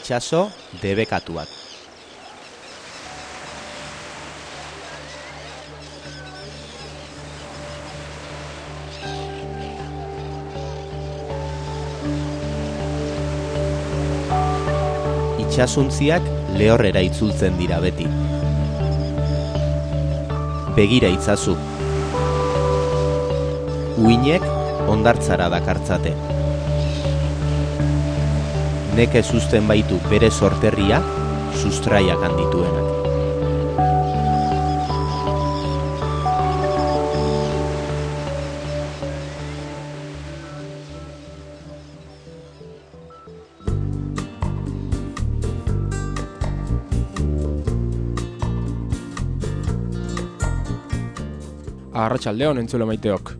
itsaso debekatuak. Itxasuntziak lehorrera itzultzen dira beti. Begira itzazu. Uinek hondartzara dakartzate. Nekez uzten baitu bere sorterria, sustraiak handituenak. Arratsaldeon entzule maiteok.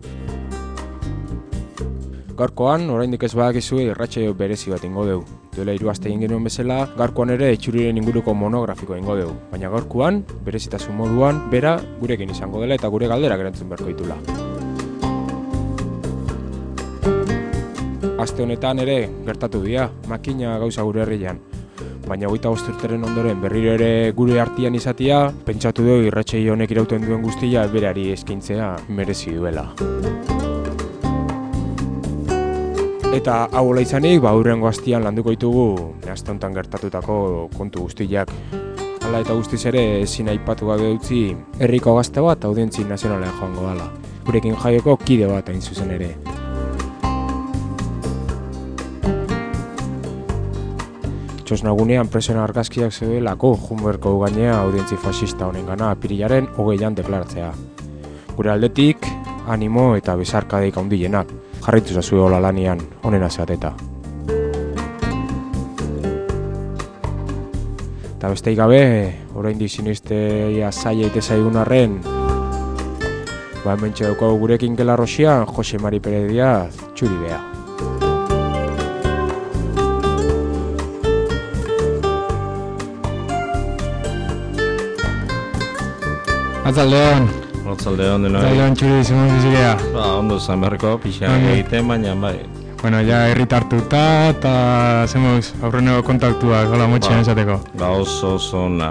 Gaurkoan, oraindik ez badakizue irratsaio berezi bat ingo dugu. Duela 3 aste egin genuen bezala, gaurkoan ere itxuriren inguruko monografikoa ingo dugu. Baina gaurkoan, berezitasun moduan, bera gurekin izango dela eta gure galderak erantzun beharko ditula. Aste honetan ere gertatu dira, makina gauza gure herrian. Baina 25 urteren ondoren berriro ere gure artean izatea, pentsatu dugu irratsaio honek irauten duen guztia berari eskaintzea merezi duela. Eta hau hola izanik, hurrengo astean landuko ditugu aste honetan gertatutako kontu guztiak. Hala eta guztiz ere ezin aipatu gabe utzi herriko gazte bat audientzi nazionalean joango dela. Gurekin jaioko kide bat hain zuzen ere. Txosnagunean presen argazkiak zeudelako junberko gainea audientzi fascista honengana apirilaren 20an deklaratzea. Gure aldetik, animo eta besarkadeik handienak. Jarraitu zazue hola lanian, honena zeateta. Eta besteik gabe, oraindik sinistea zaila ite zaigun arren, hementxe daukagu gurekin Gelarrosian, Jose Mari Perez Diaz, txuri beha. Atzaldeon. Atzaldeon denoi. Atzaldeon txuri izan bizigea. Ondo zan beharko, pixan egiten, baina bai. Bueno, ja herritartuta eta zemoz aurreneko kontaktuak, hola motxean esateko. Oso ona,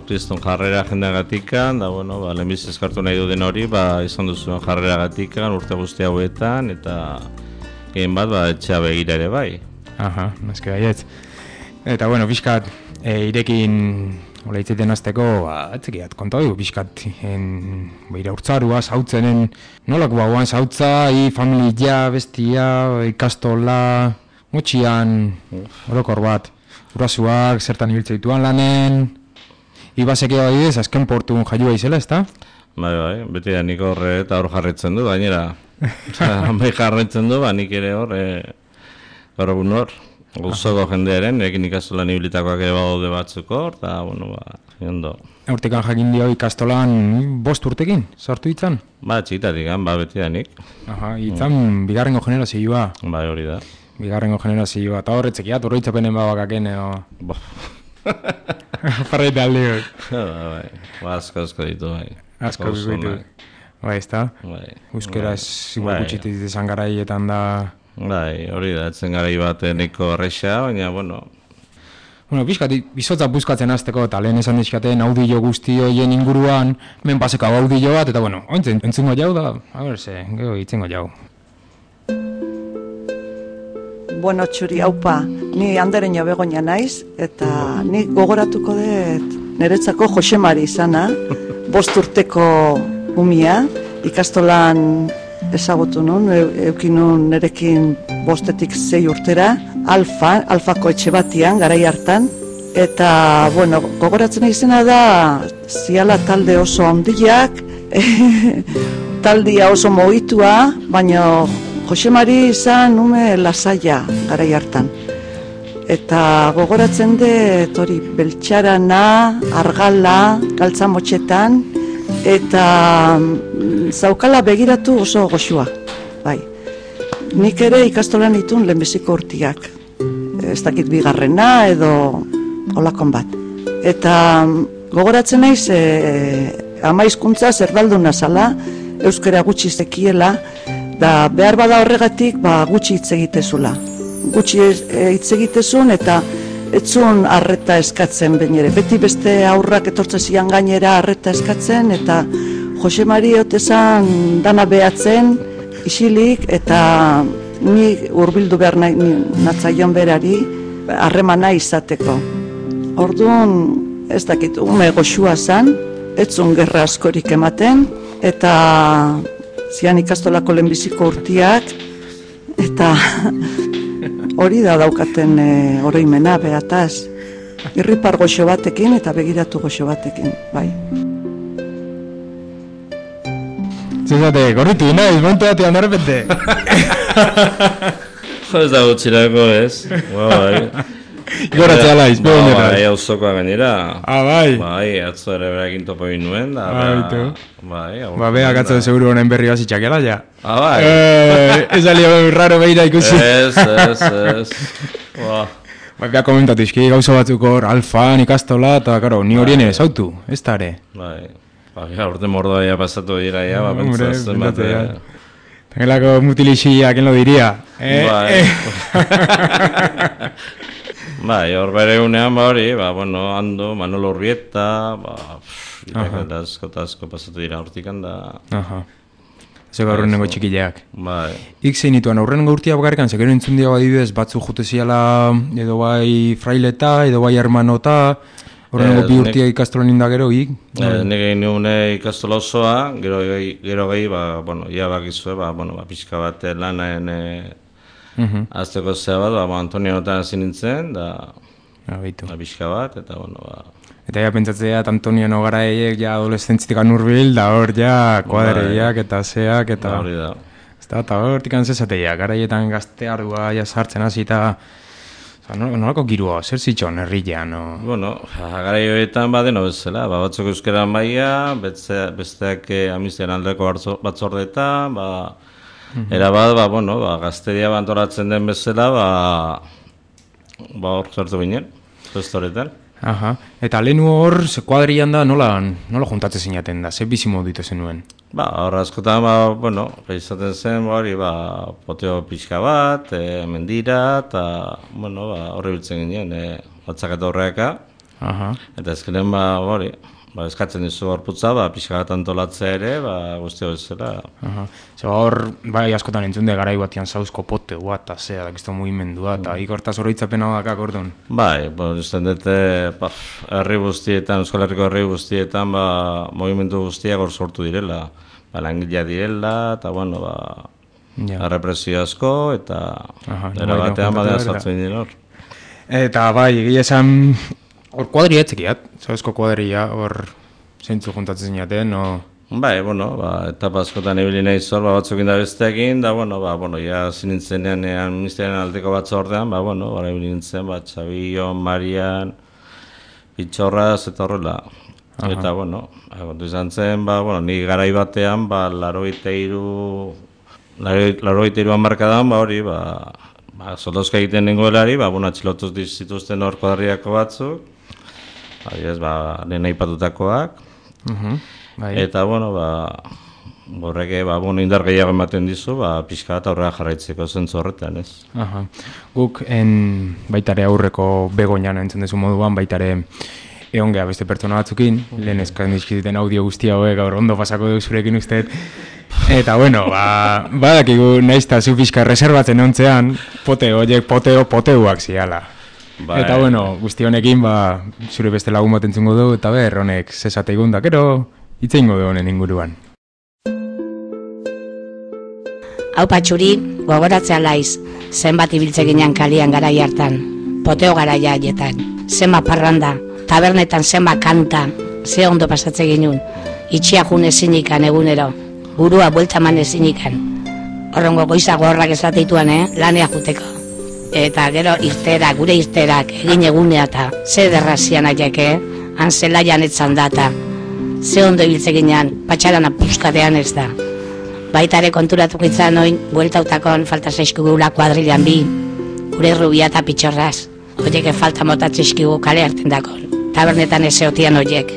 kriston jarrera jendeagatikan, da bueno, lehenbiz eskartu nahi duden hori, izan duzuen jarreragatikan urte guzti hauetan, eta gehen bat, etxea begira ere bai. Aha, noski baietz. Eta bueno, pixkat, irekin hola itzaiten azteko, etzekiat, konta dugu, pixkat, iraurtzarua, zautzenen, nolako bauan zautza, familia, bestia, ikastola, motxian, orokor bat, urasuak, zertan ibiltze dituan lanen, ibazekeo adibidez, azken portun jaiua izela, ezta? Bai, beti da nik horre eta hor jarretzen du, gainera, bai jarretzen du, nik ere hor, gaur egun hor. Guztoko jendearen, ekin ikastolan ibilitakoak ere badaude batzuko, eta, bueno, ondo. Urtekan jakin dio ikastolan 5 urtekin, sartu ditzan? Txikitatik, beti da nik. Aha, ditzan bigarrengo generazioa. Bai, hori da. Bigarrengo generazioa, eta horretzekiat, horreitzapenen babakaken, Parreita aldiok. Bai, asko ditu, bai. Asko ditu. Bai, ez da? Bai. Euskaraz, igual gutxitik izan garaietan da... Bai, hori da, etzen garai bat neko erresa, baina, bueno... Bueno, pixkat, bizotza buskatzen azteko, eta lehen esan dizkaten audio guzti horien inguruan, men paseko audio bat, eta bueno, ointzen, entzungo jau da, gero itzengo jau. Bueno, txuri, haupa, ni Andereño Begoña naiz, eta ni gogoratuko dut niretzako Jose Mari izana, 5 urteko umia, ikastolan ezagutu nun, eukin nun nerekin 5-tik 6 urtera, Alfako etxe batian, garai hartan, eta, bueno, gogoratzen izena da, ziala talde oso handiak, taldia oso mogitua, baina Jose Mari izan ume lasaia garai hartan. Eta gogoratzen dut hori beltxarana, argala, galtzamotxetan, eta zaukala begiratu oso goxua, bai. Nik ere ikastolan ditun lehenbiziko urtiak, ez dakit bigarrena edo olakon bat. Eta gogoratzen naiz ama hizkuntza zerdalduna zala, euskara gutxi zekiela, da behar bada horregatik gutxi hitz egitezula. Gutxi hitz egitezun eta etzun arreta eskatzen bainere. Beti beste aurrak etortzen zian gainera arreta eskatzen, eta Jose Mari otezan dana behatzen, isilik, eta ni hurbildu behar natzaion berari harremana izateko. Orduan, ez dakit, ume goxua zan, etzun gerra askorik ematen, eta zian ikastolako lehenbiziko urtiak, eta hori da daukaten oroimena behataz. Irripar goxo batekin eta begiratu goxo batekin, bai. Zezate, gorritu naiz, montu batean de repente. Ez da gutxirako, ez? Bai. Goratzea laiz, bego nera. Bai, hauzokoa gainera. Bai. Bai, atzo ere berakin topo egin nuen, da. Bai, beak atzo seguru honen berri bazitxakela, ja. Bai. Ez alio raro behira ikusi. Ez. Bai, beak komentatu izki, gauza batzuk hor, alfan, ikastola, eta, karo, ni horien ez autu, ez da ere. Bai. Urte mordoa ya pasatu dira, ya, pentsatzen bat. Tengelako mutilixia, ¿quién lo diría? Bai. Bai, hor bere unean, hori, bueno, Ando, Manolo Urbieta, asko pasatu dira hortikan da. Zego aurrenengo txikileak. Bai. Zein nituen aurrenengo urtia bakarrikan, zekero entzun dira badibidez, batzu jute ziala, edo bai fraileta, edo bai hermanota, horrengo bi urtia ikastolan indagero, Nire nune ikastola osoa, gero gehi, bueno, ia bakizue, pixka bat lanaen azteko zea bat, Antonio notan hasi nintzen, da pixka bat, eta, bueno, Eta ja pentsatzea, Antonio garaiek ja adolescentzitik anurbil, da hor ja kuadreiak eta zeak, eta... Hori da. Eta hortik antzezatea, garaietan gazteardua ja sartzen hasi eta... Nolako girua, zer zitxon herrian? Bueno, garaioetan badeno bezala, batzuk euskeran baia, besteak amizien aldeko batzordetan, erabat, gazteria bantoratzen den bezala, hor sartu ginen, gestoretan. Eta lehenu hor, ze kuadrian da, nola juntatzen zinaten da, ze bizimo ditu zenuen? Hor askotan, izaten zen, poteo pixka bat, mendira, eta, horre biltzen ginen, batzak eta horreaka. Eta ezkenen, eskatzen dizu horputza, pixka bat antolatzea ere, guztia bezala. Hor, askotan entzunde garai batian zauzko poteua, eta zea, dakizto mugimendua, eta ikortaz horreitzapena bakak ordun. Bai, usten dute, herri guztietan, Euskal Herriko herri guztietan, mugimendu guztiak hor sortu direla. Langilea direla, eta, represio asko, eta erabatean badean sartzen dira hor. Eta, egia esan, hor kuadria etzekiat, zauzko kuadria, hor zeintzu juntatzen zinaten, Bai, etapa askotan ibili nahi zor, batzuk inda besteekin, da, ja zinintzenean ministerien aldeko batzordean, ibili nintzen, Txabillo, Marian, Pitxorraz, eta horrela. Eta, kontu izan zen, ni garai batean, 83 hamarkadan, hori, soldozka egiten nengoelari, atxilotuz zituzten hor kuadriako batzuk, lehen aipatutakoak, eta, horrek, indar gehiago ematen dizu, pixka bat aurrera jarraitzeko zentzu horretan, ez? Guk, baitare aurreko begoinan entzun dezu moduan, baitare egon geha beste pertsona batzukin, lehen eskan dizkiziten audio guztia hauek, gaur ondo pasako duk zurekin usteet. Eta, badakigu naizta zu pixka reserbatzen ontzean, poteuak ziala. Eta, guzti honekin, zure beste lagun bat entzungo du, eta honek zesate igunda, kero itzeingo du honen inguruan. Hau patxuri, gogoratzea laiz, zenbat ibiltze ginen kalian garai hartan, poteo garaia haietan, zenbat parranda, tabernetan zenbat kanta, ze ondo pasatze ginen, itxia jun ezinikan egunero, burua buelta man ezinikan, horrengo goizago horrak ezateituan, lanea juteko. Eta gero irterak, gure irterak, egin egunea eta ze derrazian aieke, han zelaian etzan data, ze ondo ibiltze ginen, patxaran apuskatean ez da. Baitare konturatuko izan oin, bueltautakon falta zaizkigula kuadrilan bi, gure rubia eta Pitxorraz, horiek falta motatzeizkigu kale hartzen dakon. Tabernetan ezeotian horiek.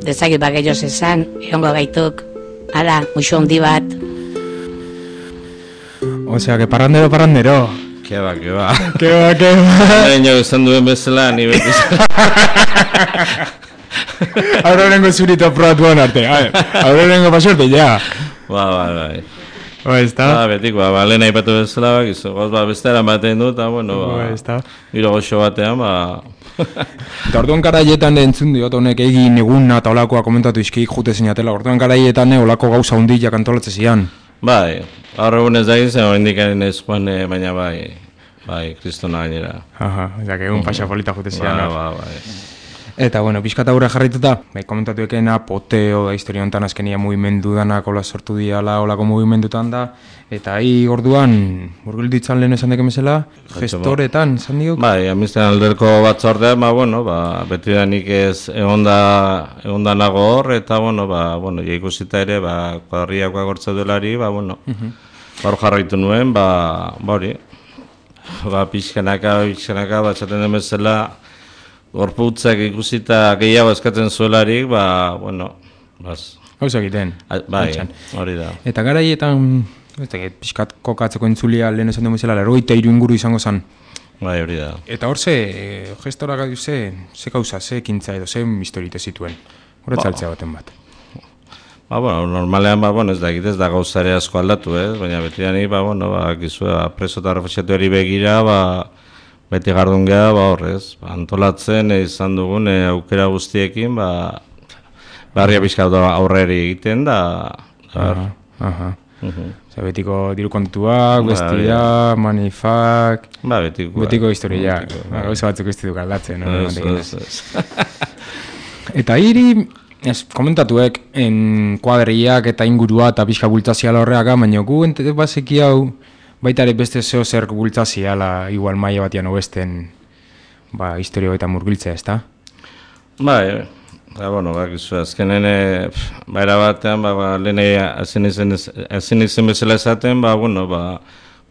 Dezakit gehiagoz esan, egongo gaituk, muixo handi bat. Osea, que parrandero. Keba. Keba. Baina esan duen bezala, ni beti. Aurrengo zurito probatuan arte. Aurrengo pasorte, ja. Bai. Está. Betik, lehen aipatu bezala, gizu, bestera batean du, eta, bueno, giro goxo batean, Eta orduan garaietan entzun diot honek egin eguna eta olakoa komentatu izkik jute zinatela. Orduan garaietan olako gauza hundiak antolatze zian. Bai, gaur egun ez da egin, hori indikaren ez joan, baina bai, kristona gainera. Eta egun pasapolita jute zian. Bai. Eta, bueno, pixka eta gure jarrituta, komentatu ekena, poteo da historia honetan azkenia mugimendu danak ola sortu diala olako mugimendutan da, eta orduan, murgilditzan lehen esan deken bezala, gestoretan, esan diok? Bai, amizten alderko batzordean, beti da nik ez egon da nago hor, eta, ikusita ere, kuadriak agortza duelari, hor jarraitu nuen, hori, pixkanaka, batxaten den bezala, gorputzak ikusita gehiago eskatzen zuelarik, Gauza egiten. Bai, hori da. Eta garaietan, pixkat kokatzeko entzulia lehen esan duen bezala, 83 inguru izango zen. Bai, hori da. Eta hor gestora gaitu ze gauza, ze ekintza edo, ze historite zituen. Horatzaltzea baten bat. Normalean, ez da egitez da gauzare asko aldatu, baina beti da ni, preso eta refuxiatuari begira, beti gardun geha, horrez, antolatzen izan dugun aukera guztiekin, barria pixka aurreri egiten da. Betiko diru kontuak, bestia, manifak, betiko historia, gauza batzuk ez diduk aldatzen. Eta komentatuek, kuadriak eta ingurua eta pixka bultzaziala horreaga, baina gu bazeki hau, baita ere beste zeo zer bultzaziala igual maia batian obesten historio eta murgiltzea, ez da? Bai, azkenen baira batean, lehen ezin izen bezala esaten,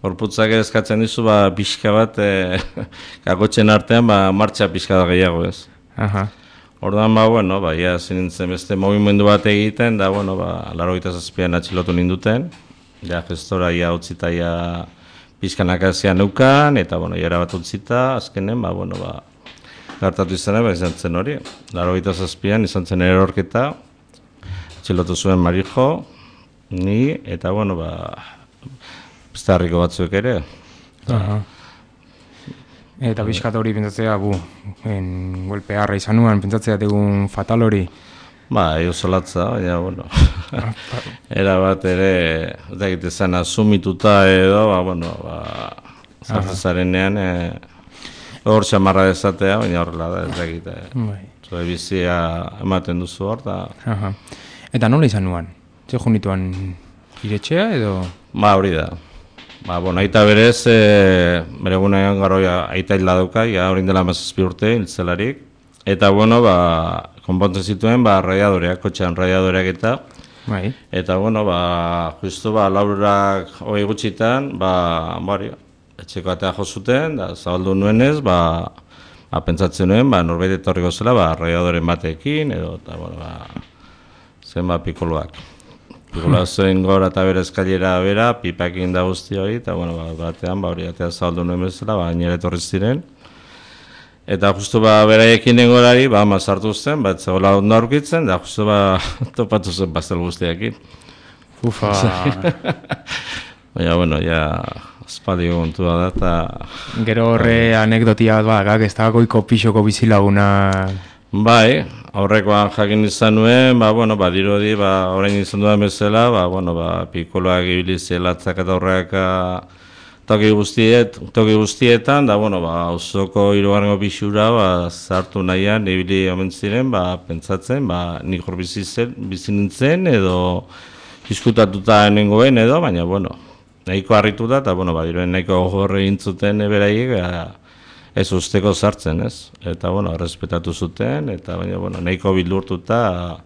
gorputzak eskatzen dizu, pixka bat, kakotzen artean, martxa pixka da gehiago, ez? Orduan, ezin nintzen beste movimendu bat egiten, da, 87an atxilotu ninduten, gestora utzita pizkanak azian neukan, eta jara bat utzita, azkenen, gartatu izan izan zen hori. 87an izan zen erorketa, atxilotu zuen Marijo, ni, eta beste harriko batzuk ere. Eta pixkat hori pentsatzea, golpearra izan nuen, pentsatzea egun fatal hori. Oso latza, baina, era bat ere, ez da egitezan asumituta edo, zartezarenean, hor xamarra dezatea, baina horrela da, ez da egite. Zure bizia ematen duzu hor, eta... Eta nola izan nuen? Zer junituan iretxea edo? Hori da. Aita berez, bere gunean garoia aita hil dauka, horin dela 17 urte, hiltzelarik. Eta, konpontzen zituen, radiadoreak, kotxean radiadoreak eta. Eta, justu, laurak hogei gutxitan, etxeko atea jo zuten, zabaldu nuenez, pentsatzen nuen, norbait etorriko zela, radiadoren batekin, edo, zen pikoloak. Pikoloak zoin gora eta bere eskailera bera, pipakin da guzti hori, eta, batean, hori atea zabaldu nuen bezala, nire etorri ziren. Eta justu beraiekin dengorari, mazartu zen, zegoela ondo aurkitzen, da justu topatu zen pastel guztiakin. Ufa! Baina, espaldi gontua da, eta... Gero horre anekdotia bat, ez da goiko pixoko bizilaguna... Bai, aurrekoan jakin izan nuen, dirudi, orain izan dudan bezala, pikoloak ibilizielatzak eta horreak toki guztietan, da, auzoko hirugarrengo pixura, zartu nahian, ibili omen ziren, pentsatzen, nik hor bizi nintzen, edo diskutatuta nengoen, edo, baina, nahiko harrituta, eta, diruen nahiko horre intzuten beraiek, ez usteko sartzen, ez? Eta, respetatu zuten, eta, baina, nahiko bildurtuta,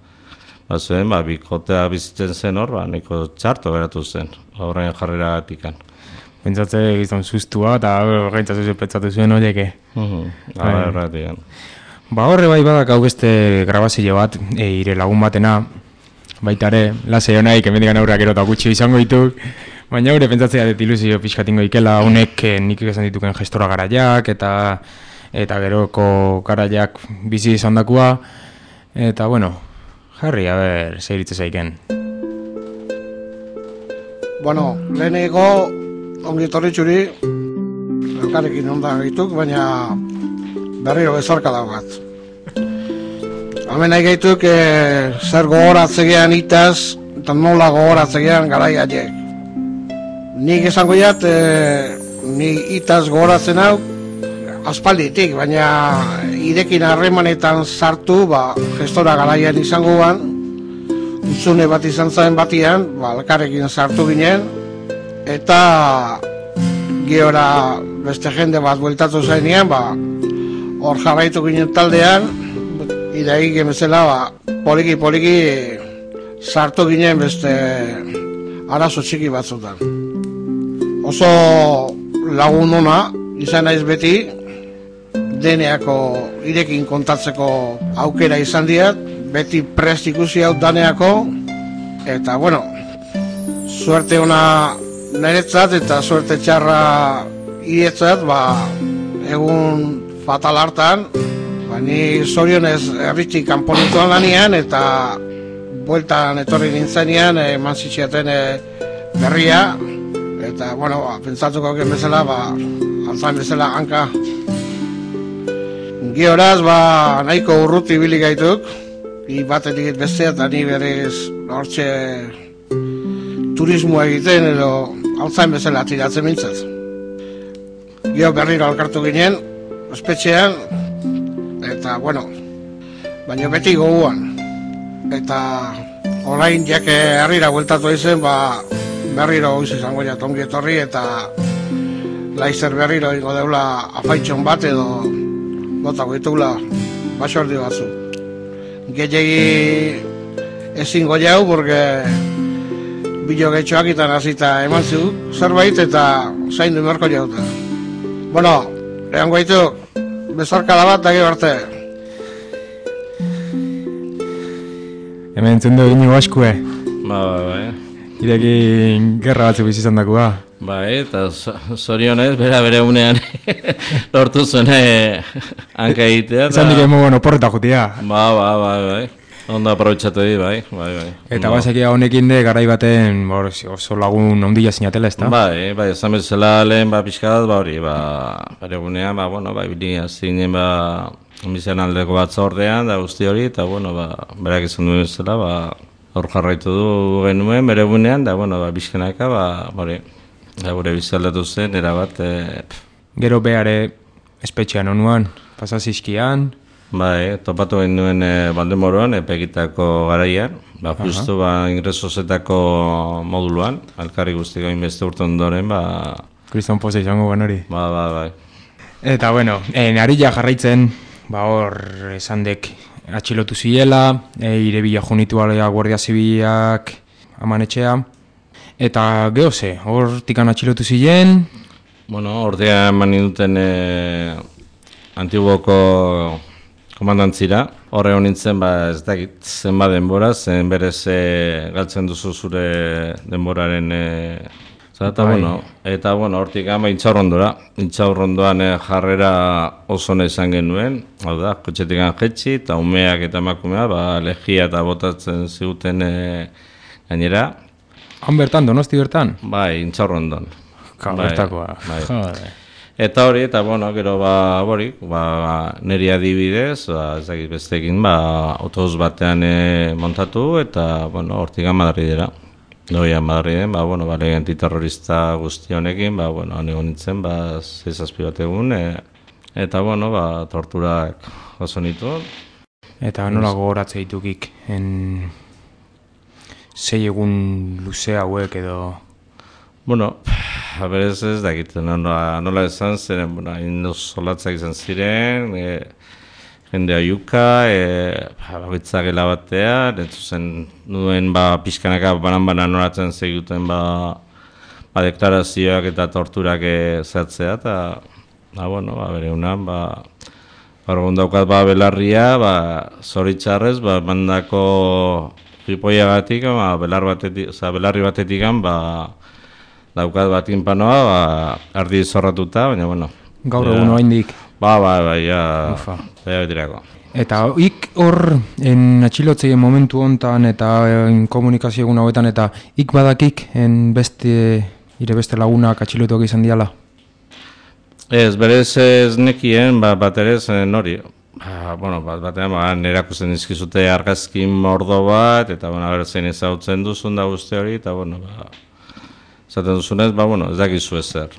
zuen, bikotea bizitzen zen hor, nahiko txarto geratu zen, horrein jarrera gatikan. Pentsatze gizon sustua, eta gaitzatzen pentsatu zuen horieke. Erratikan. Horre badak hau beste grabazio bat, ire lagun batena, baita ere, lasei honaik, emendikan aurrak erota gutxi izango dituk, Baina gure pentsatzea dut ilusio pixkatingo ikela honek nik esan dituken gestora garaiak eta geroko garaiak bizi izan dakua. Eta bueno, jarri, a ber, zeiritze zaiken. Bueno, leheneko ongi etorri txuri, elkarrekin onda gaituk, baina berriro bezarka daugat. Hemen nahi gaituk zer gogoratzegean itaz, eta nola gogoratzegean garai haiek. Nik esango jat, ni itaz gogoratzen hau, aspalditik, baina irekin harremanetan sartu, gestora garaian izango ban, utzune bat izan zen batian, elkarrekin sartu ginen, eta geora beste jende bat bueltatu zainean, hor jarraitu ginen taldean, idai gemezela, poliki sartu ginen beste arazo txiki batzutan. Oso lagun ona, izan naiz beti, deneako irekin kontatzeko aukera izan diat, beti prest ikusi hau daneako, eta bueno, suerte ona niretzat eta suerte txarra iretzat, egun fatal hartan, ni zorionez erritxik kanponituan lanian, eta bueltan etorri nintzenean eman zitziaten berria, eta bueno, pentsatuko gen bezala, alzain bezala hanka. Gioraz, nahiko urruti bilik gaituk, batetik bestea, eta ni berez hortxe turismoa egiten, edo alzain bezala tiratzen mintzat. Gio berriro alkartu ginen, ospetxean, eta bueno, baina beti goguan. Eta orain jake herrira bueltatu izen, berriro goiz izango jat ongi etorri, eta laizer berriro ingo deula afaitxon bat edo gotako ditugula basordi batzu. Gehiagi ezingo jau, porque bilo getxoak itan hasita eman zu zerbait eta zaindu beharko jauta. Bueno, egan guaitu, bezarkada bat da gero arte. Hemen entzun dugu inigo askue. Bai. Irekin gerra batzuk bizizan dakua. Bai, eta zorionez, bere unean lortu zuen hanka egitea. Esan dik emo oporreta jutia. Bai. Ondo aprobetxatu di, bai. Eta basekia honekin de garai baten oso lagun ondila zinatela, ez da? Bai, esan bezala lehen pixkat, hori, bere gunean, bilia zinen, bizian aldeko batzordean, da guzti hori, eta, berak izan duen bezala, hor jarraitu du genuen, bere gunean, da, bizkenaka, hori, gure bizialdatu zen, erabat. Gero behare espetxean onuan, pasazizkian. Bai, topatu genuen Baldemoroan, epegitako garaian, justu ingresozetako moduluan, alkarri guztiko inbeste urte ondoren, Kriston poza izango ban hori. Bai. Eta bueno, narila jarraitzen, hor esandek atxilotu ziela, irebila junitu alea Guardia Zibilak amanetxea, eta geoze, hor tikan atxilotu zilen. Bueno, ordea eman duten Antiguoko komandantzira, horre honintzen, ez dakit, zenba denbora, zen berez galtzen duzu zure denboraren eta hortik gama intxaurrondoan jarrera oso izan genuen, hau da, kotxetik jetxi, eta umeak eta emakumea, legia eta botatzen ziguten gainera. Han bertan, Donosti bertan? Bai, intxaurrondon. Bertakoa, jode. Eta hori, gero niri adibidez, ez dakit bestekin, autobus batean montatu, eta hortik Madridera. Doia Madriden, lehen antiterrorista guzti honekin, nego nintzen, 6-7 bat egun, eta torturak oso nitu. Eta nola gogoratze ditukik, 6 egun luze hauek edo... Berez ez dakit, nola esan ziren, solatzak izan ziren, jende aiuka, bagitzak batean, entzuzen nuen pixkanaka banan noratzen zeguten deklarazioak eta torturak zehatzea, eta bere unan, Orgun daukat belarria, zoritxarrez, mandako jipoiagatik, belarri batetik, daukat bat inpanoa, ba, ardi zorratuta, baina, bueno. Gaur egun oraindik. Ja betirako. Eta hor atxilotzeien momentu hontan eta komunikazio egun hauetan eta badakik beste lagunak atxilotuak izan diala? Ez, berez ez nekien, bat ere nori. Batean erakusten dizkizute argazkin mordo bat, eta zein ezagutzen duzun da guzti hori, eta esaten duzunez, ez dakizu ezer.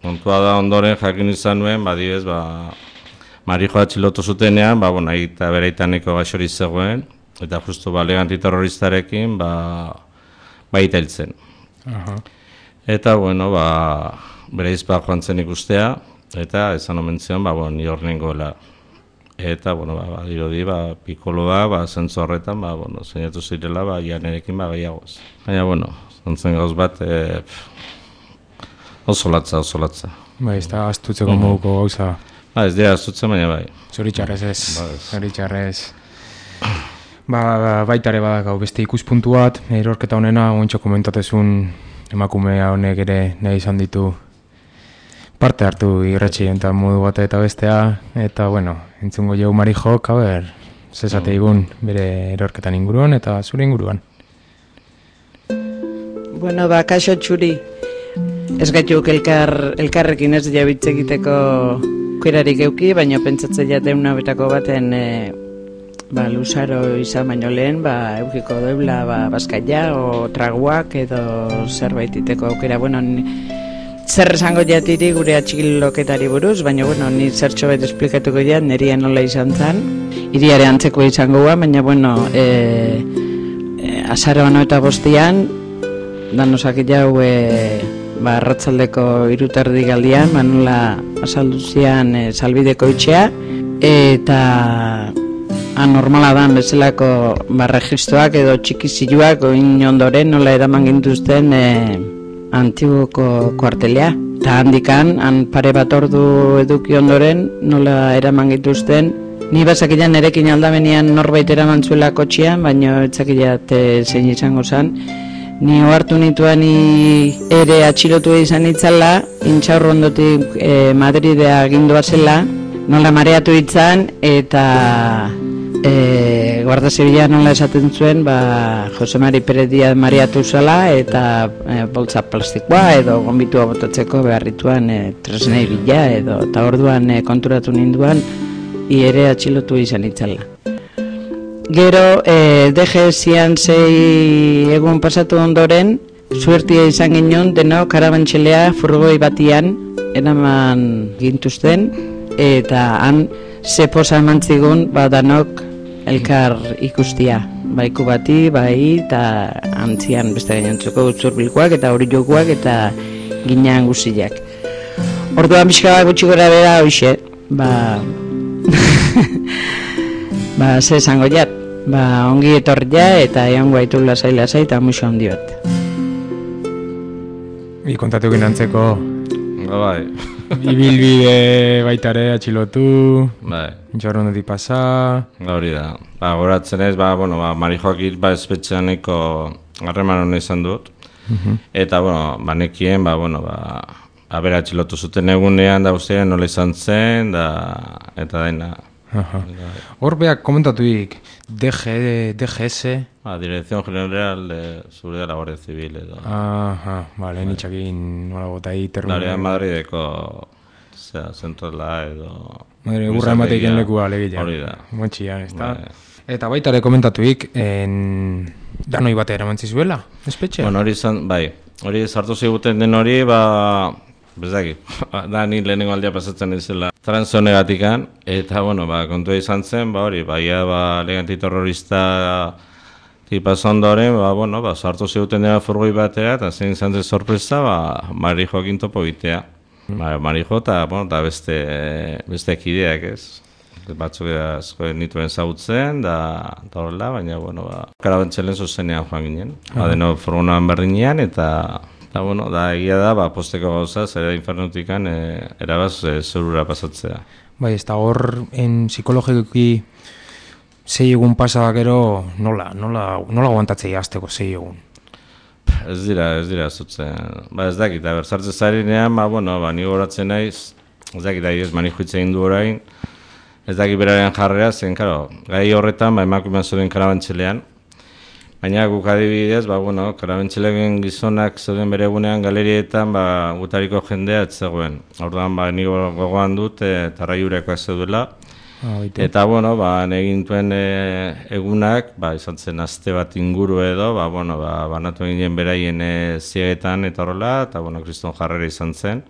Kontua da ondoren jakin izan nuen, badibez, Marijoa atxilotu zutenean, eta bere itaneko gaixori zegoen, eta justu lege antiterroristarekin, baita hiltzen. Eta, bere izpa joan zen ikustea, eta esan omen zion, ni hor nengoela. Eta, dirudi, pikoloa, zentzu horretan, zeinatu zirela, janerekin gehiagoz. Baina, zantzen gauz bat, oso latza. Ez da astutzeko moduko gauza. Ez dira astutzen, baina bai. Zoritxarrez ez, zoritxarrez. Baitare badakau beste ikuspuntu bat, erorketa honena, ointxo komentatezun emakumea honek ere nahi izan ditu parte hartu irratxi eta modu bat eta bestea, eta entzungo jau Marijok, zesate igun bere erorketan inguruan eta zure inguruan. Kaixo txuri, ez gaituk elkarrekin ez jabitze egiteko kerarik euki, baina pentsatzen jateuna betako baten luzaro izan baino lehen, eukiko deula bazkaia o traguak edo zerbait iteko aukera. Zer esango jatiri gure atxikiloketari buruz, baina ni zertxo bat esplikatuko jat, neria nola izan zen, iriare antzeko izango gua, baina azaroan eta bostian, danosak jau arratzaldeko 3:30 galdian, nola azalduzian salbideko itxea, eta anormala dan bezalako registroak edo txikiziluak oin ondoren nola eraman gintuzten Antiguoko kuartelea. Eta handikan, pare bat ordu eduki ondoren nola eraman gintuzten. Ni bazakilan erekin aldamenean norbait eraman zuela kotxian, baina etzakilat zein izango zen. Ni ohartu nituan ere atxilotu izan itzala, intxaurro ondotik Madridea agindua zela, nola mareatu itzan, eta Guardia Zibila nola esaten zuen, Jose Mari Perez Díaz mareatu zela, eta boltsa plastikoa edo gonbitua botatzeko beharrituan tresnei bila, eta orduan konturatu ninduan, ere atxilotu izan itzala. Gero, DGS-ian 6 egun pasatu ondoren, suertia izan ginen, denok karabantxelea furgoi batian eraman gintuzten, eta han zeposa eman zigun, danok elkar ikustia. Baiku bati, eta antzian beste gainontzeko utzurbilkoak eta hori jokuak eta ginean guziak. Orduan pixka gutxi gora bera hoxe, ze esango jat, ongi etorria eta egon guaitu lasai eta muixo handi bat. Kontatu ginantzeko Bai. Ibilbide baitare atxilotu, intxarrondotik pasa. Hori da. Goratzen ez, Marijoak espetxeaneko harreman hona izan dut. Eta, nekien, bera atxilotu zuten egunean, da guztien nola izan zen, eta daina. Hor beak komentatuik DGS Dirección General de Seguridad de la Guardia Civil edo. Nitxakin nola botai termina. Daria Madrideko zentrola edo. Urra ematekin lekua legila. Hori da. Montxia, ez da. Eta baitare komentatuik danoi bat eramentzizuela, espetxe? Hori izan, hori sartu ziguten den hori, bezaki, da ni lehenengo aldia pasatzen izela transonegatikan, eta, kontua izan zen, hori, lege antiterrorista tipaz ondoren, sartu ziguten dena furgoi batera, eta zein izan zen sorpresa, Marijoakin topo egitea. Marijo eta beste kideak, ez? Batzuk asko nituen zautzen, da horrela, baina, karabantxelen zuzenean joan ginen. Deno furgonan berdinean, eta egia da, posteko gauza, zera infernutikan erabaz zerura pasatzea. Ez da hor, psikologikoki 6 egun pasa gero, nola aguantatzei azteko 6 egun? ez dira zutzen. Ba, ez dakit, sartzen zarenean, ni goratzen naiz, ez dakit, ez mani juitzen egin du orain, ez dakit beraren jarrera, zen, karo, gai horretan, emakumean zeuden karabantxelean, baina guk adibidez, karabantxelegen gizonak zeuden bere egunean galerietan, gutariko jendea ez zegoen. Orduan, ni gogoan dut, tarraiurekoak zeudela, eta, egin duen egunak, izan zen aste bat inguru edo, banatu eginen beraien ziegetan eta horrela, eta, kriston jarrera izan zen,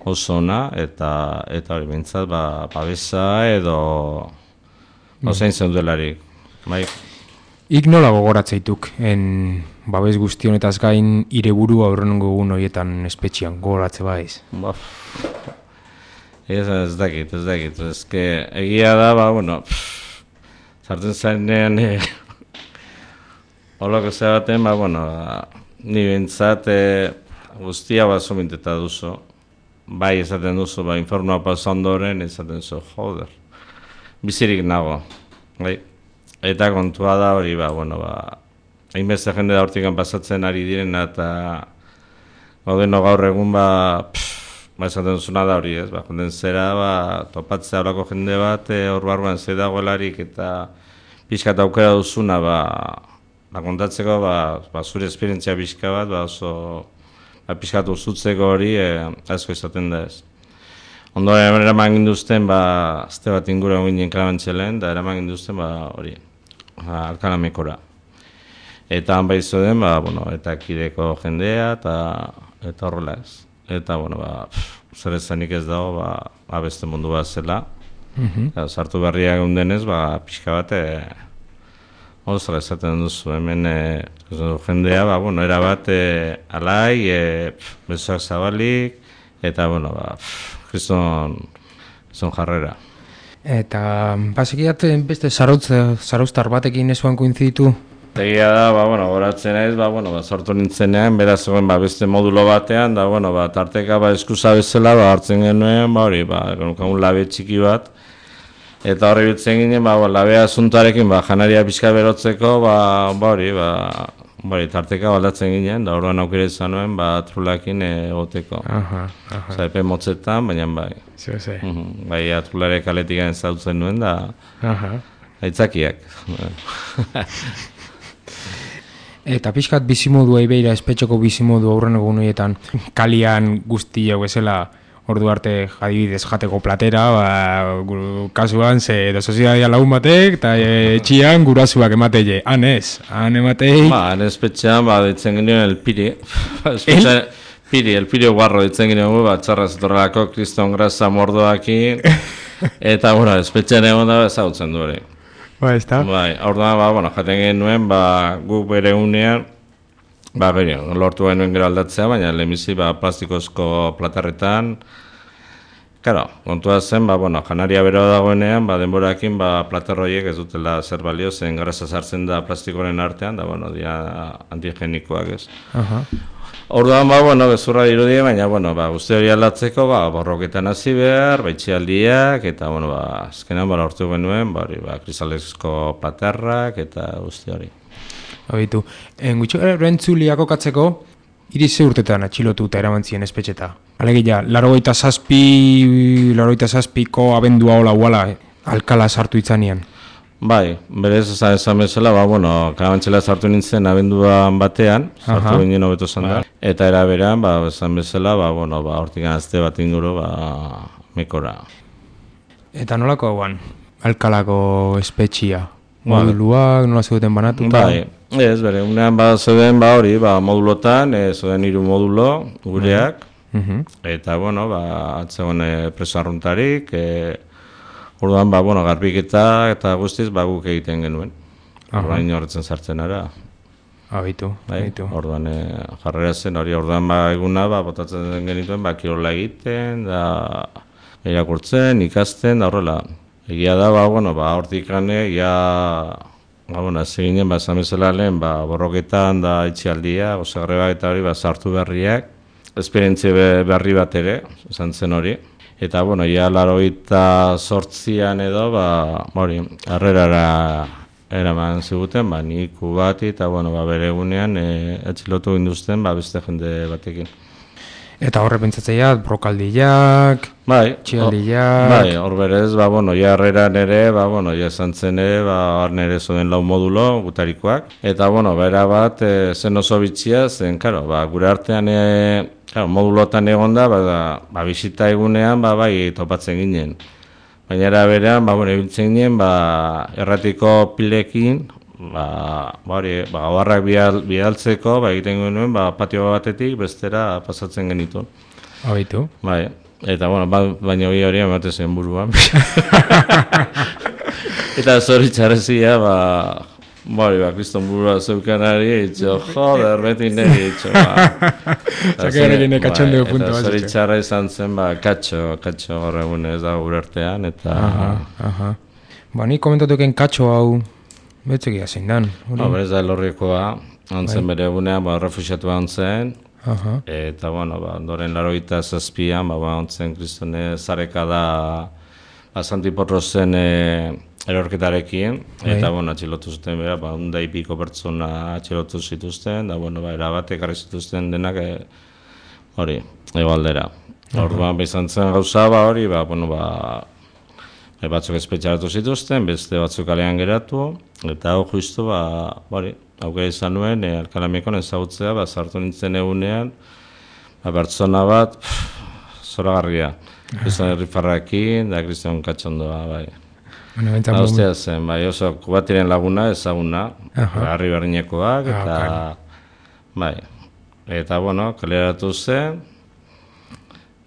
oso ona, eta hori behintzat, babesa edo, zein zen duelarik, bai. Ik nola gogoratzeituk, babes guzti honetaz gain, ire burua aurrenengo egun horietan espetxian, gogoratze baiz? Ez dakit, egia da, sartzen zarenean, holako zebaten, ni bintzat guztia zominteta duzu, bai esaten duzu, informoa pasa ondoren, esaten zu, joder, bizirik nago, bai, eta kontua da hori, hainbeste jende da hortikan pasatzen ari direna, eta gaudeno gaur egun, esaten duzuna da hori, ez, jonden zera, topatzea horako jende bat, hor barruan zei dagoelarik, eta pixka eta aukera duzuna, kontatzeko, zure esperientzia pixka bat, oso, pixka uzutzeko hori, asko izaten da ez. Ondoren eraman ginduzten, azte bat ingura ginen Karabantxelen, da eraman ginduzten, hori, Alkalamekora. Eta han baizu den, eta kideko jendea, eta horrela ez. Eta, zer ezanik ez dago, beste mundu bat zela. Sartu berriak egundenez, pixka bat, zara esaten duzu, hemen jendea, erabat alai, besoak zabalik, eta, kriston jarrera. Eta, basekiat, beste zarauztar batekin esuan koinziditu? Egia da, goratzen naiz, sortu nintzenean, beraz zegoen beste modulo batean, da, tarteka eskusa bezala, hartzen genuen, genukagun labe txiki bat, eta horri biltzen ginen, labea asuntarekin, janaria pixka berotzeko, tarteka baldatzen ginen, da orduan aukera izan nuen, atrulakin egoteko. Epe motzetan, baina bai. Bai, atrulare kaletik garen zautzen nuen, da, aitzakiak. Eta pixkat bizimodua ibeira, espetxoko bizimodu aurren egun horietan, kalian guzti jau ezela ordu arte jadibidez jateko platera, kasuan ze soziedadia lagun batek, eta etxian gurasuak ematele. Han ez, han ematei... Han espetxean, ditzen genioen el piri. El piri guarro ditzen genioen, txarra zetorrelako, kriston grasa mordoakin, eta, espetxean egon da ezagutzen du hori. Orduan, jaten genuen, guk bere unean, lortu genuen gero aldatzea, baina lehenbizi plastikozko platarretan, kontua zen, janaria bero dagoenean, denborakin platarroiek ez dutela zer balio, zen grasa sartzen da plastikoren artean, da, dia antigenikoak ez. Orduan, bezurra dirudie, baina, guzti hori aldatzeko, borroketan hasi behar, baitxialdiak, eta, azkenean, lortu genuen, kristalezko platarrak, eta guzti hori. Habitu, gutxo erentzuliako katzeko, irize urtetan atxilotu eta eramantzien espetxeta. Alegia, 87ko abendua hola uala, Alkala sartu itzanean. Bai, berez esan bezala, Karabantxela sartu nintzen abenduan batean, sartu ginen hobeto zan da, eta eraberan, esan bezala, hortik azte bat inguru, mekora. Eta nolako hauan, Alkalako espetxia? Moduluak, nola zeuden banatuta? Bai, ez, bere, unean zeuden hori, modulotan, zeuden 3 modulo, gureak, eta, atzegoen preso arruntarik, orduan, garbiketa eta guztiz, guk egiten genuen. Orduan horretzen sartzen ara. Habitu. Orduan, jarrera zen, orduan, eguna, botatzen genituen, kirola egiten, irakurtzen, ikasten, da horrela. Egia da, hortik gane, seginen, esan bezala lehen, borroketan, da itxialdia, grebak eta hori, sartu berriak, esperientzia berri bat ere, esan zen hori. Eta, 88an edo, harrerara eraman ziguten, nik bati, eta, bere egunean atxilotu ginduzten, beste jende batekin. Eta horre pentsatzeia, brokaldiak, txialdiak... Bai, hor berez, jarreran ere, ja esan zen ere, nere zoden lau modulo, gutarikoak. Eta, bera bat, zen oso bitxia, zen, gure artean, modulotan egon da, bisita egunean, bai, topatzen ginen. Baina era berean, ibiltzen ginen, erratiko pilekin, gabarrak bidaltzeko, egiten genuen, patio batetik bestera pasatzen genituen. Habitu. Bai, eta, baina hori ematen zen buruan. Eta zoritxarrezia, kriston burua zeukanari, joder, beti niri, Zakearekin ekatxondeo puntu bat. Eta zoritxarra izan zen, katxo horregun ez da gure artean, eta... Nik komentatuken katxo hau, betzekia zein dan. Berez da elorrikoa, antzen bere egunean, refusiatu antzen, eta, ondoren 87an, antzen kristone zareka da, Santiporrozen erorketarekin, eta, atxilotu zuten bera, 100 pertsona atxilotu zituzten, da, erabat ekarri zituzten denak, hori, egoaldera. Orduan, izan zen gauza, hori, batzuk espetxaratu zituzten, beste batzuk kalean geratu, eta hau justu, aukera izan nuen, Alkalamikon ezagutzea, sartu nintzen egunean, pertsona bat, zoragarria. Kriston Herrifarrakin, da Kriston Katxondoa, bai. Ostia zen, oso Kubatiren laguna ezaguna, harri berdinekoak, eta, eta, kaleratu zen,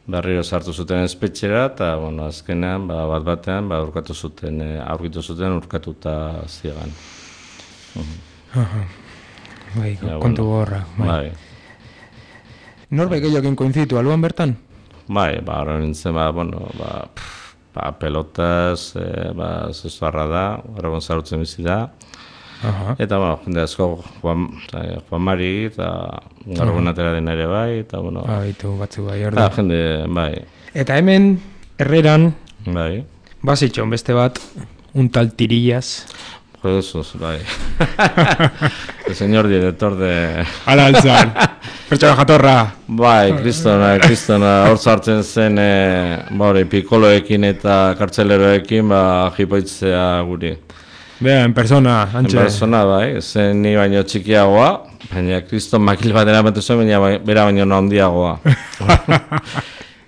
berriro sartu zuten espetxera, eta, azkenean, bat-batean, aurkitu zuten urkatuta ziegan. Kontu gorra. Norbait gehiokin koinzitu, aluan bertan? Horren nintzen, pelotaz, zezuarra da, horregon zarutzen bizi da. Eta, jende asko, Juan Mari, eta horregon atera dena ere bai, eta, Bitu, batzu bai, hor da. Jende, bai. Eta hemen, herreran, bai. Bazitxon beste bat, un tal Tirillas. Jesús, bai. El señor director de... Ala altzan, pertsona jatorra. Bai, kristona, hor sartzen zen, pikoloekin eta kartzeleroekin, jipoitzea guri. Bea, en persona, antxe. En persona, bai, zen ni baino txikiagoa, baina kriston makil bat eramaten zuen, baina bera baino handiagoa.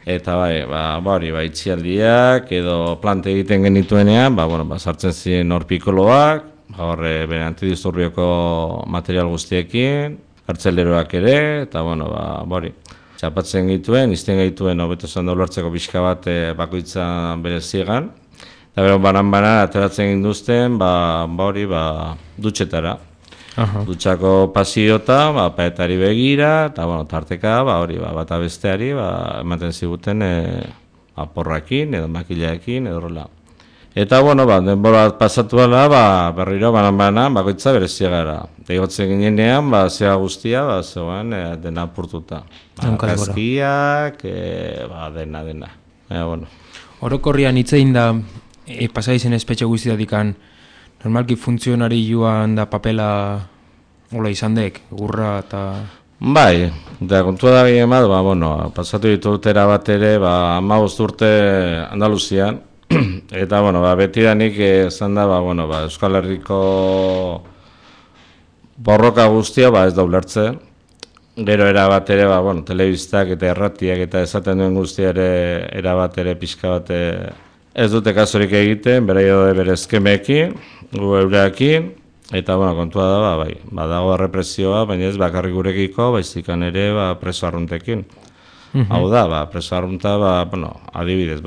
Eta itxialdiak edo plante egiten genituenean, sartzen ziren hor pikoloak, horre bere antidisturbioko material guztiekin, kartzeleroak ere, eta txapatzen gituen, izten gituen, hobeto zen ulertzeko pixka bat bakoitzan bere ziegan, eta bero banan ateratzen ginduzten, dutxetara. Dutxako pasiota, paetari begira, eta tarteka, bata besteari, ematen ziguten porrakin, edo makilaekin, edo horrela. Eta, denbora pasatu ala, berriro banan, bakoitza bere ziegara. Eta igotzen ginenean, ziega guztia, zegoen dena apurtuta. Kaskiak, dena. Orokorrian hitzein da, pasaizen espetxe guztiatikan, normalki funtzionari joan da papela hola izan dek, gurra eta... Bai, eta kontua da gehien bat, pasatu ditu urtera bat ere, 15 urte Andaluzian, eta, betidanik esan da, Euskal Herriko borroka guztia, ez da ulertzen. Gero erabat ere, telebistak eta erratiak eta esaten duen guztia ere, erabat ere, pixka bat ez dute kasorik egiten, bere eskemeekin, gu eureakin, eta, kontua da, badago represioa, baina ez bakarrik gurekiko, baizikan ere, preso arruntekin. Hau da, preso arrunta, adibidez,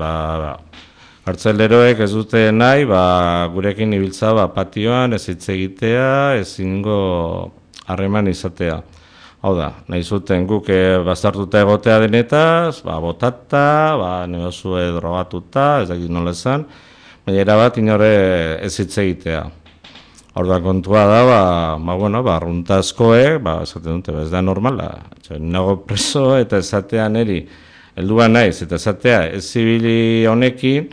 kartzeleroek ez dute nahi, gurekin ibiltza, patioan, ez hitz egitea, ezingo harreman izatea. Hau da, nahi zuten guk bastartuta egotea denetaz, botata, negozue drogatuta, ez dakit nola esan, baina erabat inore ez hitz egitea. Hor da kontua da, arrunta askoek, esaten dute, ez da normala. Nago preso eta esatean eri, helduan naiz, eta esatea ez zibili honekin,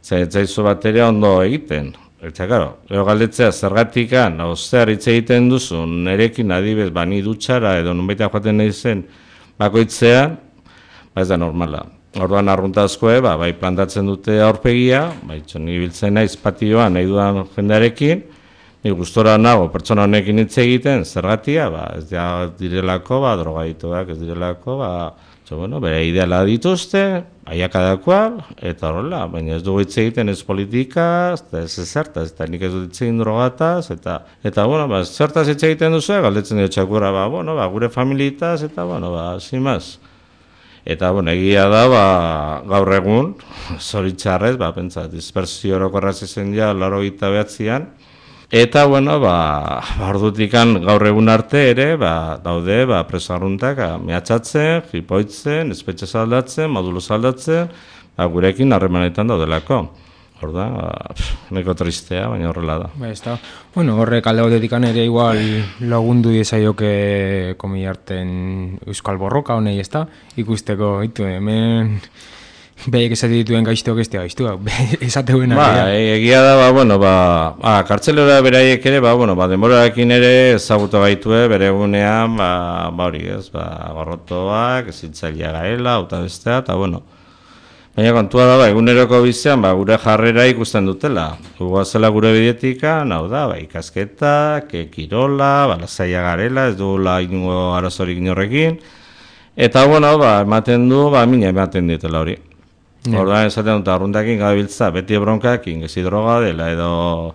ez zaizu bateria ondo egiten. Eta, karo, gero galdetzea zergatikan, zer hitz egiten duzu, nerekin adibez, ni dutxara edo nunbaita joaten nahi zen bakoitzean, ez da normala. Orduan arruntazkoe, bai plantatzen dute aurpegia, ni biltzen naiz patioan nahi dudan jendearekin, ni gustora nago pertsona honekin hitz egiten, zergatia, ez direlako, drogadituak, ez direlako, bere ideala dituzte, aiakadakoa, eta horrela, baina ez dugu hitz egiten ez politika, ez zertaz, eta nik ez dut hitz egin drogataz, eta zertaz hitz egiten duzu, galdetzen dut txakurra, gure familitaz, eta zimaz. Eta, egia da, gaur egun, zoritxarrez, pentsa, dispersio orokorraz izan ja, 89an, eta, ordutikan gaur egun arte ere, daude, preso arruntak, mehatxatzen, jipoitzen, espetxe saldatzen, modulo saldatzen, gurekin harremanetan daudelako. Horda, neko tristea, baina horrela da. Ez da. Horrek alde batetikan ere igual lagundu diezaioke komiarten euskal borroka honei, ez da? Ikusteko, hemen behek esate dituen gaiztuak ez gaiztuak, esateuen egia da, kartzelera beraiek ere, denborarekin ere ezagutu gaitue, bere egunean, hori ez, gorrotoak, ezitzailea gaela, eta bestea, eta baina kontua da, eguneroko bizian, gure jarrera ikusten dutela. Guazela gure bidetika, ikasketak, kirola, lasaia garela, ez dugula ingo arazorik inorrekin. Eta, ematen du, mina ematen ditela hori. Orduan esaten dut, arruntakin gabiltza, beti bronkakin, gezi droga dela, edo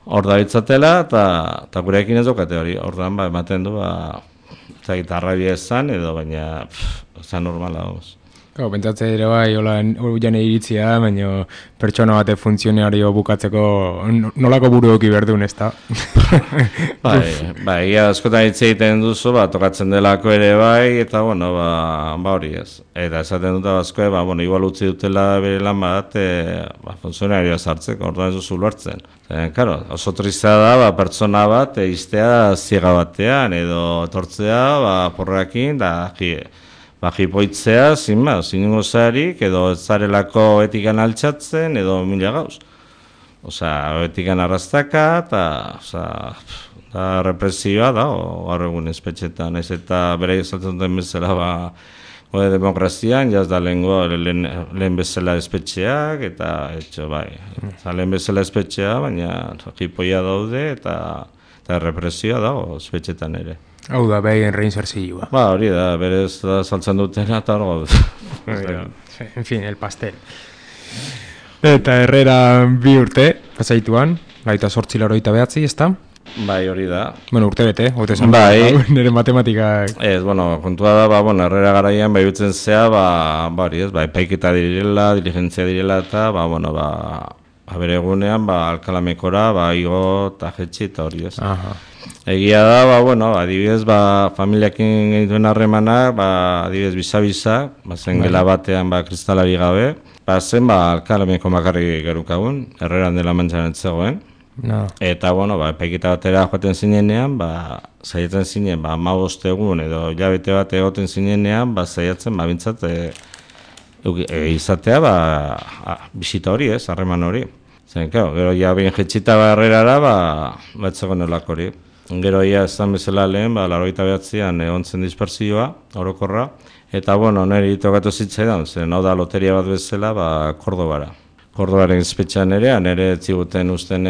hor da bitzatela, eta gurekin ez dukate hori. Orduan, ematen du, arrabia esan, edo baina, esan normala, Pentsatzea ere hola iritzia, baina pertsona bate funtzionario bukatzeko nolako buruoki berdun, ez da? Ia askotan hitz egiten duzu, tokatzen delako ere eta hori ez. Eta esaten dut askoe, igual utzi dutela bere lan bat, funtzionarioa sartzeko, orduan ez duzu ulertzen. Oso tristea da, pertsona bat, iztea ziega batean, edo etortzea, porrakin, jipoitzea, zinungo zarik, edo zarelako etikan altxatzen, edo mila gauz. Etikan arrastaka, eta represioa da, gaur egun espetxetan, ez eta bere esaltzen duten bezala, demokrazian, jaz da lehen bezala espetxeak, eta lehen bezala espetxea, baina jipoia daude, eta represioa dago espetxetan ere. Hau da, behin reinserzioa. Hori da, berez da saltzen dutena, eta hori En fin, el pastel. Eta Herrera 2 urte, pasaituan, 28-89, ez da? Hori da. Urte bete, hote zan, nire matematikak. Kontua da, Herrera garaian, utzen zea, epaiketa direla, diligentzia direla, eta, bere egunean, alkalamekora, igo, eta jetxi, eta hori ez. Egia da, adibidez, familiakin genituen harremanak, adibidez, bisa-bisa, zen gela batean, kristalari gabe, zen, alkalameko makarri gerukagun, Herreran dela mantxan etzegoen. Eta, epaiketa batera joaten zinenean, zaiatzen zinen, 15 egun edo hilabete bat egoten zinenean, zaiatzen, bintzat, izatea, bisita hori ez, harreman hori. Zen, gero, behin jetxita Herrerara, batzegoen olak hori. Gero esan bezala lehen, 89an egon zen dispersioa, orokorra, eta niri tokatu zitzaidan, zen hau da loteria bat bezala, Kordobara. Kordobaren espetxean ere etziguten usten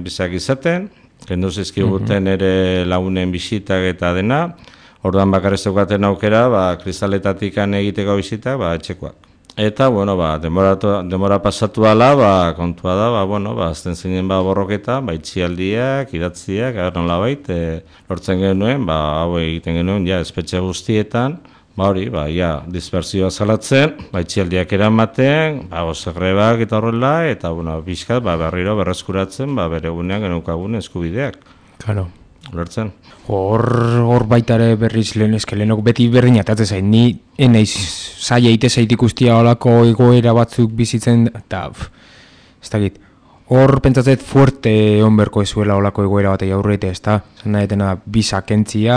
bizak izaten, kendu zizkiguten ere lagunen bisitak eta dena, orduan bakarez zeukaten aukera, kristaletatik egiteko bisitak, etxekoak. Eta, denbora pasatu ala, kontua da, azten zinen borroketa, itxialdiak, idatziak, nola lortzen genuen, hau egiten genuen, espetxe guztietan, dispersioa zalatzen, itxialdiak eramaten, gozegrebak eta horrela, eta, bizkat, berriro berreskuratzen, bere egunean genukagun eskubideak. Claro. Lortzen. Hor baitare berriz lehenok beti berdin atatzen zain, ni enaiz zaila ite zait ikustia olako egoera batzuk bizitzen, eta ez dakit, hor pentsatzet fuerte onberko ezuela olako egoera batei aurreite, ez da? Zan nahetena bisakentzia,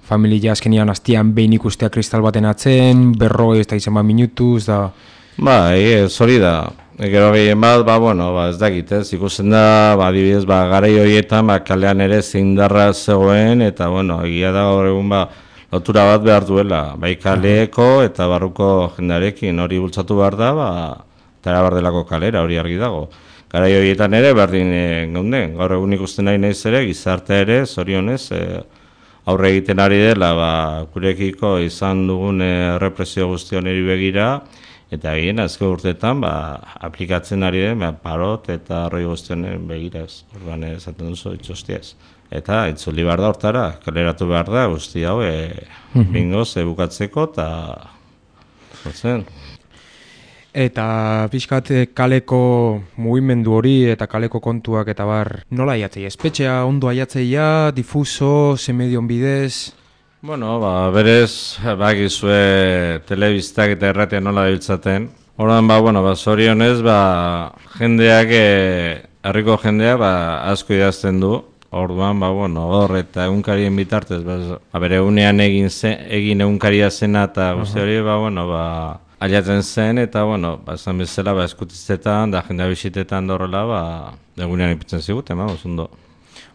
familia azkenian hastian behin ikustea kristal baten atzen, berroi ez da izan minutuz, da... Hori da, Gero gehien bat, ez dakit, ikusten da, adibidez, garai horietan, kalean ere zeindarra zegoen, eta, egia da gaur egun, lotura bat behar duela, bai kaleeko eta barruko jendarekin hori bultzatu behar da, eta erabar delako kalera, hori argi dago. Garai horietan ere, berdin geunden, gaur egun ikusten nahi naiz ere, gizarte ere, zorionez, aurre egiten ari dela, gurekiko izan dugun represio guztioneri begira, eta egin azken urteetan aplikatzen ari den parot eta arroi guztionen begiraz, orduan esaten duzu itxostiaz. Eta itzuli behar da hortara, kaleratu behar da guzti hau bingoz bukatzeko eta zotzen. Eta pixkat kaleko mugimendu hori eta kaleko kontuak eta bar nola aiatzei? Espetxea ondo aiatzeia, difuso, ze medion bidez? Berez, bakizue telebistak eta erratia nola dabiltzaten. Horren, zorionez, jendeak, herriko jendeak, asko idazten du. Orduan, hor eta egunkarien bitartez, bere egunean egin egunkaria zena eta guzti hori, aliatzen zen, eta, esan bezala, eskutitzetan, da jendea bisitetan dorrela, egunean ipitzen ziguten, ondo.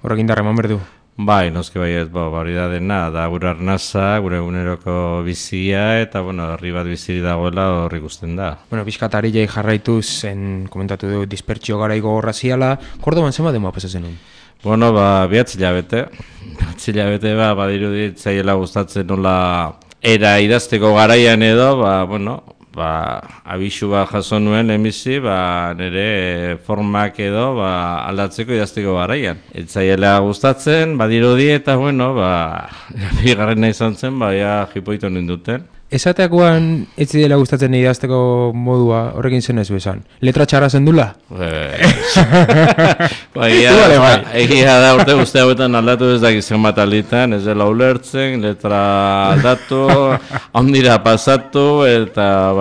Horrek indarra eman berdu? Bai, noski baiet, hori da dena, da gure arnaza, gure eguneroko bizia, eta, herri bat biziri dagoela horri ikusten da. Bizkat ari jai jarraituz, komentatu du, dispertsio garaigo horra ziala, Kordoban zema demoa pasatzen nun? 2 hilabete. 2 hilabete, badirudit zaiela gustatzen nola era idazteko garaian edo, abisu jaso nuen emizi, nire formak edo aldatzeko idazteko garaian. Etzaiela gustatzen, badirudi eta, bigarrena izan zen, jipoitu ninduten. Esateakoan ez dela gustatzen idazteko modua, horrekin zen ez bezan. Letra txarra zendula? Egia da urte guzti hauetan aldatu ez dakizien bat alditan, ez dela ulertzen, letra aldatu, ondira pasatu, eta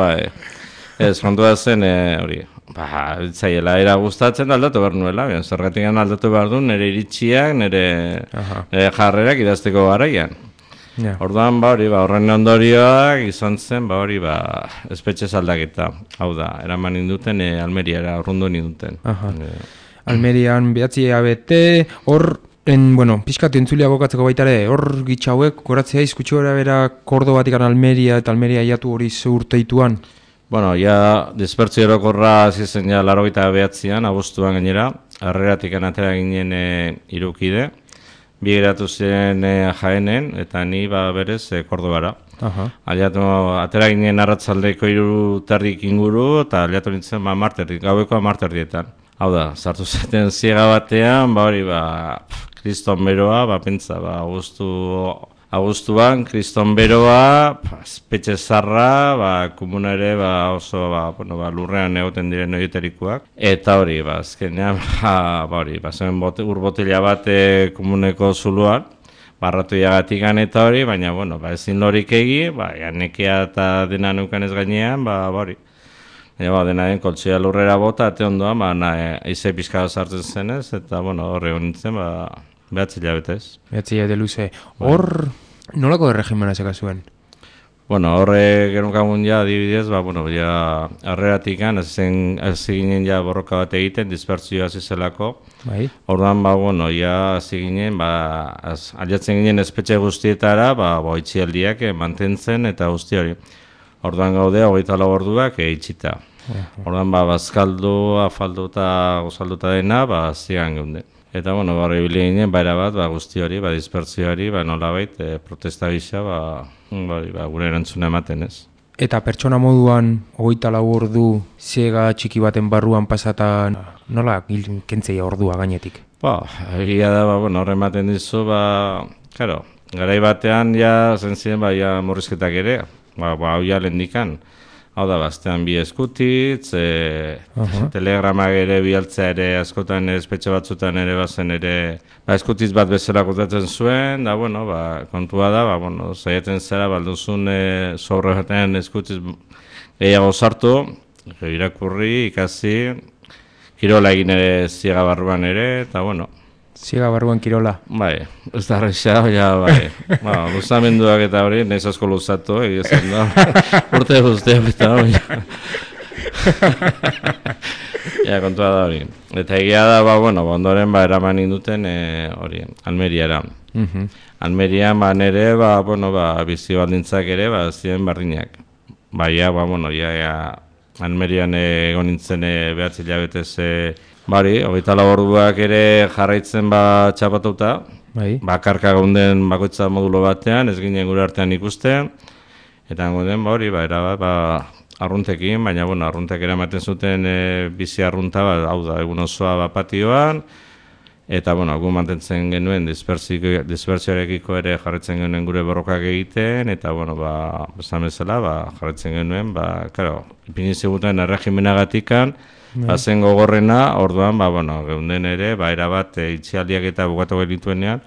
ez kontua zen hori. Zaiela era gustatzen aldatu behar nuela, zergatik aldatu behar du nire iritsiak, nire jarrerak idazteko garaian. Orduan, horren ondorioak izan zen, espetxe aldaketa. Hau da, eraman induten, Almeriara, urrundu ninduten. Almerian 9 hilabete, hor, pixkatu entzulia gokatzeko baitare, hor gitxauek, goratzea izkutsu gara bera Kordobatikan Almeria eta Almeria iatu hori urteituan? Dispertzio erokorra zizen 89an, abuztuan gainera, harreratik atera ginen irukide, bi geratu ziren Jaenen, eta ni berez Kordobara. Atera ginen arratzaldeko 3:30 inguru, eta aliatu nintzen gaueko 10:00. Hau da, sartu zaten ziega batean, kriston beroa, pentsa, Agustuan, kriston beroa, espetxe zarra, komuna ere oso lurrean egoten diren horietarikoak. Eta hori, azkenean, zen urbotila bat komuneko zuluan, barratu jagatikan eta hori, baina, ezin lorik egi, nekea eta dena neukan ez gainean, dena den koltsia lurrera bota, ate ondoan, eize pixka sartzen zenez, eta horre honintzen, 9 hilabetez. 9 hilabete luze. Hor, nolako erregimena zeka zuen? Horre genukagun adibidez, harreratikan, ez ginen borroka bat egiten, dispertzioa zizelako. Orduan, hasi ginen, aliatzen ginen espetxe guztietara, itxialdiak mantentzen eta guzti hori. Orduan gaude, 24 orduak itxita. Orduan, bazkaldu, afaldu eta gozalduta dena, zigan geunden. Eta, barri bile ginen, bat, guzti hori, dispertzio hori, nolabait, protesta gisa, gure erantzuna ematen ez. Eta pertsona moduan, 24 ordu, ziega txiki baten barruan pasatan, nola kentzea ordua gainetik? Egia da, horre ematen dizu, garai batean, zentzien, morrizketak ere, hau lendikan. Hau da, baztean bi eskutitz, telegramak ere bialtzea ere askotan espetxe batzutan ere bazen ere eskutitz bat bezala kontatzen zuen, da, kontua da, zaieten zera, balduzun sobre batean eskutitz gehiago sartu, irakurri, ikasi, kirola egin ere ziega barruan ere, eta, Ziega barruan kirola. Ez da arrexea, luzamenduak eta hori, nahiz asko luzatu, egizan da, urte guztiak eta Ja, kontua da hori. Eta egia da, ondoren eraman induten hori, Almeriara. Almerian nere, bizi baldintzak ere, ziren berdinak. Baina, Almerian egon nintzen behatzi hilabetez, 24 orduak ere jarraitzen txapatuta. Bakarka gaunden bakoitza modulo batean, ez ginen gure artean ikusten. Eta gaunden, erabat, arruntekin, baina, arruntek eramaten zuten bizi arrunta, hau da, egun osoa patioan. Eta, gu mantentzen genuen dispersioarekiko ere jarretzen genuen gure borrokak egiten, eta, esan bezala, jarretzen genuen, ipini ziguten erregimenagatikan, zen gogorrena, orduan, geunden ere, erabat itxialdiak eta bukatu genituenean,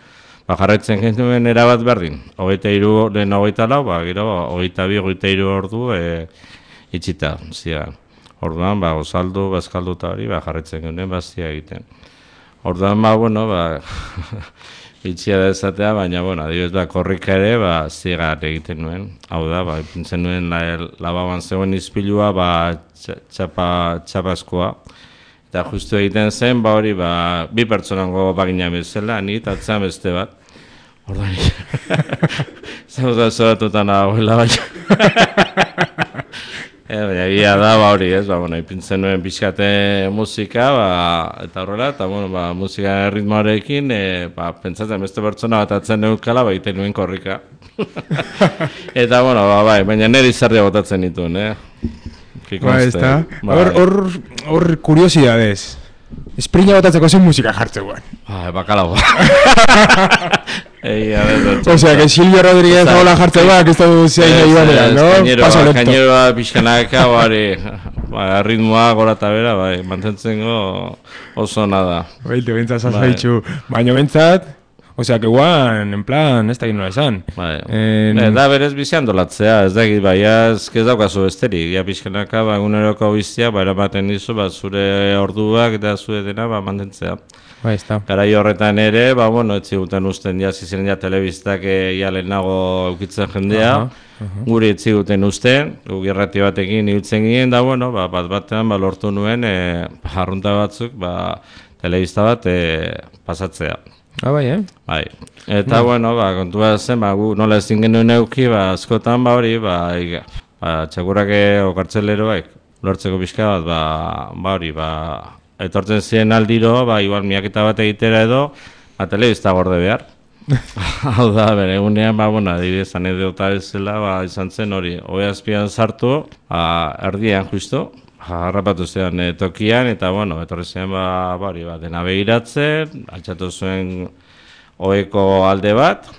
jarretzen genuen erabat berdin. 23, lehen 24, gero, 22, 23 ordu itxita, zian. Orduan, gozaldu, bazkaldu eta hori, jarretzen genuen, zia egiten. Orduan, itxia da ezatea, baina, adibidez, korrika ere, zigar egiten nuen. Hau da, ipintzen nuen lababan zegoen izpilua, txapazkoa. Eta justu egiten zen, hori, bi pertsonango bagina bezala, ni eta atzean beste bat. Orduan, zauza zoratutan abuela, baina. Baina egia da, hori ez, ipintzen nuen pixkate musika, eta horrela, eta musika ritmoarekin, pentsatzen beste pertsona bat atzen neukala, egiten nuen korrika. Eta, baina nire izarria botatzen nituen, ezta? Hor kuriosidadez. Esprina botatzeko zen musika jartzeguan. Bakalagoa. Osea, que Silvio Rodríguez hola jartzeguak, ez da zein nahi banean, no? Kaineroa pixkanaka, ritmoa gora eta bera, mantentzen oso nada. Baite, bentsat zazaitxu. Baina bentsat, osea, que guan, en plan, ez da ginola esan. Da berez bizian dolatzea, ez da egit, ez daukazu besterik. Ja pixkanaka, eguneroko bizia, eramaten dizu, zure orduak eta zure dena, mantentzea. Garai horretan ere, ez ziguten usten ziren telebistak lehenago eukitzen jendea, guri ez ziguten usten, guk irrati batekin ibiltzen ginen, da bat-batean lortu nuen jarrunta batzuk telebista bat pasatzea. Bai, Eta, kontua zen, gu nola ezin genuen euki, askotan, hori, txakurrak okartzeleroak, lortzeko pixka bat, hori, etortzen ziren aldiro, igual miaketa bat egitera edo, telebista gorde behar. Hau da, bere egunean, adibidez, anedota bezala, izan zen hori, ohe azpian sartu, erdian justu, harrapatu zean tokian, eta, etorri zen, dena begiratzen, altxatu zuen oheko alde bat,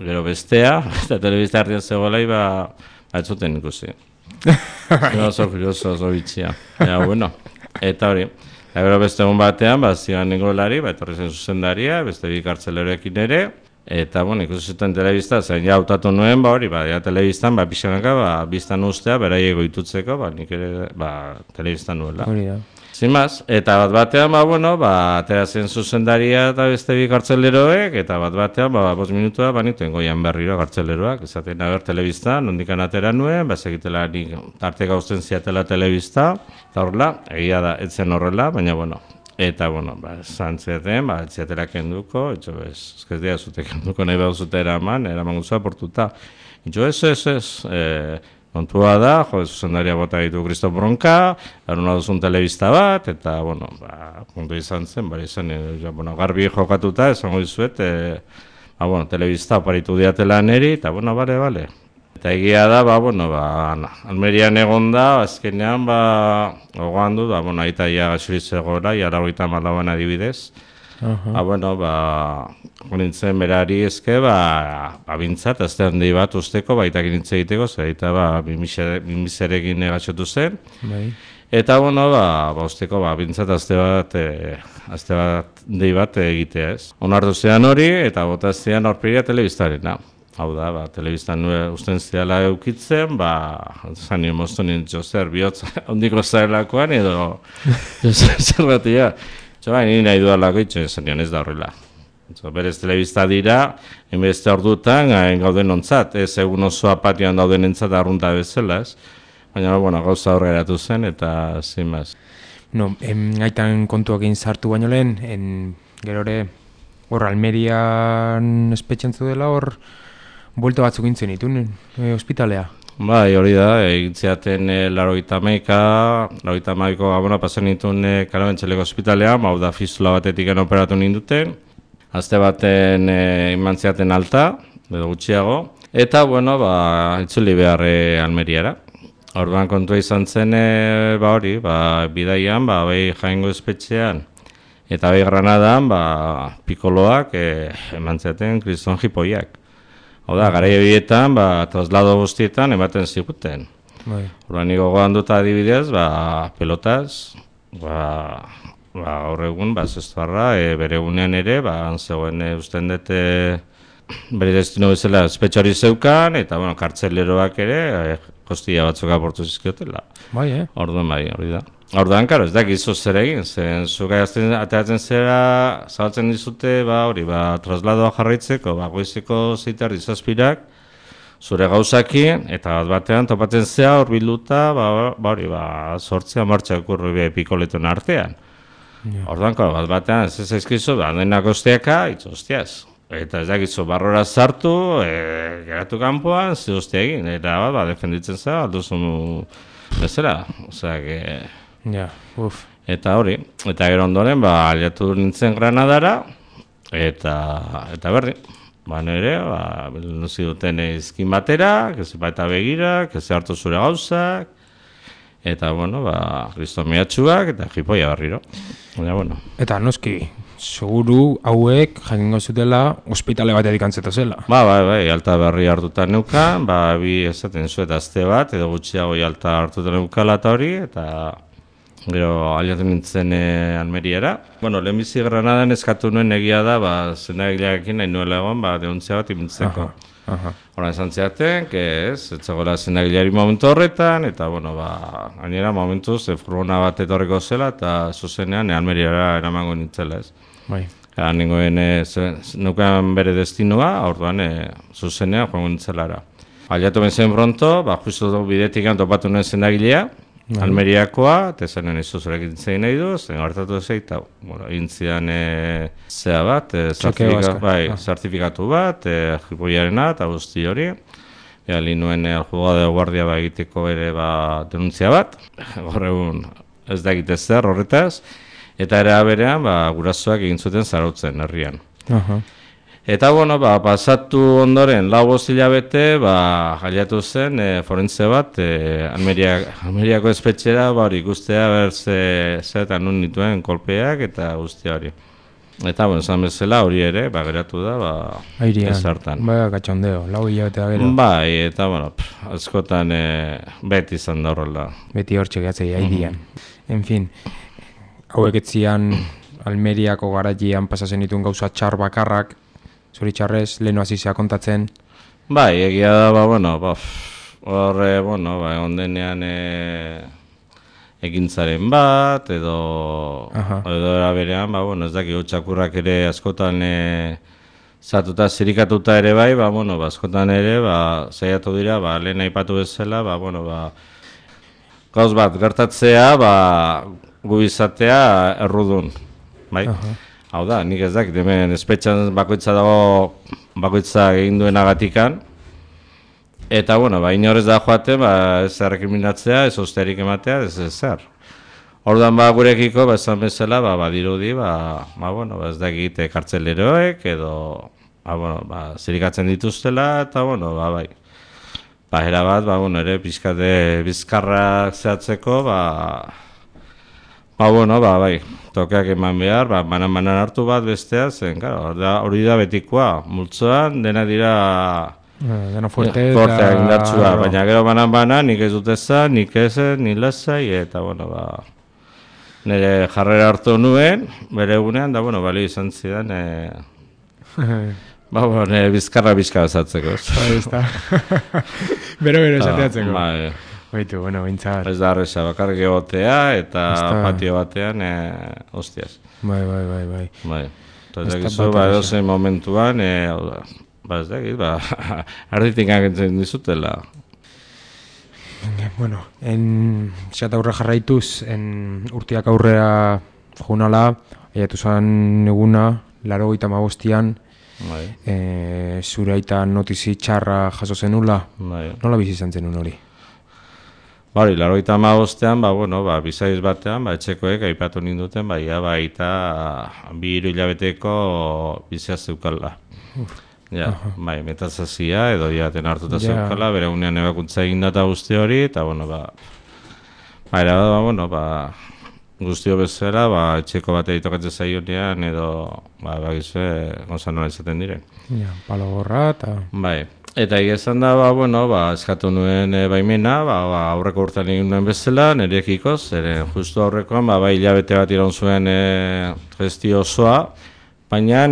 gero bestea, eta telebista erdian zegoela, ez zuten ikusi. Oso curioso, oso bitxia. Eta hori, gero beste egun batean, zian ningolari, etorri zen zuzendaria, beste bi kartzeleroekin ere, eta, ikusi zuten telebista, zen hautatu nuen, telebistan, pixanaka, biztan ustea, beraiego itutzeko, nik ere, telebistan nuela. Zimaz, eta bat-batean, atera zen zuzendaria eta beste bi kartzeleroek, eta bat-batean, 5 minutua, nituen goian berriro kartzeleroak, esaten telebista, nondikan atera nuen, segitela nik arte gauzten ziatela telebista, eta horrela, egia da, etzen horrela, baina, eta, zantziaten, etziatela kenduko, ez dira zute kenduko nahi behar zute eraman guzua portuta. Ez, kontua da, zuzendaria bota ditu Kristof Bronka, eruna duzun telebista bat, eta, puntu izan zen, garbi jokatuta, esango dizuet, telebista oparitu diatela neri, eta, bale. Eta egia da, Almerian egon da, azkenean, ogoan du, aita ia gaxuriz egoera, iara 34 adibidez, nintzen berari ezke, bintzat, azte handi bat usteko, baitak nintze egiteko, zeraita, bimizerekin gaxotu zen. Eta, usteko, bintzat, azte bat dei bat egitea ez. Onartu zean hori, eta botaztean aurpegia telebistarena. Hau da, telebistan usten ziala eukitzen, zanio moztu nintzen zer bihotza ondiko zarelakoan, edo zer batia. Nire nahi dualako itxo, zanion ez da horrela. Berez telebista dira, enbeste ordutan gauden ontzat, ez egun osoa patioan dauden entzat arrunta bezala, ez? Baina, bueno, gauza hor geratu zen, eta zinbaz. No, aitan kontuakin sartu baino lehen, gero ere, hor Almerian espetxen dela hor, buelto batzuk gintzen itun, ospitalea. Bai, hori da, egintziaten 90ko gabona pasen nituen Karabentxeleko ospitalean, hau da fistula batetik operatu ninduten, azte baten imantziaten alta, edo gutxiago, eta, bueno, itzuli behar Almeriara. Orduan kontua izan zen, bidaian, bai Jaengo espetxean, eta bai Granadan, pikoloak emantziaten kriston jipoiak. Hau da, garaia bietan, traslado guztietan ematen ziguten. Horban niko gogan dut adibidez, pelotaz, gaur egun, zestuarra, bere egunean ere, zegoen usten dute bere destino bezala espetxo hori zeukan, eta, kartzeleroak ere, kostilla batzuk aportu zizkiotela. Orduan hori da. Orduan, karo, ez dakizu zer egin, zen zuka ateratzen zera, zabaltzen dizute, trasladoa jarraitzeko, goizeko zeitar dizazpirak, zure gauzakin, eta batean topatzen zea hor bilduta, sortzea martxak urri pikoletuen artean. Orduan, karo, batean ez ezkizu, denak osteaka, hostiaz. Eta ez dakizu, barrora sartu, geratu kanpoan, ze hostia egin, eta defenditzen zea, alduzun bezala, eta hori, eta gero ondoren, aliatu nintzen Granadara, eta berri, nire, nuzi duten izkin batera, eta begira, hartu zure gauzak, eta, kriston mehatxuak, eta jipoia berriro. Eta noski, seguru hauek jakingo zutela ospitale batetik antzeto zela. Bai, alta berri hartutan neukan, bi esaten zuet azte bat, edo gutxiago alta hartutan neukala eta hori, eta gero aliatu nintzen Almeriara. Lehenbizi Granadan eskatu nuen egia da, zendagilearekin nahi nuela egon, deuntzia bat imintzeko. Horan esan zeaten, ez zegoela zendagileari momentu horretan, eta, gainera momentuz, furgona bat etorreko zela, eta zuzenean Almeriara eramango nintzela, ez. Nengoen neukan bere destinoa, orduan zuzenean joango nintzelara. Aliatu benzen pronto, justu bidetik topatu nuen zendagilea, Almeriakoa, eta esanen izuzurek intzegin nahi du, zen hartatu ezeit, intzian zea bat, zertifikatu bat, jipoiarena eta guzti hori. Li nuen aljugada de guardia egiteko ere denuntzia bat, gaur egun ez da egite zer horretaz, eta ere berean gurasoak egin zuten zarautzen herrian. Eta, pasatu ondoren, 4 hilabete, jaliatu zen forentze bat, Almeriako espetxera, ikustea zeretan nun nituen kolpeak eta guztia hori. Eta, esan bezala hori ere, geratu da, ez hartan. Gatxondeo, 4 hilabete da gero. Eta, askotan beti izan da horrela. Beti hor txegatzei, aidian. En fin, hauek etzian Almeriako garaian pasatzen dituen gauza txar bakarrak, zoritxarrez, lehenu azizea kontatzen? Egia da, horre, egon denean ekintzaren bat, edo eraberean, ez daki, txakurrak ere askotan zatuta, zirikatuta ere bai, askotan ere, zaiatu dira, lehen aipatu bezala, gauz bat, gertatzea, gu izatea errudun, bai? Hau da, nik ez dakit, hemen espetxan bakoitza dago, bakoitza egin duenagatikan, eta, inorez da joaten, ez errekiminatzea, ez osterik ematea, ez zer. Orduan, gurekiko, esan bezala, badirudi, ez dakit, kartzeleroek, edo, zirikatzen dituztela, eta, bai. Era bat, ere, pixkate bizkarrak zehatzeko, bai, tokeak eman behar, banan hartu bat bestea zen, hori da betikoa, multzoan, dena dira dena fuerte eta indartsua, baina gero banan nik ez dut ezan, nik ezen, ni lasai, eta, nire jarrera hartu nuen, bere egunean, da, balio izan zidan, nire bizkarra bezatzeko. Bero esateatzeko. Baitu, bintzat. Ez da arreza, bakarrik egotea eta patio batean, hostiaz. Bai. Eta egizu, edozen momentuan, ez da egit, arditik agentzen dizutela. Bueno, xat aurre jarraituz, urtiak aurrea junala, aiatu zan eguna, 85an, zure aita notizi txarra jaso zenula, nola bizi izan zenun hori? Bari, 85an, bizaiz batean, etxekoek aipatu ninduten, aita 2 hilabeteko bizia zeukala. Ja, metazazia edo jaten hartuta zeukala, bere unean ebakuntza egin data guzti hori, eta guztio bezala, etxeko bat editokatzen zaionean, edo, bagizue, gozan nola izaten diren. Ja, palo gorra, eta... Bai, eta egizan da, eskatu nuen baimena, aurreko urtean egin nuen bezala, nirekiko, zeren justu aurrekoan, hilabete bat iraun zuen gestio osoa, baina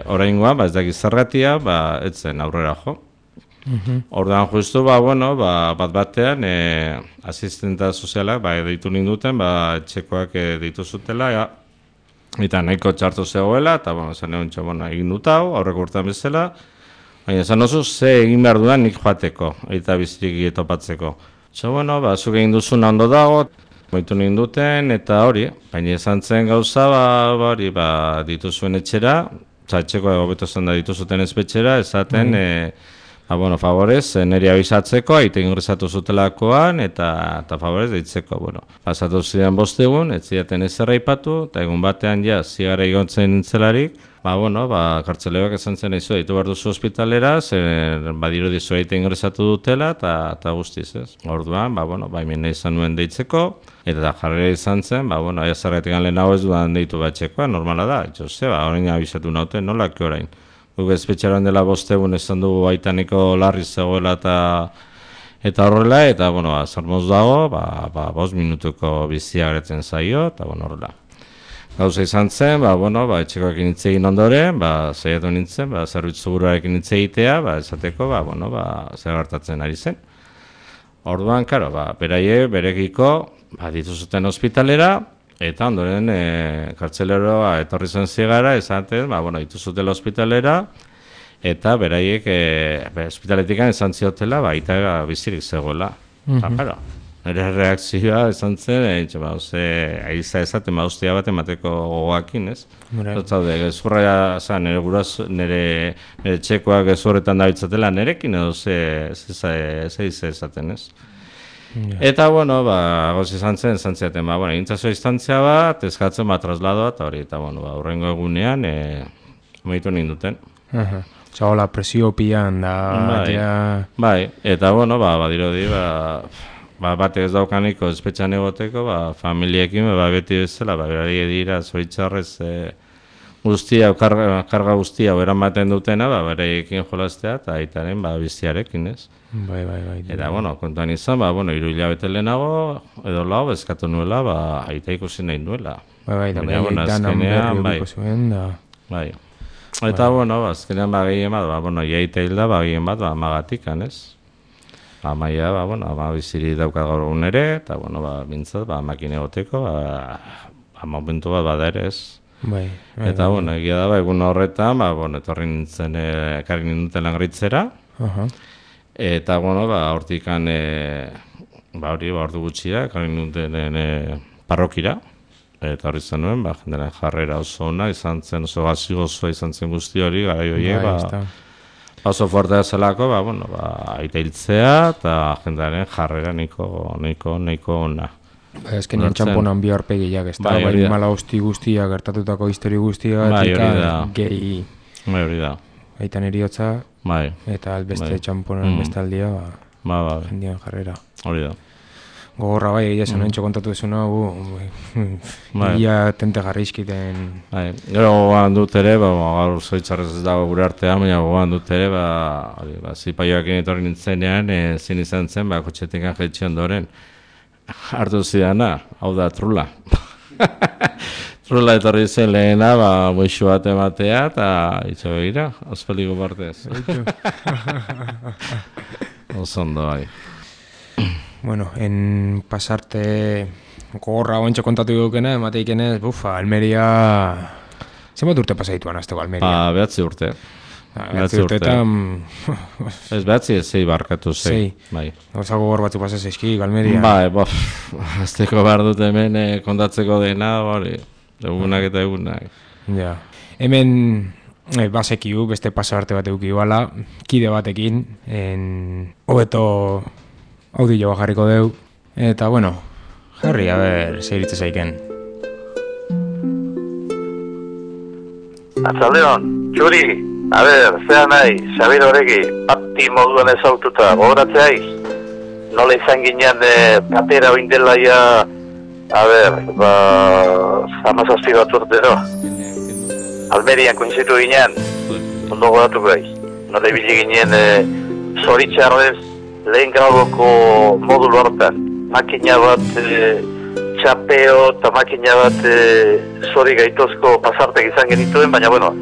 oraingoan, ez dakiz zergatia, ez zen aurrera jo. Orduan justu, bat batean, asistenta sozialak, deitu ninduten, etxekoak deitu zutela, eta nahiko txartu zegoela, eta zan egon egin dut hau, aurreko urtean bezala, baina zan oso ze egin behar dudan nik joateko, eta bizirik topatzeko. Zuk egin duzuna ondo dago, moitu ninduten, eta hori, baina izan zen gauza, dituzuen etxera, etxeko hobeto zen da dituzuten espetxera, esaten, favorez, niri abizatzeko, aite ingresatu zutelakoan, eta favorez deitzeko, pasatu ziren 5 egun, ez zidaten ezerra ipatu, eta egun batean zigara igontzen nintzelarik, kartzeleoak esan zen izu, ditu behar duzu hospitalera, badiru dizu aite ingresatu dutela, eta guztiz, ez. Orduan, baimen izan nuen deitzeko, eta jarrera izan zen, zergatik lehen hau ez dudan deitu batxekoa, normala da, orain abizatu nauten, nolak orain. Guk espetxaran dela 5 egun esan dugu baitaniko larri zegoela eta horrela, eta, zarmoz dago, 5 minutuko bizia gretzen zaio, eta, horrela. Gauza izan zen, etxekoekin hitz egin ondoren, zaiatu nintzen, zerbitzu buruarekin hitz egitea, esateko, zer gertatzen ari zen. Orduan, karo, berekiko, dituzuten hospitalera, eta ondoren kartzeleroa etorri zen zigara, esaten, dituzutela hospitalera, eta beraiek hospitaletikan esan ziotela, eta bizirik zegoela. Karo, nire reakzioa esan zen, aiza esaten, ustia bat emateko gogoakin, ez? Zotzaude, gezurra zan, nire txekoak gezurretan dabitzatela nirekin, edo ze esaten, ez? Eta, goz izan zen, ziaten, egintzazo instantzia bat, eskatzen trasladoa, eta hori, eta, hurrengo egunean, meitu ninduten. Zagola, presio pian da... Bai, eta, badirodi, batek ez daukaniko espetxan egoteko, familiekin, beti bezala, berari dira, zoritxarrez, guztia, karga guztia, eramaten dutena, bereiekin jolaztea, eta aitaren biziarekin, ez? Bai. Eta, kontuan izan, 3 hilabete lehenago, edo lau, eskatu nuela, aita ikusi nahi nuela. Bai, da danan berri okiko zuen, da... Bai. Eta, azkenean gehien bat, iaita hilda, gehien bat, amagatik, ez? Amaia, biziri daukat gaur egun ere, eta, bintzat, makine goteko, momentu bat bada ere, ez? Bai. Eta, egia da, egun horretan, etorri nintzen, ekarri ninduten langritzera, eta, hortikan, ordu gutxira, ekarri ninduten parrokira, eta hori zen nuen, jendaren jarrera oso ona, izan zen, oso gazi gozoa izan zen guzti hori, gara joiek, oso fuertea zelako, aita hiltzea, eta jendaren jarrera nahiko ona. Ezkenean txamponan bi aurpegiak, ez da, mala hosti guztia, gertatutako histori guztia, gehi... Bai, hori da. Aitan eriotza, eta albeste txamponan bestaldia, jendean jarrera. Hori da. Gogorra egia esan entxo kontatu ezuna, ia tente jarrizkiten... Gero gogoan dut ere, gaur zoitzarrez ez dago gure artean, baina gogoan dut ere, zipaioakin etorri nintzenean, zin izan zen, kotxetekan jetxe ondoren, hartu zidana, hau da, trula. Trula etorri zen lehena, moixu bat ematea, eta itxo begira, ospeliko partez. Osondo, bai. Bueno, en pasarte gogorra oentxo kontatu dukena, emateikene, Almeria... Zenbat urte pasaituan azteko Almeria? 9 urte. Behatzi urteetan... Ez behatzi ez zei barkatu, zei. Bai. Gauza gogor batzu pasa zeizki, Galmeria. Bai, azteko behar dut hemen kontatzeko dena, hori, egunak eta egunak. Ja. Hemen basekiu, beste pasarte bat eukiu ala, kide batekin, hobeto audio jarriko deu, eta bueno, jarri, a ber, zeiritze zaiken. Atzaldeon, Txuri, a ber, zea nahi, Xabir horreki, pati moduan ezaututa, gogoratzeaiz, nola izan ginean batera oindelaia, a ber, amazazpi bat urtero, Almerian koinzitu ginean, ondo gogoratu gaiz, nola ibili ginean zoritxarrez lehen graduko modulu hortan, makina bat txapeo eta makina bat zori gaitozko pasartek izan genituen, baina bueno,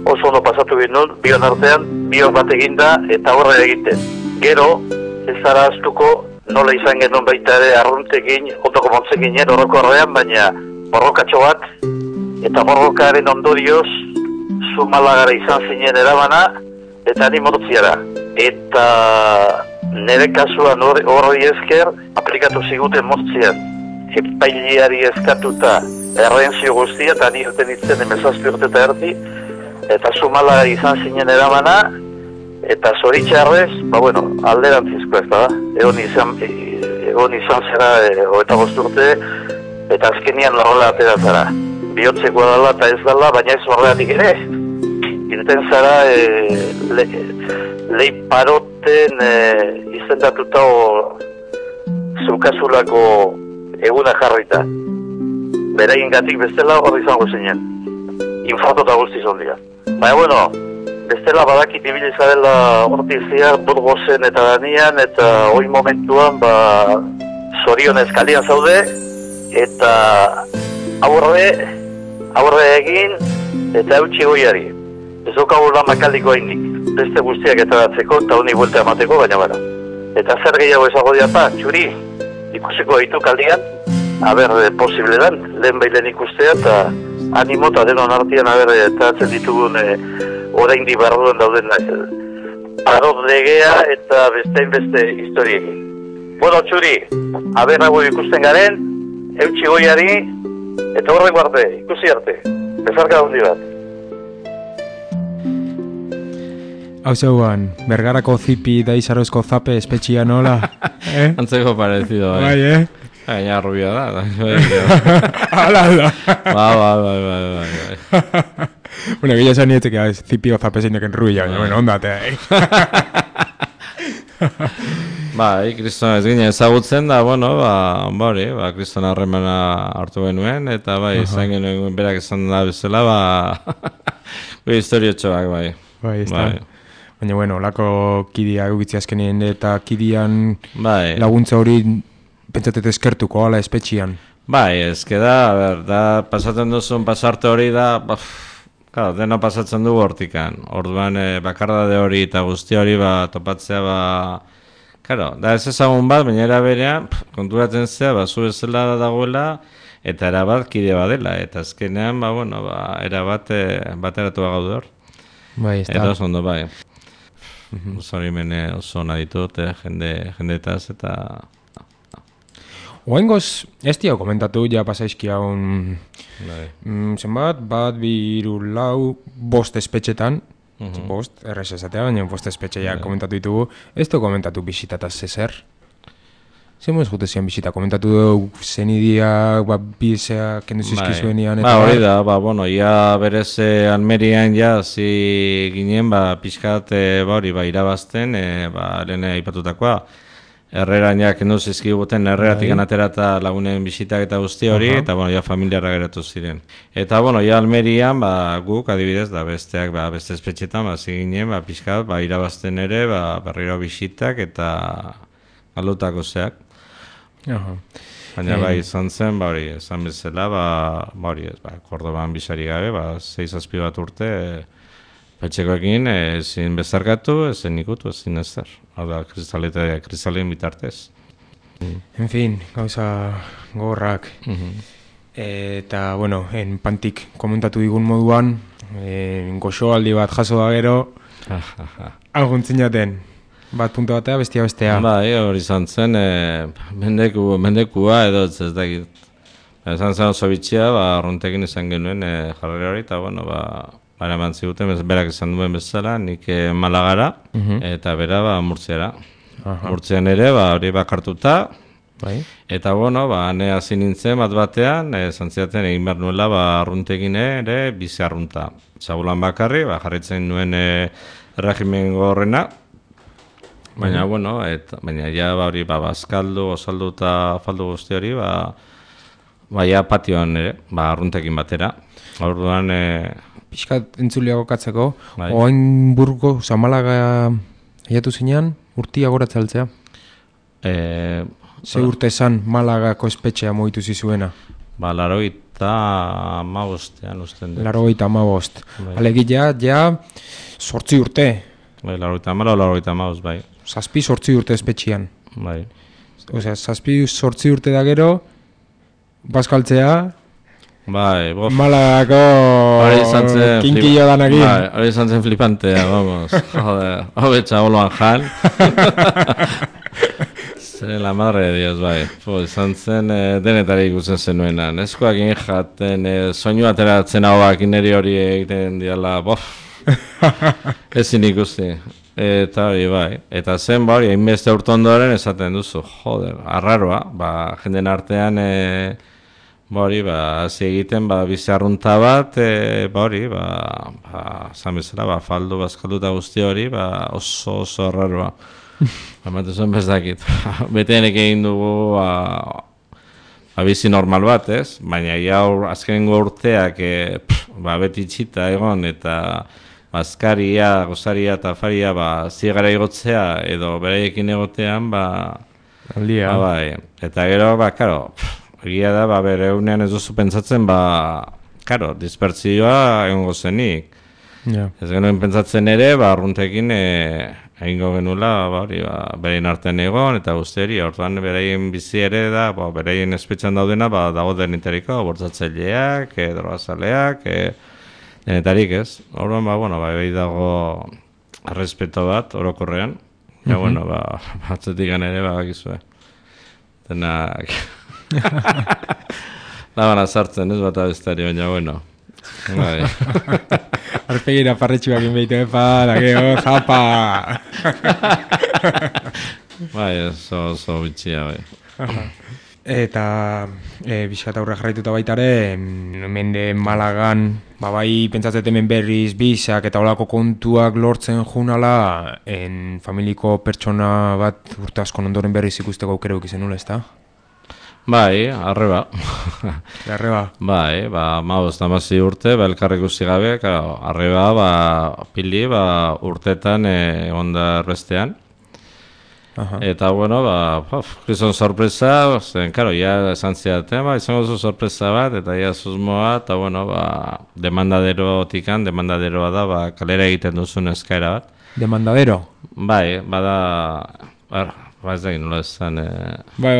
oso ondo pasatu ginen, bion artean, bion bat eginda eta horre egiten. Gero, ez zara aztuko nola izan genuen baita ere arruntekin, ondoko montzekin horroko horrean, baina borrokatxo bat, eta borrokaren ondorioz, Zumalagara izan zinen erabana, eta animotziara. Eta nire kasuan horri esker, aplikatu ziguten moztzian, epailiari eskatuta errenzio guztia, eta nirten itzen emezazpi urte eta erdi, eta Zumalagara izan zinen erabana, eta zoritxarrez, bueno, alderantzizko ez da, egon izan zera, eta urte, eta azkenian horrela atera zara. Bihotzekoa dala eta ez dala, baina ez horregatik ere. Irten zara leiparoten izendatuta zeukazulako eguna jarrita. Beraien gatik bestela hor izango zinen. Infarto eta guztiz ondia. Baina bueno, bestela badakit ibiliza dela hortizia Burgosen eta Danian, eta hoi momentuan zorion eskalian zaude, eta aurre egin eta eutxi goiari. Ez dokagu lan makaldiko hainik, beste guztiak eta datzeko eta honi buelta emateko, baina bara. Eta zer gehiago ezago diapa, Txuri, ikusiko ditu kaldian, aber posible dan, lehen behilen ikustea eta animo eta denon artian eta atzen ditugun orain di barruen dauden parot legea eta beste historiekin. Bueno, Txuri, aber nago ikusten garen, eutxi goiari, eta horrek arte, ikusi arte, bezarka hundi bat. Hau zeuan, Bergarako zipi da Izarozko zape espetxia nola? Antzeko parecido, Bai, Gaina rubia da. Hala da. Bai. Bueno, gila esan nietzek, zipi o zape zeinek rubia, baina, bueno, ondate, Bai, kristona ez ginen ezagutzen da, bueno, kristona harremana hartu genuen, eta bai, izan genuen berak esan da bezala, historiotxoak, bai. Bai, ez da. Baina, bueno, lako kidia egitzi azkenien, eta kidian laguntza hori pentsatet eskertuko, ala espetxian. Bai, ezke da, pasatzen duzun pasarte hori da, claro, dena pasatzen dugu hortikan. Orduan, bakardade hori eta guzti hori topatzea, claro, da ez ezagun bat, baina era berean, konturatzen zea, zu bezala dagoela, eta erabat kide badela, eta azkenean, erabat bateratu gaude hor. Bai, ez da. Eta oso ondo, bai. Zori mene oso naditut, jendetaz, eta... Oengoz, ez dio komentatu, ja pasaizkia zenbat, bat, biru, lau, bost espetxetan, bost, errez esatea, baina bost espetxea komentatu ditugu, ez dio komentatu bisitataz zezer. Zemoz gute zian bisita, komentatu dugu zenidia, bizea, kendu zizkizuenian, eta... hori da, ia berez Almerian zi ginen, pixkat, irabazten, lehen aipatutakoa. Herreran kendu zizkiguten, herreratik anatera eta lagunen bisitak eta guzti hori, eta familiarra geratu ziren. Eta, Almerian, guk adibidez, da besteak, beste espetxetan, zi ginen, pixkat, irabazten ere, berriro bisitak eta galdutako zeak. Baina izan zen, izan bezala, Kordoban bisari gabe, 6-7 bat urte, petxekoekin ezin bezarkatu, ezin ikutu, ezin ezer. Hau da, kristalen bitartez. En fin, gauza gogorrak. Eta, bueno, pantik komentatu digun moduan, goxoaldi bat jaso da gero, Aguntzinaten, bat puntu batea, bestea. Bai, hori izan zen, mendekua edo ez dakit. Izan zen oso bitxia, arruntekin izan genuen jarrera hori, eta bueno, eman ziguten, berak izan duen bezala, nik Malagara, eta bera Murtziara. Murtzian ere, hori bakartuta, eta bueno, ne hasi nintzen batean, zantziaten egin behar nuela, arruntekin ere, bizi arrunta. Zagulan bakarri, jarritzen nuen regimen gorrena, baina, bueno, baina ja hori bazkaldu, osaldu eta faldu guzti hori, ja patioan ere, arruntekin batera. Orduan, pixkat entzuliago katzeko, oain Burgo, Zamalaga aiatu zinean, urtia goratzaltzea? Ze urte esan Malagako espetxea moitu zizuena? 85 usten dut. 85. Alegia, ja, 8 urte. 85, bai. 7-8 urte espetxean. Bai. Osea, 7-8 urte da gero, bazkaltzea, bai, bof. Malagako kinkillo danakin. Bai, hori izan zen flipantea, vamos. Joder, hobetxa oloan jan. Zer la madre de Dios, bai. Izan zen denetari ikusten zenuena. Neskoak jaten, soinu ateratzen hau neri hori egiten diala, bof. Ezin ikusti. Eta hori, bai. Eta zen, hori, hainbeste urte ondoren esaten duzu, joder, arraroa, jenden artean, hori, hasi egiten, bizi arrunta bat, hori, zan bezala, faldu, bazkalduta guzti hori, oso arraroa. Bamatu zuen bezdakit. Betenek egin dugu bizi normal bat, ez? Baina azkenengo urteak beti itxita egon eta bazkaria, gozaria eta afaria ziegara igotzea edo beraiekin egotean aldia. Eta gero, karo, egia da, bereunean ez duzu pentsatzen, dispertsioa egongo zenik. Ez genuen pentsatzen ere, arruntekin egingo genuela, berein artean egon, eta guzteri, orduan bereien bizi ere da, bereien espetxan daudena, dago denetariko, bortzatzaileak, drogazaleak, denetarik ez. Orduan, behi dago respeto bat, orokorrean, batzetik ere, bakizue. Denak... Labana sartzen, ez bat abestari, baina, bueno. Arpegira parretxuak inbeitu, da geho, zapa! Oso bitxia, bai. Eta bizkat aurre jarraituta baitare, mende Malagan, bai pentsatzeten hemen berriz bizak eta olako kontuak lortzen junala, familiko pertsona bat urte asko ondoren berriz ikusteko aukera ukizen nula, ez da? Bai, arreba. Bai, 15 urte, elkarrik usi gabe, arreba, pili, urtetan onda erbestean. Eta, bueno, gizon sorpresa, zen, karo, ja esan zidaten, izango zu sorpresa bat, eta ja susmoa, eta, bueno, demandaderoa da, kalera egiten duzun eskaera bat. Demandadero? Bai, ez da nola esan... Bai,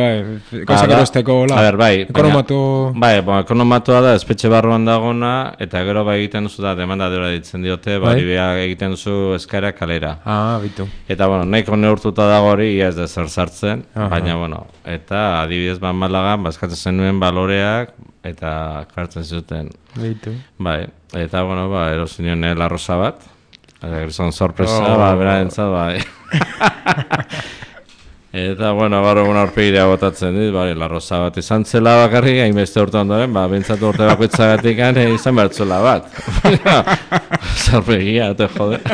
gauzak erosteko, ekonomatu... Bai, ekonomatoa da, espetxe barruan dagona, eta gero egiten duzu da, demandadera ditzen diote, egiten duzu eskaera kalera. Bitu. Eta, nahiko neurtuta dago hori, ez da zer sartzen, baina, eta adibidez Malagan, eskatzen zenuen baloreak, eta kartzen zuten. Bitu. Bai, eta, erosinuen larrosa bat, gizon sorpresa, bera entzat, bai. Eta, gaur egun aurpegirea botatzen dit, larroza bat izan zela bakarrik, hainbeste urte ondoren, bentsatu urte bakoitzagatik izan bertzula bat. Zarpegia, te jode.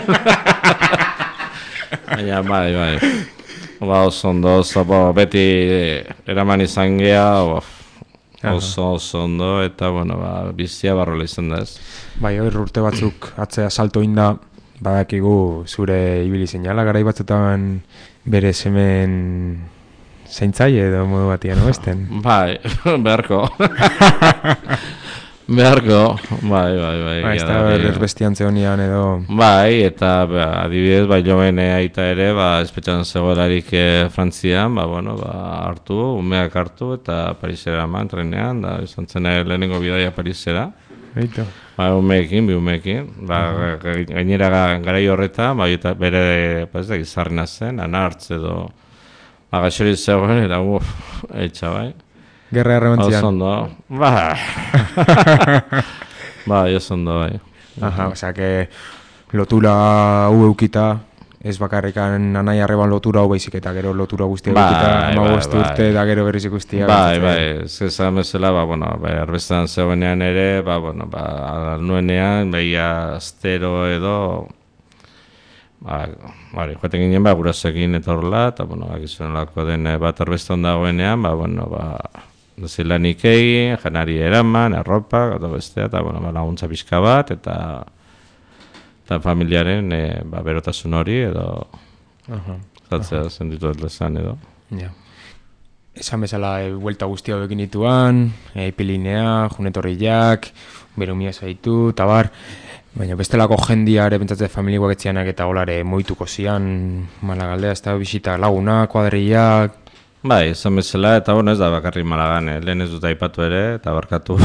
Baina, bai. Oso ondo, beti eraman izan geha, oso ondo, eta, bizia barrola izan da ez. Bai, urte batzuk atzea salto inda, badakigu zure ibili zinala, garai batzutan bere semen zaintzai edo modu batian, oesten? Bai, beharko. Bai. Ez da erbestiantze honian edo... Bai, eta adibidez, joven aita ere, espetxan zegoelarik Frantzian, hartu, umeak hartu, eta Parisera eman trenean, da izan zen lehenengo bidaia Parisera. Eitu. Ba, umeekin, bi umeekin. Ba, gainera garai horretan, ba, eta bere, ba, ez da, izarrena zen, anartz edo, ba, gaixori zegoen, eta, etxa, bai. Gerra errebentzian. Osondo, ba. Ba, osondo, bai. Aha, osea, que lotura hau eukita, ez bakarrikan anai arreban lotura hau baizik eta gero lotura guztia eukita, 15 urte eta gero berriz ikustia. Bai, ez esan bezala, ba, bueno, erbestan zegoenean ere, ba, bueno, ba, nuenean, behia astero edo, ba, joaten ginen, ba, gurasoekin eta horrela, eta, bueno, agizuen lako den bat erbestan dagoenean, ba, bueno, ba, zilanik egin, janari eraman, erropa, gata bestea, eta, bueno, laguntza pixka bat, eta familiaren berotasun hori, edo zatzea zenditu esan edo. Ja. Esan bezala, buelta guztia hauekin dituan, ipilinea, junetorriak, berumia zaitu, eta bar, baina bestelako jendiare pentsatzen familikoak etzianak eta golare moituko zian, Malagaldea, ez da bisita lagunak, kuadrillak. Bai, esan bezala, eta bueno, ez da bakarrik Malagan, lehen ez dut aipatu ere, eta barkatu.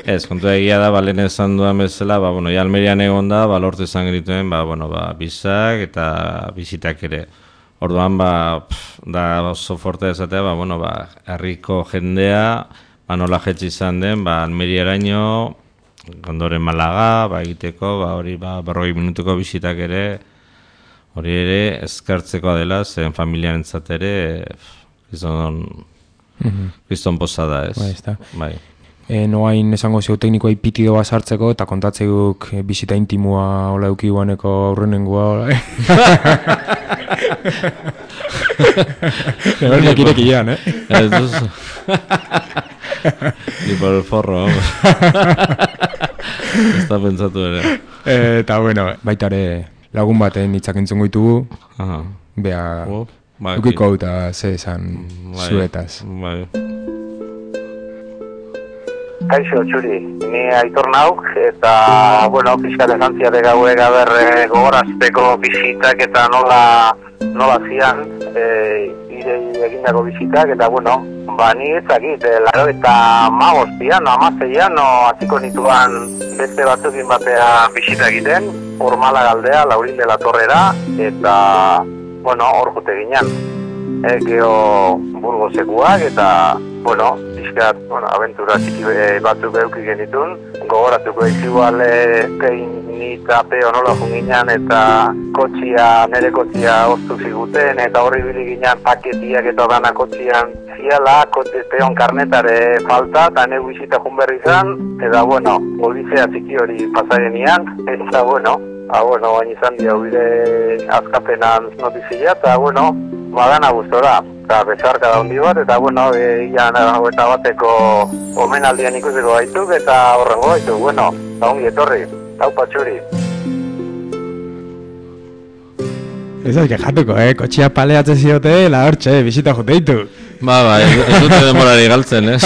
Ez, kontua egia da, ba, lehen esan duan bezala, ba, bueno, Almerian egon da, ba, lortu izan genituen, ba, bueno, ba, bizak eta bisitak ere. Orduan, ba, da oso forte esatea, ba, bueno, ba, herriko jendea, ba, nola jetzi izan den, ba, Almeriaraino, ondoren Malaga, ba, egiteko, ba, hori, ba, 40 minutuko bisitak ere, hori ere, eskartzekoa dela, zen familiarentzat ere, kriston posa da, ez? Bai, ez da. Bai. Noain esango zeu teknikoa ipitido bat sartzeko, eta kontatzeuk bisita intimua hola eukiguaneko aurrenengoa, hola. Egon nekirek ian, Ez duzu. Ni por el forro, vamos. Ez da pentsatu ere. Eta bueno, baitare lagun baten hitzak entzungo ditugu, bea, ukiko eta ze esan zuetaz. Bai. Kaixo, Txuri, ni Aitor nauk, eta, bueno, pixkat esan ziate gauek gogorazteko bisitak eta nola zian, egindako bisitak, eta, bueno, ba, ni ezakit, laro eta amazeian, atziko nituan beste batzukin batea bisita egiten, hor Malagaldea, Laurin de la Torrera, eta, bueno, hor jute ginen. Gero Burgosekuak eta, bueno, pixkat, abentura txiki batzuk euki genitun. Gogoratuko igual kein eta peo nola junginan eta nere kotxia oztu ziguten eta horri bili ginen paketiak eta dana kotxian ziala, peon karnetare falta eta negu izita junberri izan, eta, bueno, odizea txiki hori pasagenian, eta, bueno, baina izan dira bide azkapenan notizia, eta, bueno, badana gustora, eta bezarka da hundi bat, eta, bueno, ian eta bateko omenaldian ikusiko gaituk, eta horrengo gaituk, bueno, eta ongi etorri, hau patxuri. Ez da kejatuko, kotxia paleatzen ziote, la hortxe, bisita jote ditu. Ba, ez dute demorari galtzen, ez?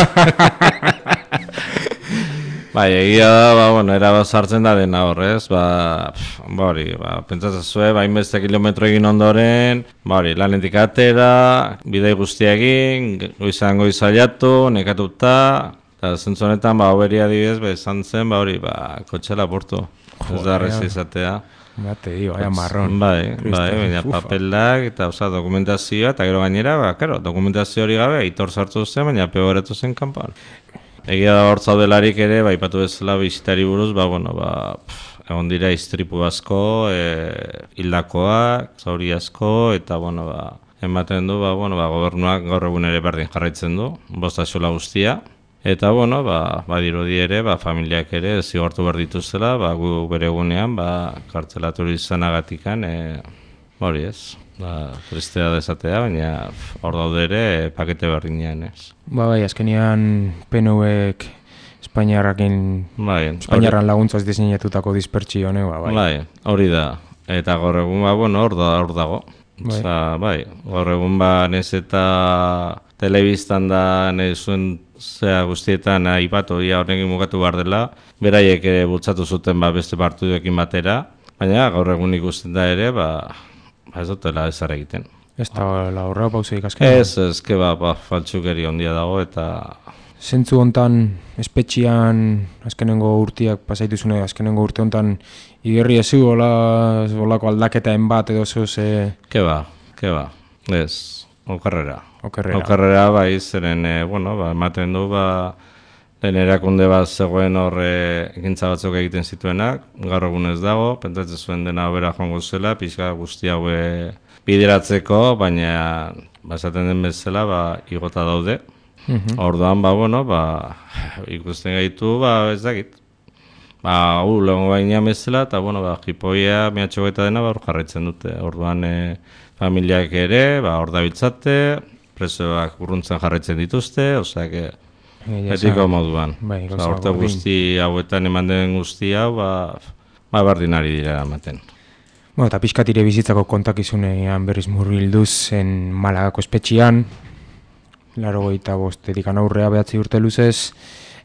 Bai, egia da, ba, bueno, era sartzen da dena horrez, hori, pentsatzen zuen, hainbeste kilometro egin ondoren, hori, lanetik atera, bidei guztia egin, goizan goizaiatu, nekatuta, eta zentzu honetan, hoberia adibidez, esan zen, hori, kotxe lapurtu, ez da arrezi izatea. Bate, marron. Bai, baina papelak eta dokumentazioa, eta gero gainera, dokumentazio hori gabe, Aitor sartu zen, baina peoratu zen kanpoan. Egia da hor zaudelarik ere, ipatu bezala bisitari buruz, egon dira istripu asko, hildakoak, zauri asko, eta, ematen du, gobernuak gaur egun ere berdin jarraitzen du, bosta xola guztia. Eta, badirudi ere, familiak ere zigortu behar dituzela, gu bere egunean, kartzelatu izanagatikan, hori ez. Tristea dezatea, baina hor daude ere pakete berdinean, ez. Bai, azkenian PNUek Espainiarran laguntzaz diseinatutako dispertsio honek, bai. Bai, hori da. Eta gaur egun, hor dago. Bai, gaur egun, nez eta telebistan da, nezuen zea guztietan aipatu, horrekin mugatu behar dela, beraiek bultzatu zuten beste partiduekin batera, baina gaur egun ikusten da ere, ez dutela ezar egiten. Ez da horrela pauseik azken? Ez, faltsukeri ondia dago eta zentzu hontan espetxian azkenengo urtiak pasaituzune, azkenengo urte hontan igerri ezu olako aldaketaen bat edo zuz... Ke ba, ez, okerrera bai, zeren, ematen du, lehen erakunde bat zegoen horre ekintza batzuk egiten zituenak, gaur egun ez dago, pentsatzen zuen dena hobera joango zela, pixka guzti haue bideratzeko, baina esaten den bezala igota daude. Orduan, ikusten gaitu, ez dakit. Lehenko baina bezala, eta, jipoia, mehatxoa dena, hor jarraitzen dute. Orduan, familiak ere, hor dabiltzate, presoak urruntzen jarraitzen dituzte, osea, etiko moduan. Horte guzti hauetan eman den guzti hau, bardinari dira ematen. Eta pixkatire bizitzako kontakizunean berriz murgilduz zen Malagako espetxian, 85 aurrea 9 urte luzez,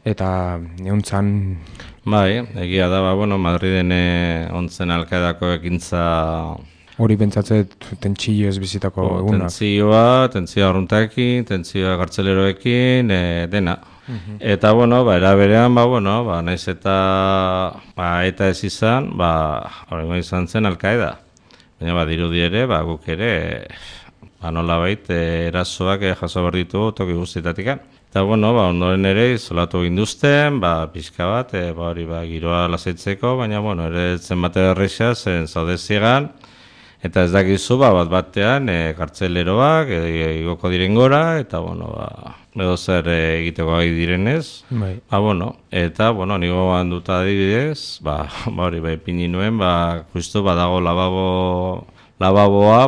eta neuntzan... Egia da, Madriden ontzen Al-Qaedako ekintza... Hori pentsatzet tentsillo ez bizitako egunak. Tentsioa arruntaekin, tentsioa gartzeleroekin, dena. Eta, era berean, naiz eta ez izan, horrengo izan zen Al-Qaeda. Baina, dirudi ere, guk ere, nolabait, erasoak jaso behar ditu toki guztietatik. Eta, ondoren ere, izolatu ginduzten, pixka bat, giroa lasaitzeko, baina, ere zen bate berrexea, zen zaude ziegan, eta ez dakizu, batean, kartzeleroak, igoko diren gora, eta, edo zer egiteko gai direnez. Eta, nigo handuta adibidez, pini nuen, justu dago lababoa,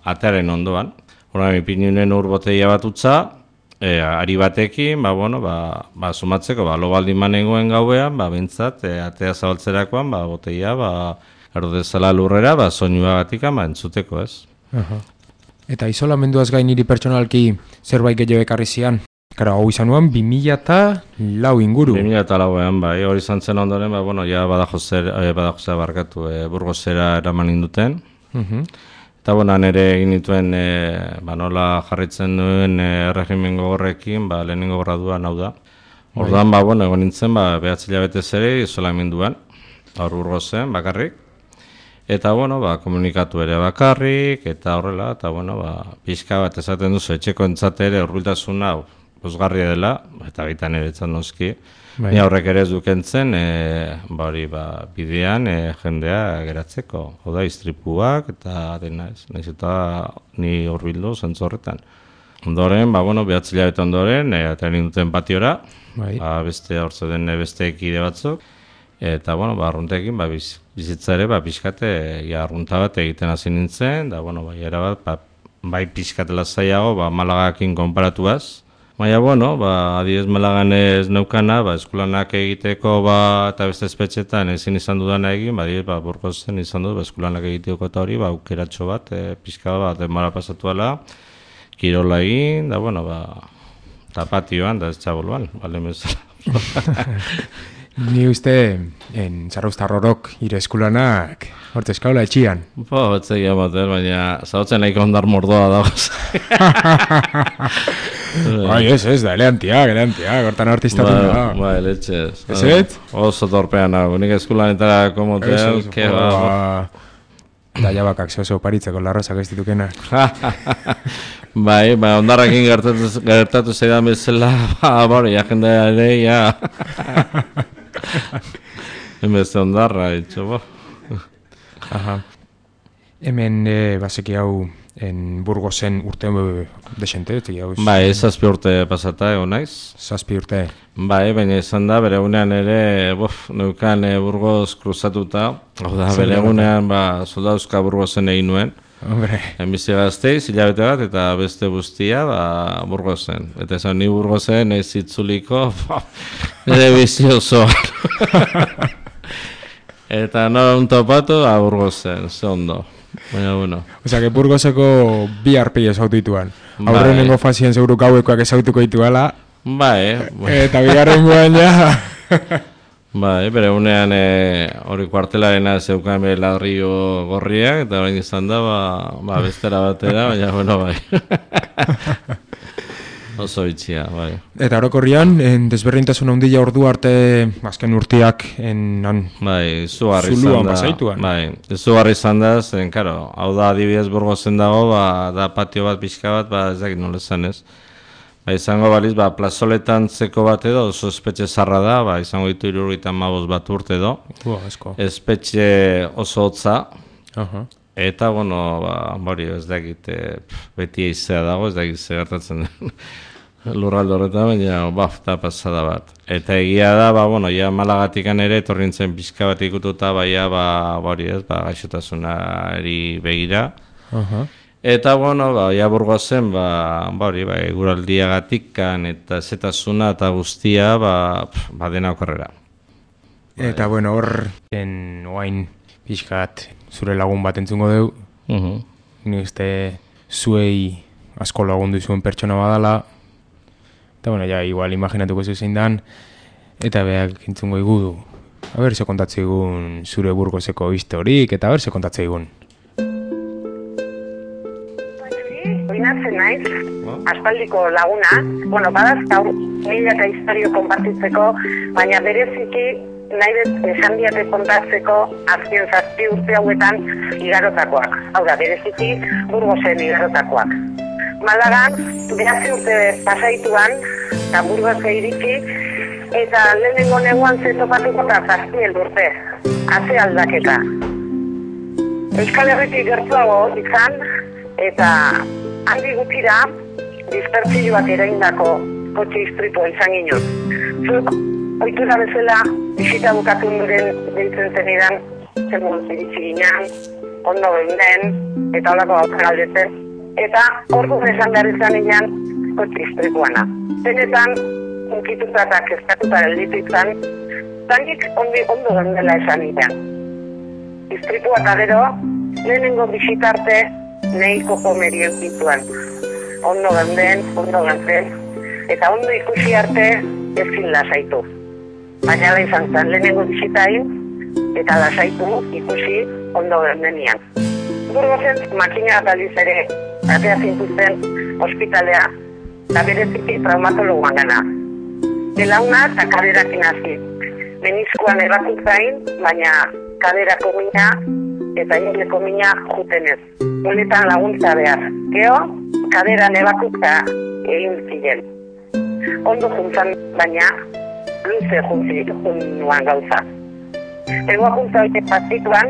atearen ondoan. Horren, ipini nuen botella bat utza, ari batekin, sumatzeko, lo baldin manengoen gauean, bintzat, atea zabaltzerakoan, botella, erdezala lurrera, soinuagatik entzuteko, ez. Eta isolamenduaz gain niri pertsonalki zerbait gehiago ekarri zian. Hau izan nuen 2004 inguru. 2004an, hori izan zen ondoren, Badajosera barkatu, Burgosera eraman induten. Eta nire egin dituen, nola jarritzen duen erregimen gogorrekin, lehenengo graduan hau da. Orduan, egon nintzen, 9 hilabetez ere isolamenduan, hor Burgosen bakarrik. Eta, komunikatu ere bakarrik, eta horrela, eta, pixka bat esaten duzu, etxeko entzate ere horbiltasun hau, pozgarria dela, eta bitan ere etzan noski. Ni horrek ere ez dukentzen, bidean jendea geratzeko. Hau da, istripuak, eta dena ez, nahiz eta ni horbildu zentzu horretan. Ondoren, 9 hilabete ondoren, eta ninduten patiora, beste hortze den beste ekide batzuk, eta, arruntekin, bizitza ere, pixkate, arrunta bat egiten hasi nintzen, da, erabat, pixkatela zaiago, Malagakin konparatuaz. Baina, adiez Malagan ez neukana, eskulanak egiteko, eta beste espetxetan ezin izan dudana egin, Burgosen izan dut, eskulanak egiteko eta hori, aukeratxo bat, pixka bat, denbora pasatuala, kirola egin, da, eta patioan, da ez txaboluan, Ni uste, Zarraustarrorok ire eskulanak, horte eskaula etxian. Batzegi amater, baina zautzen nahiko ondar mordoa dagoz. Ez, da, eleantiak, hortan artistatu da. Letxez. Ez ez? Oso torpean hau, nik eskulanetara motel, Da jabakak oso paritzeko larrozak ez ditukena. Ondarrakin gertatu zeidan bezala, jendea ere, Enbeste ondarra, itxo, Hemen, baseki hau, Burgosen urte desente, hau? Zazpi urte pasata, egon naiz. Zazpi urte. Baina izan da, bere egunean ere, neukan Burgos kruzatuta, bere egunean, soldauzka Burgosen egin nuen. Enbizi gazteiz, hilabete bat, eta beste guztia, Burgosen. Eta esan ni Burgosen ez itzuliko, ere bizi osoan. Eta nora un topatu, Burgosen, ze ondo. Osea, que Burgoseko bi arpei esautu dituan. Aurrenengo fazien seguru gauekoak esautuko dituala. Eta bigarren guan ja... Bere unean hori kuartelarena zeukan ladrillo gorriak, eta bain izan da, bestera batera, baina, bai. Oso bitxia, bai. Eta orokorrian, desberdintasun handia ordu arte azken urteak bai, izugarri izan da. Bai, izugarri izan da, zen, karo, hau da adibidez Burgosen dago, da patio bat, pixka bat, ez dakit nola esan ez. Izango baliz, plazoletan zeko bat edo, oso espetxe zarra da, izango ditu 75 bat urte edo. Espetxe oso hotza. Eta, hori, ez dakit, beti eizea dago, ez dakit ze gertatzen lurralde horretan, baina, da pasada bat. Eta egia da, ja Malagatikan ere, etorrintzen pixka bat ikututa, hori ez, gaixotasunari begira. Eta, ja Burgosen, eguraldiagatikan eta zetasuna eta guztia, dena okorrera. Eta, hor, oain pixkat zure lagun bat entzungo deu, ni uste zuei asko lagundu zuen pertsona badala, eta, ja, igual imaginatuko zein dan, eta behak entzungo igudu. Aber, ze kontatzeigun zure Burgoseko historik, eta aber, ze kontatzeigun. Oinatzen naiz, aspaldiko laguna, badazkau, milaka historio konpartitzeko, baina bereziki nahi dut esan diate kontatzeko azken 7 urte hauetan igarotakoak. Hau da, bereziki Burgosen igarotakoak. Malagan, 9 urte pasaituan, eta Burgose iritsi, eta lehenengo neguan zetopatuko eta 7 urte. Haze aldaketa. Euskal Herritik gertuago izan, eta handi gutxira dispertsioak eraindako kotxe istripua izan ginen. Zuk, ohitura bezala, bisita bukatu nuren deitzen zenidan, zenbun ziritzi ginen, ondo geunden, eta holako gauza galdetzen, eta ordu esan behar izan ginen kotxe istripuana. Benetan, unkituta eta kezkatuta gelditu izan, zanik ondo geundela esan ginen. Istripua eta gero, lehenengo bisitarte, nahiko jomerien zituan. Ondo geunden, eta ondo ikusi arte ezin lasaitu. Baina da izan zen, lehenengo bisitain, eta lasaitu ikusi ondo geundenian. Burgosen makina bat aldiz ere, atea zintuzten ospitalea, eta bereziki traumatologuan gana. Belauna eta kaderakin hasi. Meniskoan ebatutzain, baina kaderako mina eta ingleko mina jutenez. Honetan laguntza behar. Geo, kaderan ebakutza egin ziren. Ondo juntzan, baina luze juntzinuan gauza. Egoa juntza horiek pazituan,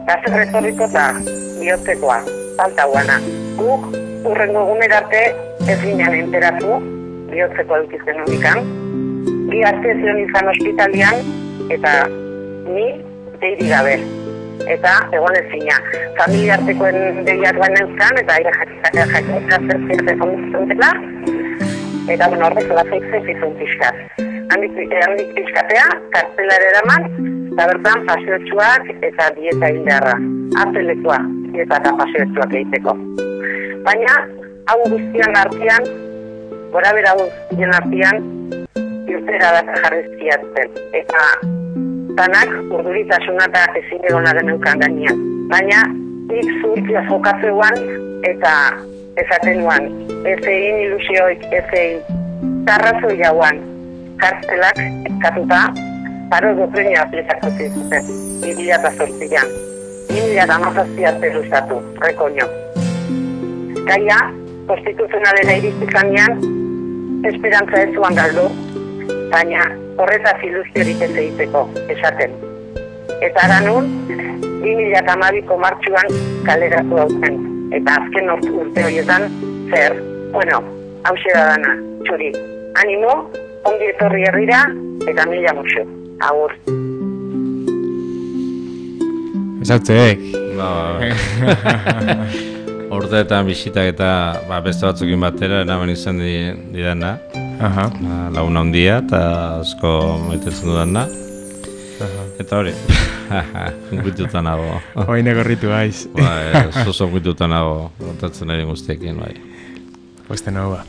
gazer retorriko eta bihotzekoa, falta guana. Guk, urrengo egunerarte ez ginen enteratu, bihotzekoa dukizen honikan. Bi arte zion izan ospitalian, eta ni deiri gabe. Eta egon ezina. Familiartekoen deiak baina euskan, eta jakitza zer dela. Eta horrek lazaik zezizun pixkat. Handik pixkatea, kartzelara eraman, eta bertan paseotxuak eta dieta hildarra. Artelekua, dieta eta paseotxuak egiteko. Baina, hau guztian artean, gora bera guztien artean, irtera da jarrizkiatzen. Eta tanak urduritasuna eta ezin egonaren eukan gainean. Baina, nik zurtia jokatzeuan eta esatenuan. Ez egin ilusioik, ez egin tarrazoi jauan. Kartzelak eskatuta, paro doprenia aplikatu zizuten. 2008an. 2008 arte luzatu, rekoño. Gaia, konstituzionalera iriztikanean, esperantza ez zuan galdu, baina horretaz iluziorik ez egiteko, esaten. Eta aranun, 2012ko martxuan kaleratu dauten. Eta azken urte horietan, zer, hause da dana, txuri. Animo, ongi etorri herrira, eta mila muxo. Agur. Esautzeek. Urteetan bisitak eta beste batzukin batera, eraman izan didana. Laguna handia eta asko maitetzen dudana. Eta hori, guituta nago. Oain egorritu gaiz. Zozo guituta nago, kontatzen ari guztiekin, bai. Poste nago ba.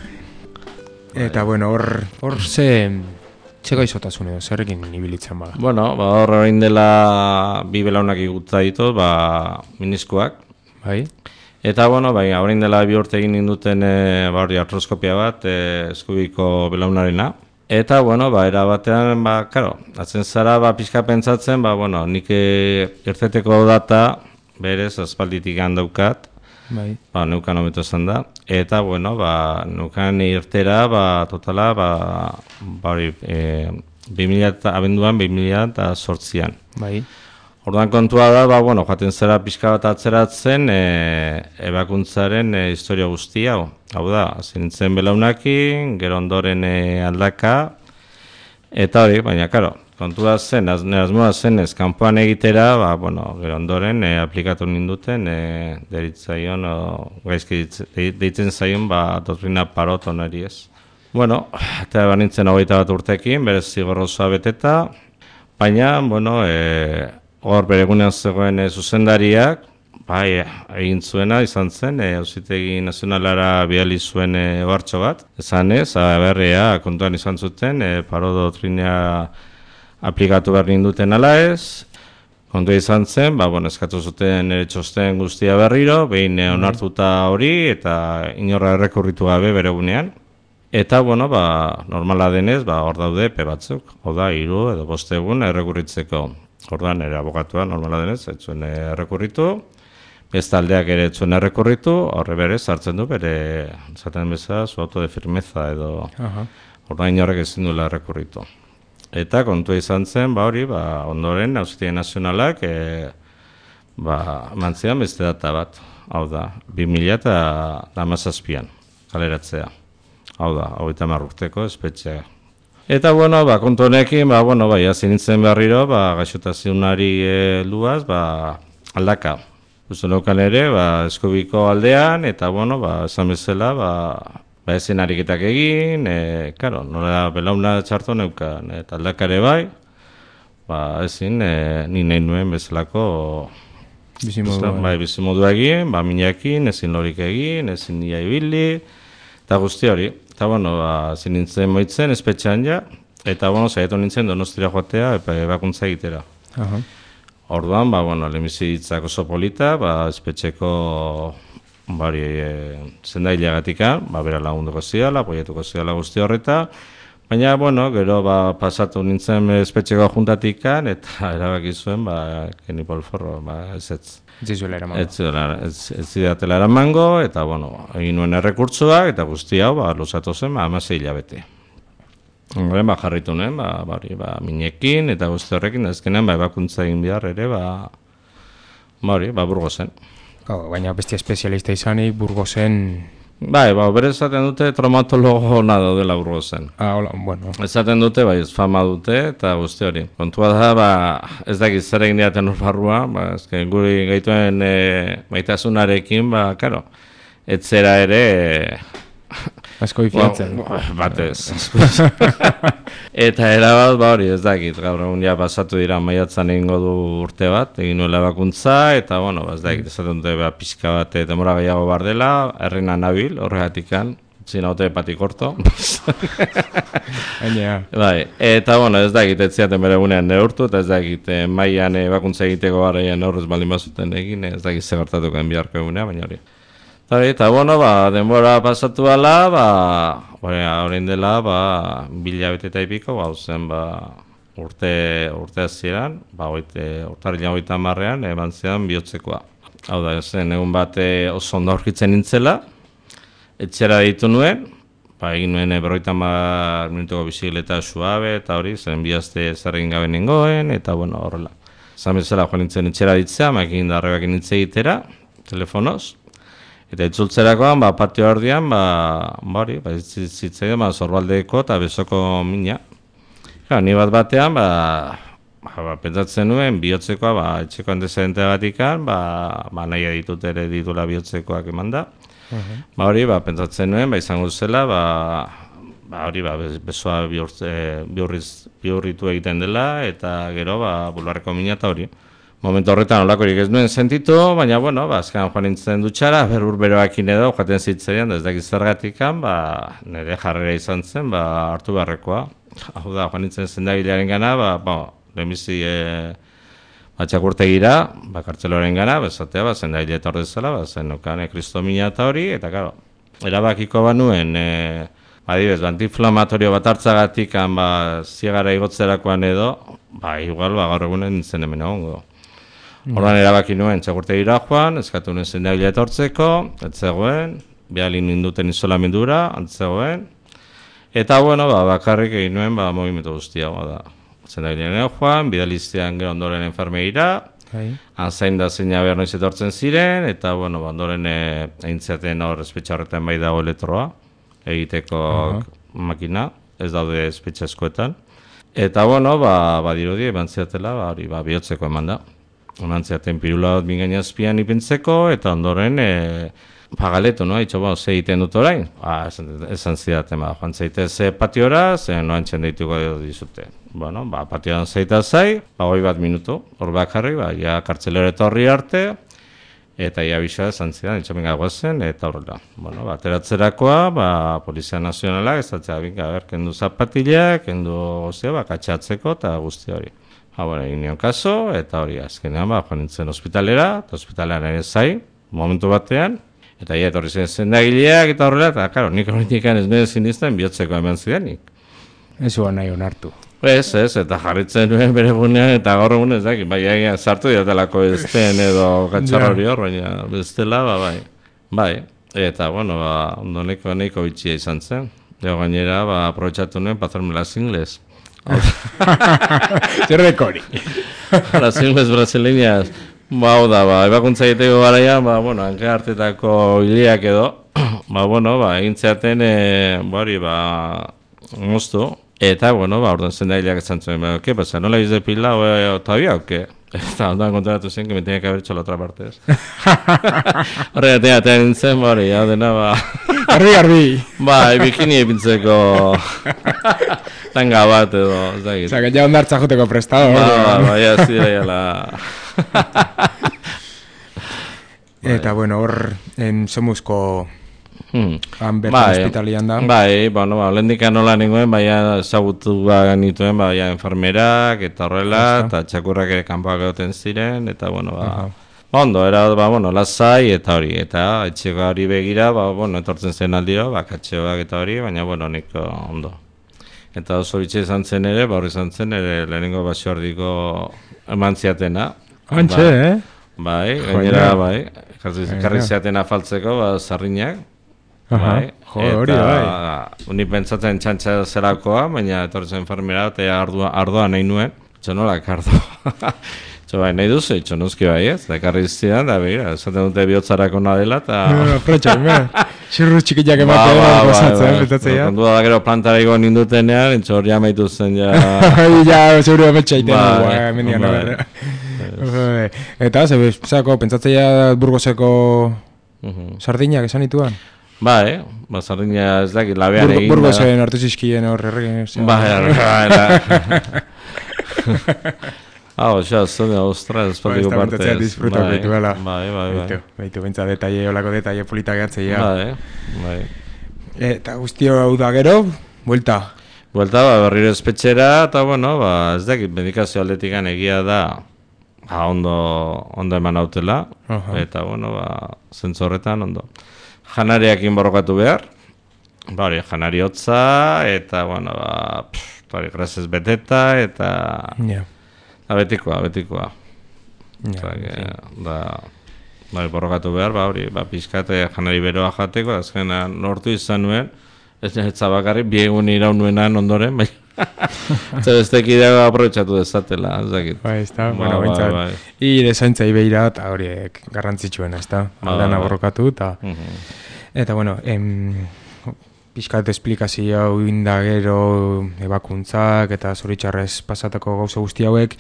Eta hor ze gaizotasun edo, zerrekin ibilitzen baga? Hor orain dela bi belaunak igutza ditut, miniskoak. Bai. Eta, bueno, baina, orain dela 2 urte egin ninduten hori artroskopia bat, eskubiko belaunarena. Eta, bueno, era batean, karo, atzen zara, pixka pentsatzen, bueno, nik irteteko data, berez, aspalditik handaukat, neukan hobeto esan da. Eta, bueno, neukan irtera, totala, hori, abenduan 2008an. Bai. Orduan kontua da, bueno, joaten zera pixka bat atzeratzen ebakuntzaren historia guztia. Hau da, zintzen belaunakin, gero ondoren aldaka, eta hori, baina, karo, kontua zen, asmoa zen ez kanpoan egitera, bueno, gero ondoren aplikatu ninduten, deritzaion, gaizki deitzen zaion, doktrina Parot onari ez. Bueno, eta banintzen 21 urtekin, berez zigorrozoa beteta, baina, bueno, hor beregunean zegoen zuzendariak, egin zuena izan zen, Auzitegi Nazionalara bidali zuen ohartxo bat, esan ez, berria kontuan izan zuten, Parot doktrina aplikatu behar ninduten ala ez, kontua izan zen, bueno, eskatu zuten txosten guztia berriro, behin onartuta hori, eta inorra errekurritu gabe beregunean. Eta, bueno, normala denez, hor daude epe batzuk, hau da, 3 edo 5 egun errekurritzeko. Orduan, ere abogatua normala denez, ez zuen errekurritu, beste aldeak ere ez zuen errekurritu, horre berez hartzen du, bere, zaten bezala, su auto de firmeza edo, orduan inorrek ezin duela errekurritu. Eta kontua izan zen, hori, ondoren, Auzitegi Nazionalak, mantzian beste data bat, hau da, 2017an, kaleratzea. Hau da, 30 urteko espetxea. Eta, bueno, kontu honekin, hasi nintzen berriro, gaixotazionari luaz, aldaka. Uste neukan ere, eskubiko aldean, eta, bueno, esan bezala, ezin ariketak egin, karo, nola belauna txarto neukan, eta aldakare bai, ezin, ni nahi nuen bezalako bizimodua egin, minakin, ezin lorik egin, ezin nia ibili, eta guzti hori. Eta, bueno, zin nintzen moitzen, espetxean ja, eta, bueno, zaitu nintzen Donostira joatea, ebakuntza egitera. Orduan, lehenbizi ditzak oso polita, espetxeko zendaileagatika, bera lagunduko ziala, apoiatuko ziala guzti horreta, baina, bueno, gero pasatu nintzen espetxeko juntatikan, eta erabaki zuen, Keni Polforro, ez. Ez zidatela eramango, eta, bueno, egin nuen errekurtsoak, eta guzti hau, luzatu zen, 16 hilabete. Horren, jarritu nuen, minekin, eta guzti horrekin, ezkenean, ebakuntza egin behar ere, Burgosen. Baina bestia espezialista izanik, Burgosen... Bere esaten dute traumatologo ona daudela Burgosen. Bueno. Esaten dute, ez fama dute, eta guzti hori. Kontua da, ez dakit zer egin diaten urbarrua, guri gaituen maitasunarekin, karo, etzera ere... Asko ifiatzen. Batez. Eta erabat, hori, ez dakit, gaur egun ja pasatu dira maiatzan egingo du urte bat, egin nuela ebakuntza, eta, bueno, ez dakit, esaten dute pixka bat demora gehiago bar dela, herrina nabil, horregatikan, zinaute patikorto. Eta, bueno, ez dakit, ez ziaten bere gunean neurtu, eta ez dakit, maian ebakuntza egiteko garaian horrez baldin bazuten egin, ez dakit zegartatuko biharko egunea, baina hori. Eta, bueno, denbora pasatu ala, horrein dela, 2 hilabete eta ipiko, zen, urte hasieran, urtarrilan 30ean, eman zean bihotzekoa. Hau da, zen, egun bat oso ondo aurkitzen nintzela, etxera ditu nuen, egin nuen 50 minutuko bizikleta suabe, eta hori, zen bihazte zerregin gabe nengoen, eta, bueno, horrela. Zan bezala, joan nintzen etxera ditzea, makin darrebak nintzen egitera, telefonoz, eta itzultzerakoan, patio ardian, zitzaidan, Zorbaldeko eta Besoko mina. Ni bat batean, pentsatzen nuen, bihotzekoa, etxeko antezedente batikan, nahi ditut ere ditula bihotzekoak eman da. Pentsatzen nuen, izango zela, besoa bihurritu egiten dela, eta gero, bulbarreko mina eta hori. Momentu horretan olakorik ez nuen sentitu, baina, bueno, azkenan joan nintzen dutxara, beroakin edo, jaten zitzaidan, ez dakiz zergatikan, nire jarrera izan zen, hartu beharrekoa. Hau da, joan nintzen zendagilearen gana, lehenbizi Txakurtegira, kartzeloren gara, bezatea, zen da hile etor dezala, zen nukane kristomina eta hori, eta karo, erabakiko banuen, adibez, antiinflamatorio bat hartzagatik, ziegara igotzerakoan edo, igual, gaur egunen zen hemen egongo. Orduan erabaki nuen, txakurtegira joan, eskatu nuen zen da hile etortzeko, etzegoen, bialin ninduten isolamendura, antzegoen, eta, bueno, bakarrik egin nuen, movimentu guztia, da. Zendagilean joan, bidaliztean gero ondoren enfermeira, anzain da zeina behar noiz etortzen ziren, eta, bueno, ondoren eintzaten hor espetxa horretan bai dago elektroa, egiteko makina, ez daude espetxa eskoetan. Eta, bueno, badirudi, eman ziatela, hori, bihotzeko eman da. Eman ziaten pirula bat bingain azpian ipintzeko, eta ondoren, pagaleto, no? Itxo, ze egiten dut orain? Esan zidaten, joan zaitez patiora, noan txendeituko dizute. Bueno, patioan zaita zai, 20 minutu, hor bakarri, ja kartzelero etorri arte, eta ja bisa esan zidan, itxamen gagoazen, eta horrela. Bueno, ateratzerakoa, Polizia Nazionalak, ez datzea, kendu zapatilak, kendu gozea, katxatzeko, eta guzti hori. Egin nion kaso, eta hori azkenean, joan nintzen ospitalera, eta ospitalean ere zai, momentu batean, eta etorri zen zendagileak, eta horrela, eta karo, nik horretik ez medizin izten, bihotzeko eman zidanik. Ez uan nahi onartu. Ez, eta jarritzen nuen bere gunean, eta gaur egun ez dakit, sartu didatelako ezten edo gatxarra hori hor, baina bestela, bai. Eta, bueno, ondoneko nahiko bitxia izan zen. Ego gainera, aprobetxatu nuen, pasarme las ingles. Zer dekori? Las ingles brasileñas, ebakuntza egiteko garaia, hanka hartetako hileak edo, egintzeaten, moztu. Eta, orduan zendaileak esan zuen, ¿qué pasa? ¿No la habéis depilado todavía o qué? Eta ondoan kontratu zen, que me tenía que haber hecho la otra parte. Horregatik atean nintzen, hau dena, Garbi! Bikini epintzeko tanga bat edo, ez dakit. Osa, que ja ondartza joteko prestado. Ja, zidea, Eta, hor, Semuzko bertan hospitalian da. Lehendikan nola ninguen, ezagutu nituen, enfermerak, eta horrela, eta txakurrak ere kanpoak egoten ziren, eta, ondo, era, lasai, eta hori, eta etxeko hori begira, etortzen zen aldiro, katxeoak eta hori, baina, niko ondo. Eta oso bitxe izan zen ere, hori izan zen ere, lehenengo basoardiko eman ziatena. Antxe, gainera, karri ziatena faltzeko, sarrinak. Eta ni pentsatzen txantxa zerakoa, baina etortzen enfermera eta ardoa nahi nuen. Nolak ardoa. Nahi duzu, nuzki ez, da ekarri zidan, da begira, esaten dute bihotzarako nadela, eta... Xirru txikiak ematea, gozatzen, betatzea. Kondua da gero plantara igo nindutenean, hor jamaitu zen, ja... Ja, seguru emetxa iten, mendian, Eta, zako, pentsatzea Burgoseko sardinak esan ituan? Sardina ez dakit, labean egin da. Burgosen hartu zizkien horre. Zone, ostras, espaldiko partez. Esta disfrutak dituela. Baitu, bentsa detalle, olako detalle politak hartzea. Eta guztio hau da gero, buelta. Buelta, berriro espetxera, eta ez dakit, medikazio aldetik egia da, ondo eman hautela, eta zentzu horretan ondo. Janariakin borrokatu behar, janari hotza, eta, grazez beteta, eta... Betikoa. Borrokatu behar, pixkate janari beroa jateko, azkenan lortu izan nuen, ez bakarri, biegun iraun nuenan ondoren, Zebestek idea aprobetxatu dezatela, ez dakit. Ez da, ire zaintzai behira eta horiek garrantzitsuena, ez da. Aldana borrokatu eta, pixkat esplikazio hau indagero ebakuntzak eta zoritxarrez pasatako gauza guzti hauek,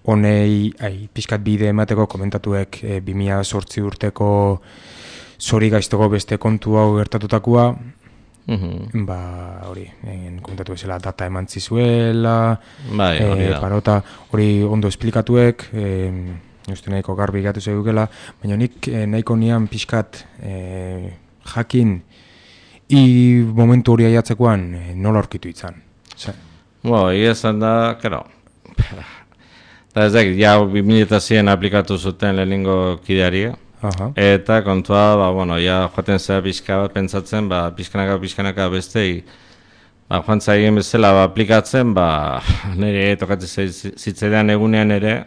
honei pixkat bide emateko komentatuek 2008 urteko zori gaiztoko beste kontu hau gertatutakoa, hori, komentatu ezela data eman zizuela, parota hori ondo esplikatuek, uste nahiko garbi gatu zegukela, baina nik nahiko nian pixkat jakin momentu hori aiatzekoan nola aurkitu izan. Egia esan da, Eta ez dakit, ja 2000 aplikatu zuten lehenengo kideari, eta kontua, ja joaten zera pixka bat pentsatzen, pixkanaka bestei, joan zaien bezala aplikatzen, nire tokatzen zitzaidan egunean ere,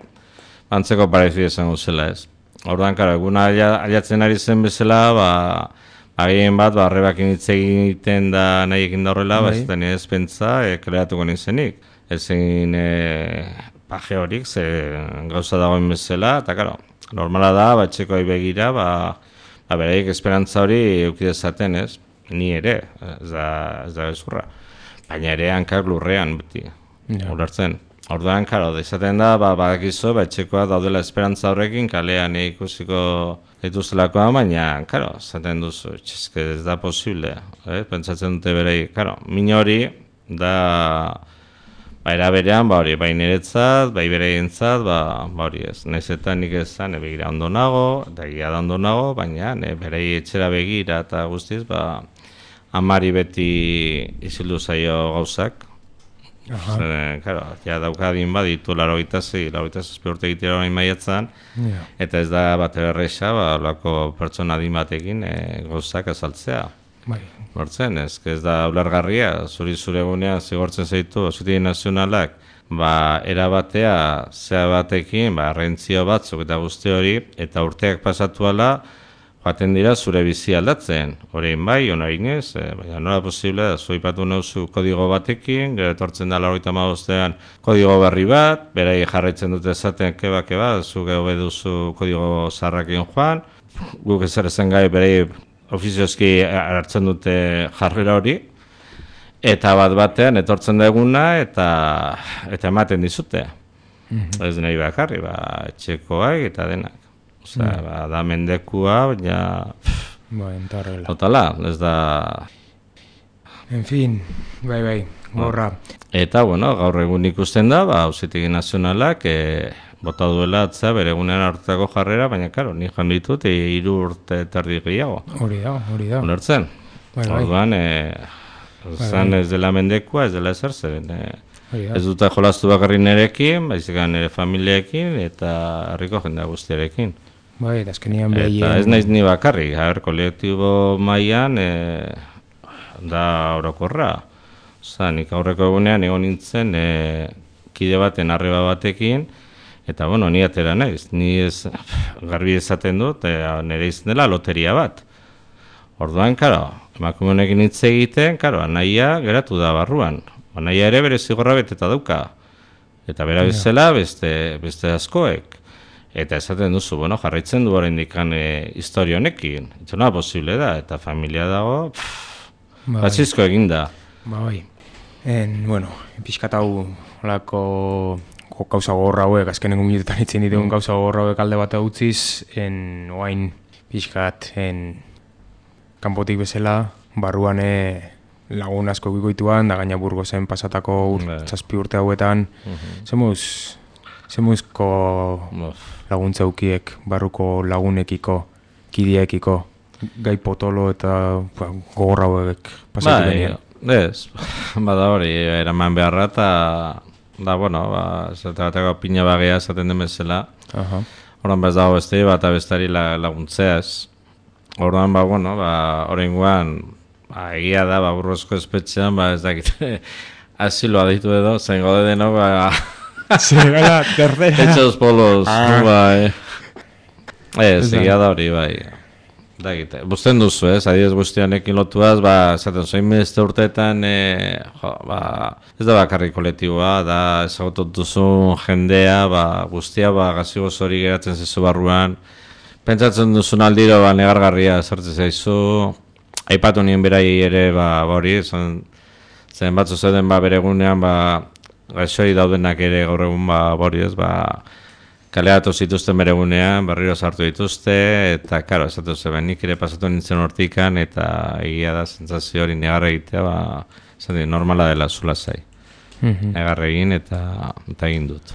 antzeko parezu izango zela ez. Orduan, karo, eguna aliatzen ari zen bezala, agien bat, arrebakin hitz egiten da nahi egin da horrela, ez da nire ez pentsa, kreatuko ninzenik. Ezin paje horik, gauza dagoen bezala, eta karo, normala da, txekoai begira, beraik esperantza hori eukidezaten, ez? Ni ere, ez da bezurra. Baina ere hankak lurrean, beti, ulertzen. Orduan, karo, izaten da, badakizu, txekoa daudela esperantza horrekin, kalean ikusiko dituztelakoa, baina, karo, izaten duzu, ez da posible, pentsatzen dute beraik, karo, min hori, da... Era berean, bai niretzat, bai bereientzat, hori ez. Naiz eta nik ezan, begira ondo nago, eta egia da ondo nago, baina berei etxera begira eta guztiz, amari beti izildu zaio gauzak. Karo, ja daukadin baditu 86 urte egitera orain maiatzan, eta ez da bat erresa, olako pertsona adin batekin gauzak azaltzea. Hortzen, ez da ulergarria, zure egunean zigortzen zaitu Auzitegi Nazionalak, erabatea zea batekin, rentzio batzuk eta guzti hori, eta urteak pasatu ala, joaten dira zure bizi aldatzen. Horein bai, honain ez, baina nola posible da, zuipatu nauzu kodigo batekin, gero etortzen da 95ean kodigo berri bat, berai jarraitzen dute esaten keba, zu geho beduzu kodigo zarrakin joan, guk ezer ezen gai berai ofiziozki hartzen dute jarrera hori, eta batean etortzen da eguna eta ematen dizute. Ez nahi bakarri, etxekoak eta denak. Da mendekua, baina... Totala, ez da... En fin, bai, gorra. Eta, gaur egun ikusten da, Auzitegi Nazionalak... bota duela atzea bere egunean hartutako jarrera, baina, karo, ni joan ditut 3 urte terdi gehiago. Hori da. Ulertzen. Orduan, zan ez dela mendekua, ez dela ezer zeren. Ez dut jolastu bakarri nerekin, baizik nire familiekin, eta herriko jendea guztiarekin. Bai, eta azkenian behien... Eta ez naiz ni bakarri, kolektibo mailan da orokorra. Nik aurreko egunean egon nintzen kide baten arreba batekin, eta, ni atera naiz, ni ez garbi esaten dut, nire izan dela loteria bat. Orduan, karo, emakume honekin hitz egiten, karo, anaia geratu da barruan. Anaia ere bere zigorra beteta dauka. Eta bera bezala beste askoek. Eta esaten duzu, jarraitzen du oraindik historia honekin. Eta nola posible da, eta familia dago, batzizko eginda. Bai. Pixkat hau olako... gauza gogorra hauek, azkenengo minutetan itzen ditugun gauza gogorra hauek alde bat utziz, oain pixkat kanpotik bezala, barruan lagun asko gikoituan, da gaina Burgosen pasatako 7 urte hauetan, zemuzko laguntza ukiek, barruko lagunekiko, kideekiko, gai potolo eta gogorra hauek pasatu denean. Ez, bada hori, eraman beharra eta... zertatako pina bagea esaten den bezala. Horan bez dago beste bat abestari laguntzeaz. Horan, horrengoan, egia da, Burgosko espetxean, ez dakit, asiloa ditu edo, zen gode deno, Zergara, tercera. Hechos polos, egia da hori, bai. Buzten duzu, adibidez guztianekin lotuaz, zaten zoin beste urteetan, ez da bakarrik kolektiboa, da ezagutot duzun jendea, guztia gazigoz hori geratzen zezu barruan, pentsatzen duzun aldiro negargarria sartzen zaizu, aipatu nien berai ere hori, zen batzu zeuden bere egunean, gaixori daudenak ere gaur egun hori ez, kaleatu zituzten bere egunean, berriro sartu dituzte, eta, karo, esatu zeben, nik ere pasatu nintzen hortikan, eta egia da, sentsazio hori negarra egitea, normala dela zula zai. Negarra egin, eta egin dut.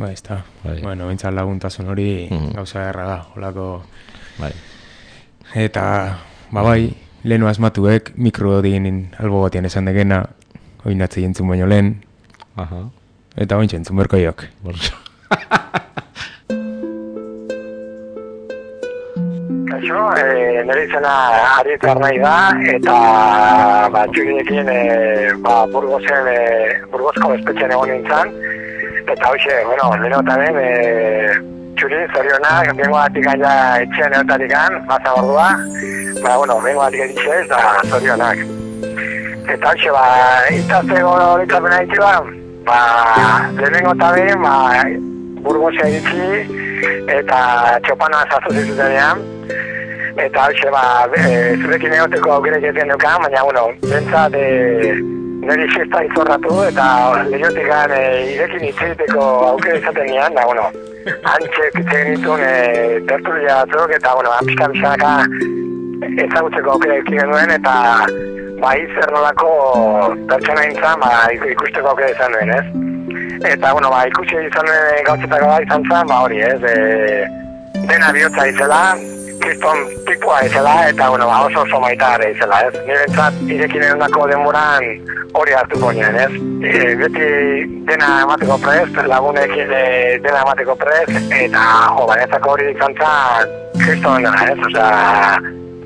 Ez da. Bintzat laguntasun hori gauza erra da, holako. Eta, lehenu asmatuek, mikro digin albo batean esan degena, oinatze jentzun baino lehen, eta ointxe entzun berko jok. Kaixo, nire izena Arietar nahi da, eta txurinekin Burgosko espetxean egon nintzen, eta hoxe, leheno eta ben, txuri, zorionak, bengo batik aia etxean egotarik baza ordua, bengo batik editxe ez da zorionak. Eta hoxe, itazteko ditzapena ditu lehenengo eta ben, Burgosea editzi, eta txopana zaztu zituzenean, eta hoxe, zurekin egoteko aukerek egiten dukan, baina, bentsat, niri fiesta izorratu, eta lehiotik irekin itziteko aukera izaten nian, da, antxek itzen ditun tertulia batzuk, eta, pixka-pixkanaka ezagutzeko aukera ikin genuen, eta, zer nolako pertsona intzan, ikusteko aukera izan duen, ez? Eta, ikusi izan duen gautzetako da izan zen, hori, ez? Dena bihotza izela, kriston tipua izela, eta, oso maitar izela, ez? Nire bentsat, irekin erondako denboran hori hartuko nien, ez? Beti dena emateko prest, lagunekin dena emateko prest, eta, bainezako hori izan zen, kriston dena, ez? Osea,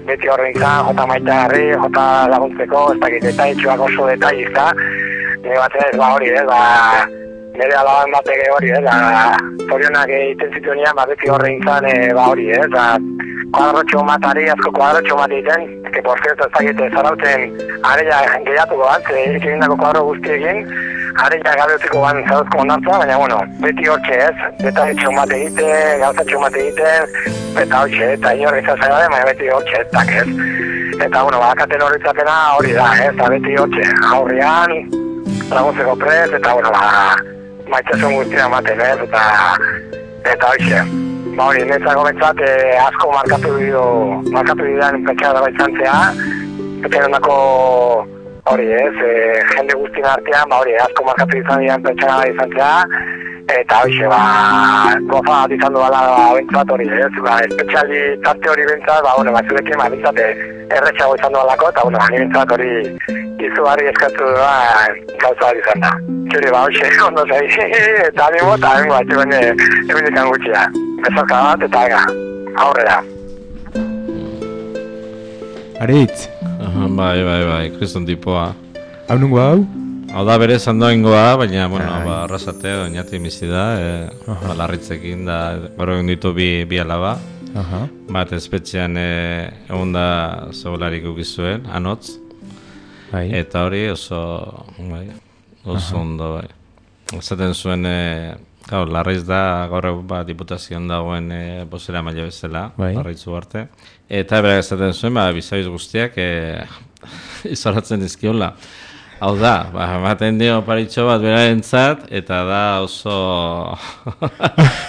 beti horrein zan, jota maitarri, jota laguntzeko, ez dakit, eta itxuak oso detailizta, nire batzen ez, hori, ez? Nire alaban batek hori, zorionak egiten zituen nian, beti horrein zan, hori, kuadrotxo matari, asko kuadrotxo mati egiten, que por cierto ez dakit zarauten areia gehiatuko bat, egindako kuadro guztiekin, areia gabe utziko ban zarauzko ondartza, baina, beti hortxe ez, detaletxo mate egiten, gauzatxo mate egiten, eta hortxe, eta inorri zazaila baina beti hortxe, tak ez. Eta, bakaten horretzapena hori da, ez, beti hortxe, aurrian, laguntzeko prez, eta, maitzasun guztia ematen, ez, eta hoxe. Hori, netzako bentsat, asko markatu didan pentsa dago izan zea, eta ondako, hori, ez, jende guztien artean, hori, asko markatu didan pentsa dago izan zea, eta hoxe, goza bat izan duela bentsat hori, ez, espetxaldi tarte hori bentsat, zurekin, bentsat, erretxago izan duelako, eta, ni bentsat hori, izugarri eskatu gauza bat izan da. Txuri, hoxe, ondo zai, eta animo, eta hemen ikan gutxia. Bezarka bat, eta aurrera. Aritz? Bai, kriston tipoa. Hau nungo hau? Hau da bere zandoingoa, baina, arrasate, oinati mizi da, larritzekin da, gero egin ditu bi alaba. Bat espetxean egun da zeugolarik ukizuen, anotz. Eta hori oso ondo, bai. Zaten zuen, larriz da, gaur diputazioan dagoen bozera maila bezala, larritzu arte. Eta berak ezaten zuen, bizabiz guztiak izoratzen dizkiola. Hau da, ematen dio paritxo bat berarentzat, eta da oso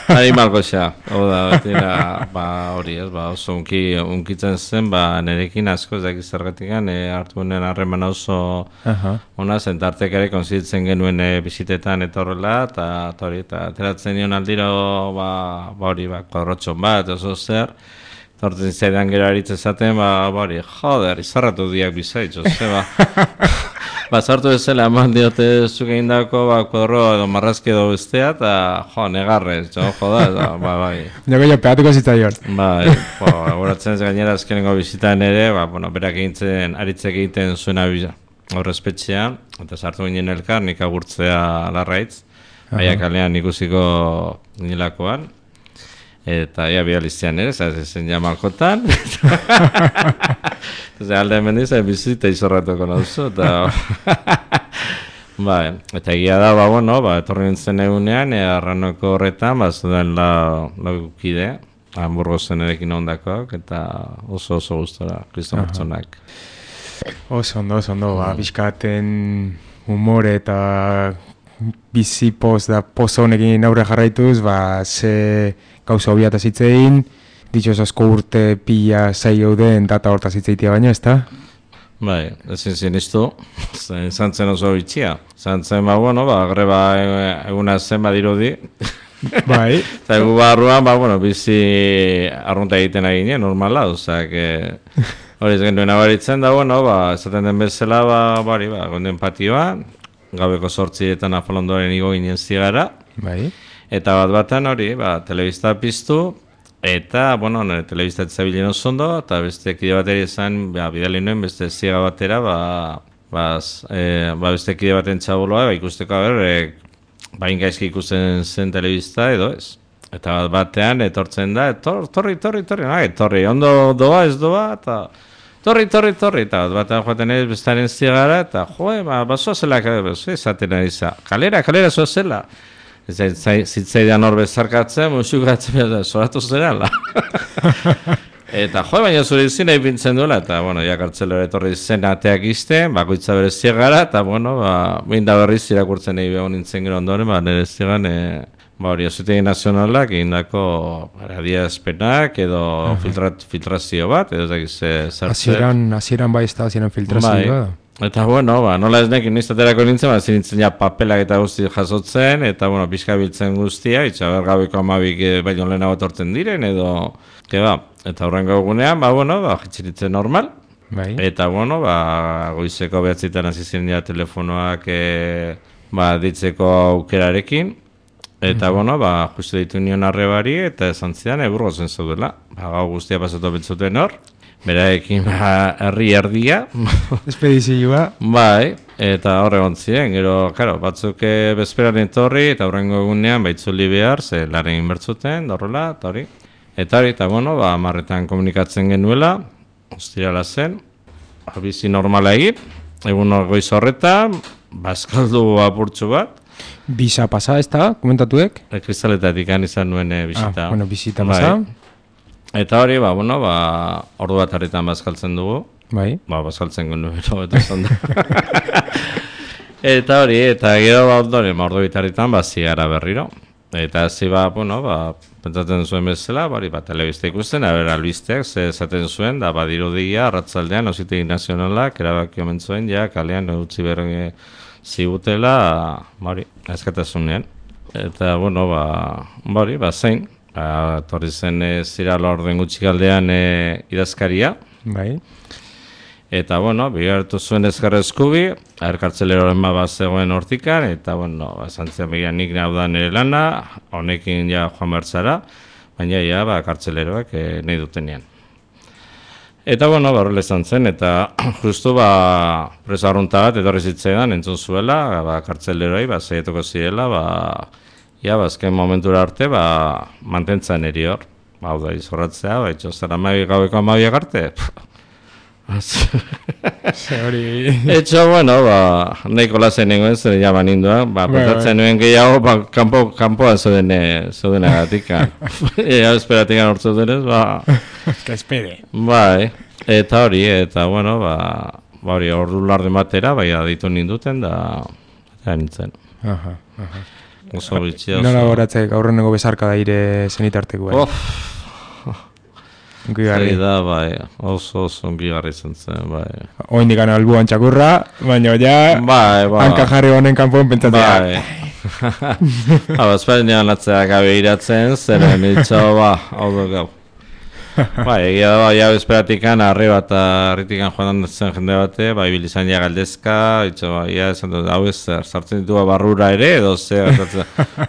animalgoxa. Hau da, betira, hori ez, oso unkitzen zen, nerekin asko ez dakiz zergatikan, hartu genen harreman oso ona zen, tartek ere konziditzen genuen bizitetan eta horrela, eta hori, eta ateratzen nion aldiro, hori, kuadrotxon bat, oso zer, torten zaidan gero aritz ezaten, hori, joder, izarratu diak bizaitz, Sartu ezela eman diote zuk egin dako kuadro edo marrazki edo bestea, eta negarrez, joda, bai. Nago jo, pegatuko zitzaion. Bai, horatzen ez gainera azkenengo bizitan ere, berak egintzen, aritzek egiten zuena horrezpetxean, eta sartu ginen elkar, nik agurtzea larraitz, aia kalean ikusiko nilakoan, eta bializtean ere, zen jamalkotan, alde hemen dizai bizita izorratuko nauzu, eta egia da, etorri nintzen egunean, arranoko horretan, zuden laukide, Burgosen erekin ondakoak, eta oso gustora, kriston pertsonak. Oso ondo, bizkaten humore eta bizi poz da pozo honekin aurre jarraituz, ze gauza hobiata zitzein, ditxoz asko urte pila zai gauden data horta zitzeitia baina, ez da? Bai, ezin sinistu, izan zen oso bitxia. Izan zen, greba eguna zen badirudi. Bai. Eta egu barruan, bizi arrunta egiten aginen, normala, ozak, hori ez genuen abaritzen da, esaten den bezala, gonden patioa, gabeko 8 afalondoaren igo ginen zigara. Bai. Eta bat-batan hori, telebista piztu, eta, bueno, telebista etzabilen oso ondo, eta beste kide bateri esan, bidali nuen, beste ziega batera, beste kide baten txaboloa, ikusteko, bain gaizki ikusten zen telebista edo ez. Eta batean etortzen da, torri, ondo doa, ez doa, eta torri, eta batean joaten ez bestaren ziegara, eta basoa zela, esaten ari za, kalera zoa zela. Zitzaidan hor bezarkatzen, musukatzen, zoratu zerala. Eta baina zure izin nahi bintzen duela, eta, kartzelera etorri zen ateak izten, bakoitza bere ziegara, eta, binda berriz irakurtzen nahi behon nintzen gero ondoren, nire ziegan, hori, Auzitegi Nazionalak egindako adierazpenak edo filtrazio bat, edo zertzen. Hasieran bai ez da, hasieran filtrazio bat. Eta, nola ez nekin iztaterako nintzen, zinintzen ja papelak eta guzti jasotzen, eta, pixka biltzen guztia, itxaber gabeko amabik baino lehenago etortzen diren, edo, eta horrengo egunean, jitziritzen normal, eta, goizeko behatzitan hasi ziren ja telefonoak ditzeko aukerarekin, eta, justu ditu nion arrebari, eta esan zidan, Burgosen zaudela, gau guztia pasatu bentzuten hor, beraekin herri erdia. Espedizioa. Bai, eta horre gontzien, gero, batzuk bezperan etorri, eta horrengo egunean baitzuli behar, ze laren inbertzuten, horrela, eta hori. Eta hori, eta amarretan komunikatzen genuela, ostirala zen, bizi normala egin, egun goiz horretan, bazkaldu apurtxu bat. Bisa pasa, ez da, komentatuek? Kristaletatik izan nuen bisita. Bisita pasa. Eta hori, ordu bat harritan bazkaltzen dugu. Bai. Bazkaltzen genuen, eta zonda. Eta hori, eta gero ondoren, ordu bitarritan, zigara berriro. Eta zi, pentsatzen zuen bezala, telebista ikusten, albisteak, esaten zuen, da, dirudia, arratzaldean, Auzitegi Nazionalak, erabaki omen zuen, kalean, utzi berren zigutela, ezkatasunean. Eta, zein. Torri zen zirala orden gutxikaldean idazkaria. Bai. Eta, bigartu zuen ezkarra eskubi, kartzeleroren zegoen hortikan, eta, esan zian begian nik nahi da nire lana, honekin joan bertzara, baina kartzeleroak nahi dutenean. Eta, horrela izan zen, eta justu presa arrunta bat etorri zitzaidan entzun zuela, kartzeleroi, zeietuko zirela, azken momentura arte, mantentzen eri hor. Hau da, izorratzea, zara gaueko amabiak arte. Etxo, nahiko lazen nengoen, zer jaman ninduan, petatzen nuen gehiago, kanpoan zeuden agatik. Esperatik anortzu denez, Que espere. Eta hori, eta, hori, ordu larden batera, aditu ninduten, da nintzen. Oso bitxia. Nola goratzek aurreneko bezarka da ire zenitarteko. Ongigarri da, oso ongigarri zen zen, Oin dikan albuan txakurra, baina hanka jarri honen kanpoen pentsatzea. Esparen atzeak gabe iratzen, zeren itxo, hau du gau. Egia da, esperatik arriba eta arritikan joan zen jende bate, ibilizan galdezka, esan dut, hau ez, sartzen ditu barrura ere, edo ze,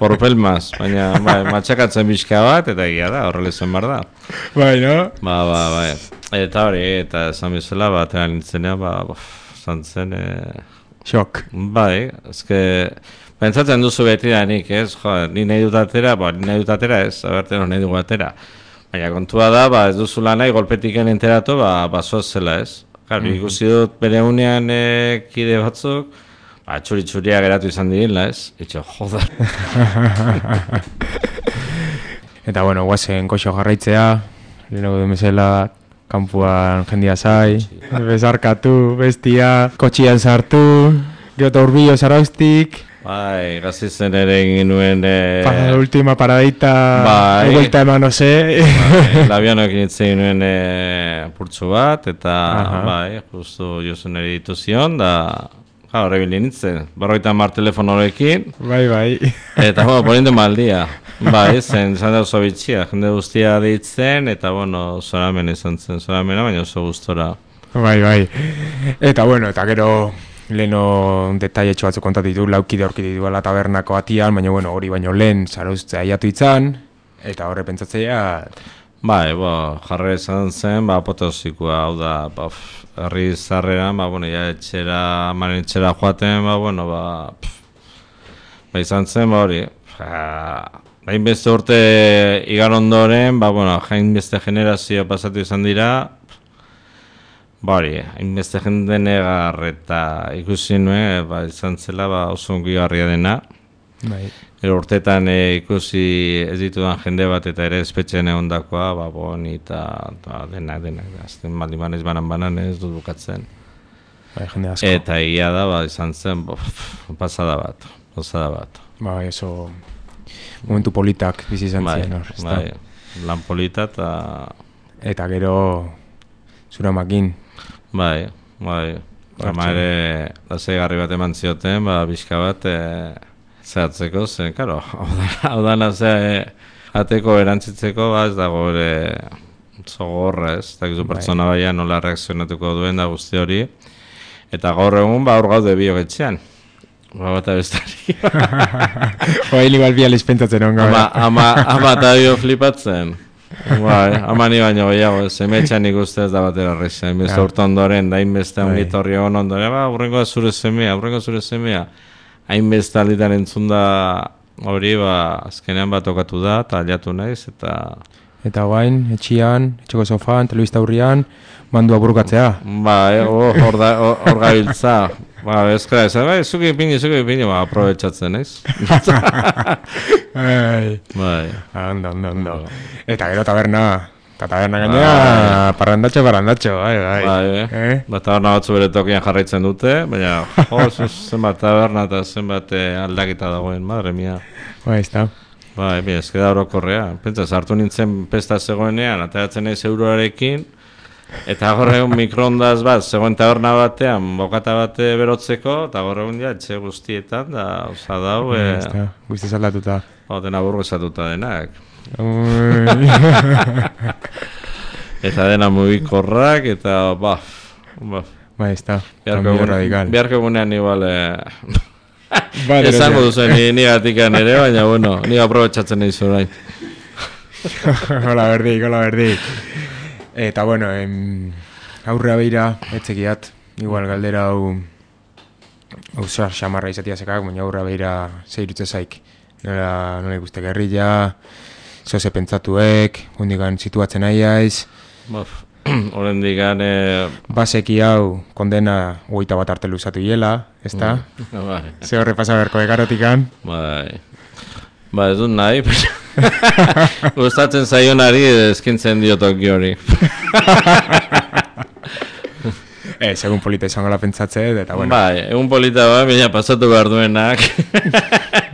porpelmaz, baina matxakatzen bizka bat, eta egia da, horrela izan bar da. No? Eta hori, eta esan bizela, batera nintzenea, zantzen... Xok. Ezke... Pentsatzen duzu beti da nik, ez, ni nahi dut atera ez, aberten nahi dugu atera. Baina kontua da, ez duzula nahi, golpetiken enteratu, basoaz zela ez. Ikusi dut bere unean kide batzuk, txuri-txuria geratu izan dirila ez. Itxo, joder. Eta, guazen koxo jarraitzea, lehenago demezela, kanpuan jendia zai, bezarkatu, bestia, kotxian sartu, geota urbillo zaraustik. Gazizen ere egin nuen... Última paradita, vuelta eman, no sé. Labianoak initzen nuen purtsu bat, eta justu jozen ere dituzion, da horre bilin nintzen. 50 telefono horrekin. Eta, ponindu maldia. Zen da oso bitxia, jende guztia deitzen, eta, zoramen izan zen, zoramena, baina oso gustora. Eta, eta gero... leno detailetxo batzuk kontatu ditu, laukide aurki dituela tabernako atian, baina bueno, hori baino lehen zarauztzea aiatu itzan, eta horre pentsatzea... Bai, jarri izan zen, apoteosikoa, hau da, herri zarreran, ja amaren etxera joaten, izan zen, hori, hainbeste urte igar ondoren, hainbeste generazio pasatu izan dira, hainbeste jende negar eta ikusi nuen, izan zela oso ongigarria dena. Urtetan ikusi ez ditudan jende bat eta ere espetxean egondakoa, boni eta denak. Azten maldiman ez banan ez dut bukatzen. Eta egia da, izan zen, pasada bat. Eso, momentu politak bizi izan zen. Lan polita eta gero zura makin. Ama ere lasaigarri bat eman zioten, bizka bat zehatzeko zen, karo, hau dana ateko erantzitzeko, ez dago ere zogorra, ez, eta gizu pertsona baina nola reakzionatuko duen da guzti hori, eta gaur egun hor gaude biogetxean, eta bestari. Hili balbializ pentsatzen onga. Ama eta bio flipatzen. Ama ni baino gehiago, zemetxan ikustez da batera rexen, beste urte ondoren, da inbeste ongitorri egon ondoren, hurrengo zure semea, hainbeste alditan entzun da hori, azkenean tokatu da, eta aliatu naiz, eta... Eta guain, etxian, etxoko sofan, telebista hurrian, mandua burukatzea. Hor gabiltza. Ezkera, zuki ipini, aprobetxatzen, naiz? Ondo. Eta gero taberna gainea, parrandatxo. Taberna batzu bere tokian jarraitzen dute, baina, zenbat taberna eta zenbat aldakita dagoen, madre mia. Ez da orokorrea. Pentsa, sartu nintzen pesta zegoenean, ateratzen naiz euroarekin, eta gorregun mikroondaz bat, zegoen taberna batean, bokata bate berotzeko, eta gorregun etxe guztietan, da, oza dau... Guzti zaldatuta. Dena burgezatuta denak. Eta dena mugikorrak, eta ez da, kambio radikal. Biharko egunean igual... Esango duzen nigatikan ere, baina, bueno, niga aprobetxatzen nahi zorain. Hola berdik. Eta, bueno, aurrea beira, etzekiat, igual galdera hau zar xamarra izatia zekak, baina aurrea beira zeirutze zaik. Nola ikuste gerrilla, zoze pentsatuek, hundikan situatzen aiaiz. Horendikan... Baseki hau kondena 21 arte luzatu hiela, ez da? Ze horre pasaberko egarotikan. Ez dut nahi, gustatzen zaionari eskintzen diotoki hori. Egun polita izango la pentsatze, eta bueno. Egun polita baina pasatu behar duenak.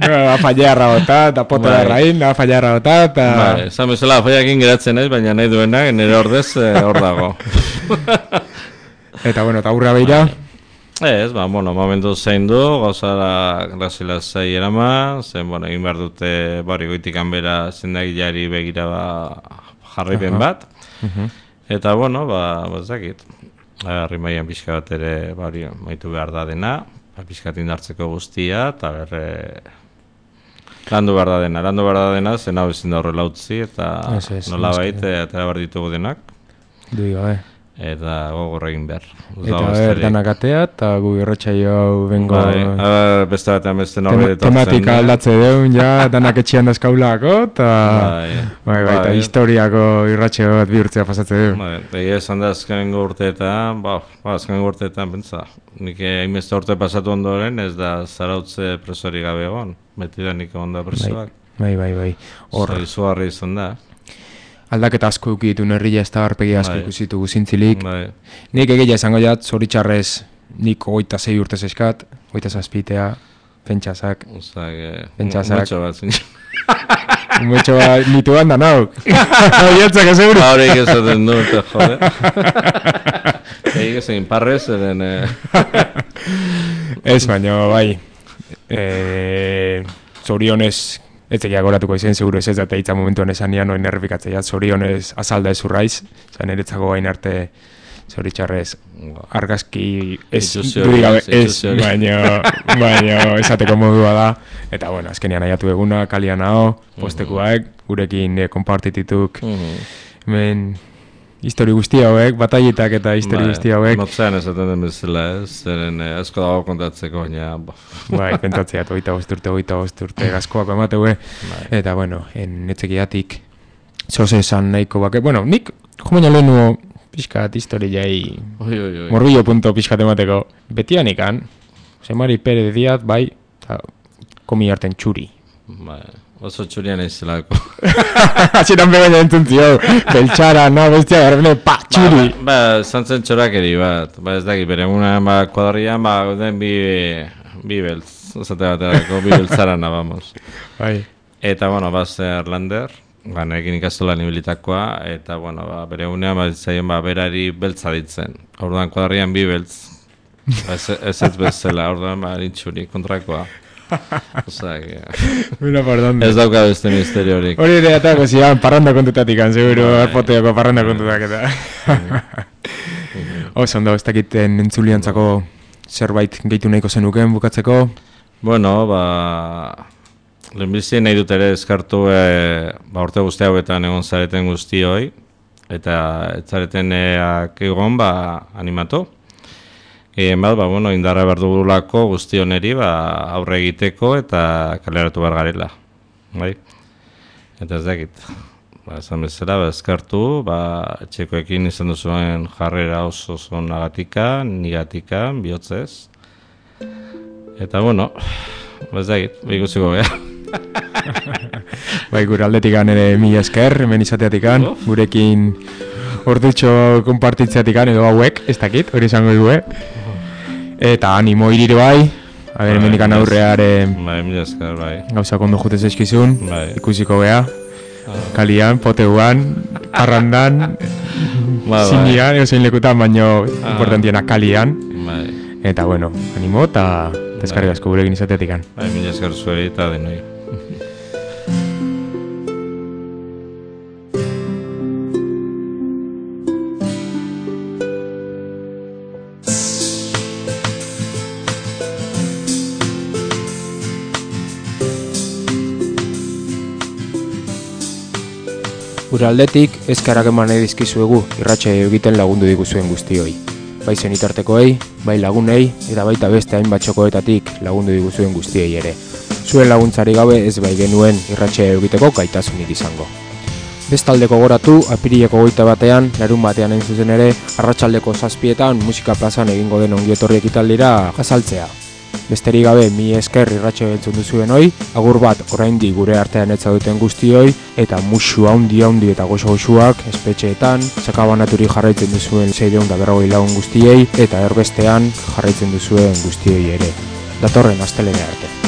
Afaiarra botat, apotela rain, afaiarra botat. Esan bezala afaiakin geratzen ez, baina nahi duenak, nire ordez hor dago. Eta bueno, eta aurra beira? Ez, momentu zein du, gauzara grazila zai erama, zen, egin behar dute goitikan bera zendagilari begira jarripen bat. Eta, ezakit. Arrimaian pixka bat ere maitu behar da dena, pixkat indartzeko guztia, eta landu behar da dena, zen hau ezin da horrela utzi, eta nola baita, eta behar ditugu denak. Dui gabe. Eta gogorra egin behar. Eta danak atea, eta gu irratxaio hau bengo... Beste batean beste norbe detotzen. Tematika aldatze deun, danak etxian dazkaulako, eta historiako irratxaio bat bihurtzea pasatze deun. Egia esan da azkenengo urteetan, pentsa, nik hainbeste urte pasatu ondoren, ez da zarautze presori gabe egon, beti da nik egon da presoak. Bai. Izugarri izan da. Aldaketa asko eukitu nerria ez da harpegi asko ikusitu zintzilik. Nik egia esango jat, zoritxarrez nik 26 urte eskat, 27 pentsasak. Mucho bat zin. Mucho bat, nitu handan hauk. Oietzak ez euro. Haureik ezaten du, jode. Egin ezin parrez, eren... Ez baino, bai. Zorionez... Ez egia goratuko izan, seguro ez eta hitza momentuan esan nian, noin errepikatzea, zorionez azalda ez urraiz, zan eretzako gain arte zoritxarrez, argazki ez Itxusiori, dudik gabe ez, itxusiori. baina esateko modua da. Eta bueno, azkenean aiatu eguna, kalian hau, postekuak, gurekin konpartitituk, hemen histori guzti hauek, batailetak eta histori guzti hauek. Notzean esaten den bezala, zeren asko dago kontatzeko, baina... Bai, pentsatzeat, 25 urte gazkoako emateue, eta bueno, netzekiatik, zoze esan nahiko bake, bueno, nik, jo baina lehenu pixkat historiai, morbillo punto pixkat emateko, betian ikan, Semari Perez Diaz, bai, eta komi harten txuri. Bai. Oso txurian eizelako. Hasieran begaina entzuntzio, beltxara, bestia garbene, txuri. Ba, zantzen txorakeri bat. Ba, ez daki, bere egunean, kuadrian, den bi beltz. Zate baterako, bi beltzarana, vamos. Bai. Eta, bueno, zer Lander, nekin ikastola nibilitakoa, eta, bueno, bere egunean, zaien, berari beltza ditzen. Orduan, kuadrian bi beltz. Ez bezala, orduan, nintxuri, kontrakoa. Mira, perdón. Ez dauka beste misteriorik. Hori ere atako zian, parranda kontutatik, seguro, arpoteoko parranda kontutak eta. Oso, ondo, ez dakiten entzuliantzako zerbait gehitu nahiko zenuken bukatzeko? Bueno, lehenbizien nahi dut ere eskartu urte guzti hauetan egon zareten guztioi, eta ez zareten egon animatu. Gehien bat, indarra behar dugulako guzti honeri aurre egiteko eta kaleratu behar garela. Bai? Eta ez dakit. Esan bezala, eskartu, etxekoekin izan duzuen jarrera oso nagatika, nigatika, bihotzez. Eta, ez dakit, ikutsiko beha. Bai, gure aldetikan ere mila esker, hemen izateatikan, gurekin ordutxo konpartitzeatikan edo hauek, ez dakit, hori izango dugu, Eta animo irire bai, hemendikan aurreare mila esker, bai. Gauza kondo jutez eskizun, ikusiko beha, kalian, poteuan, parrandan, zinian, zein lekutan, baino importantiena kalian. Eta bueno, animo eta eskarrik asko gurekin izateatikan. Mila esker zuei eta denoi. Gure aldetik, eskerrak eman nahi dizkizuegu irratsaio egiten lagundu diguzuen guztioi. Bai zenitartekoei, bai lagunei, eta baita beste hainbat txokoetatik lagundu diguzuen guztiei ere. Zuen laguntzari gabe ez bai genuen irratsaio egiteko gaitasunik izango. Bestaldeko goratu, apirileko 21, larun batean hain zuzen ere, arratsaldeko 7etan musika plazan egingo den ongietorri ekitaldira jazaltzea. Besterik gabe, mi esker irratsaio entzun duzuen hoi, agur bat oraindik gure artean etza duten guztioi, eta musu haundi eta goxo-goxuak espetxeetan, sakabanaturi jarraitzen duzuen 640 lagun guztiei, eta erbestean jarraitzen duzuen guztioi ere. Datorren astelene arte.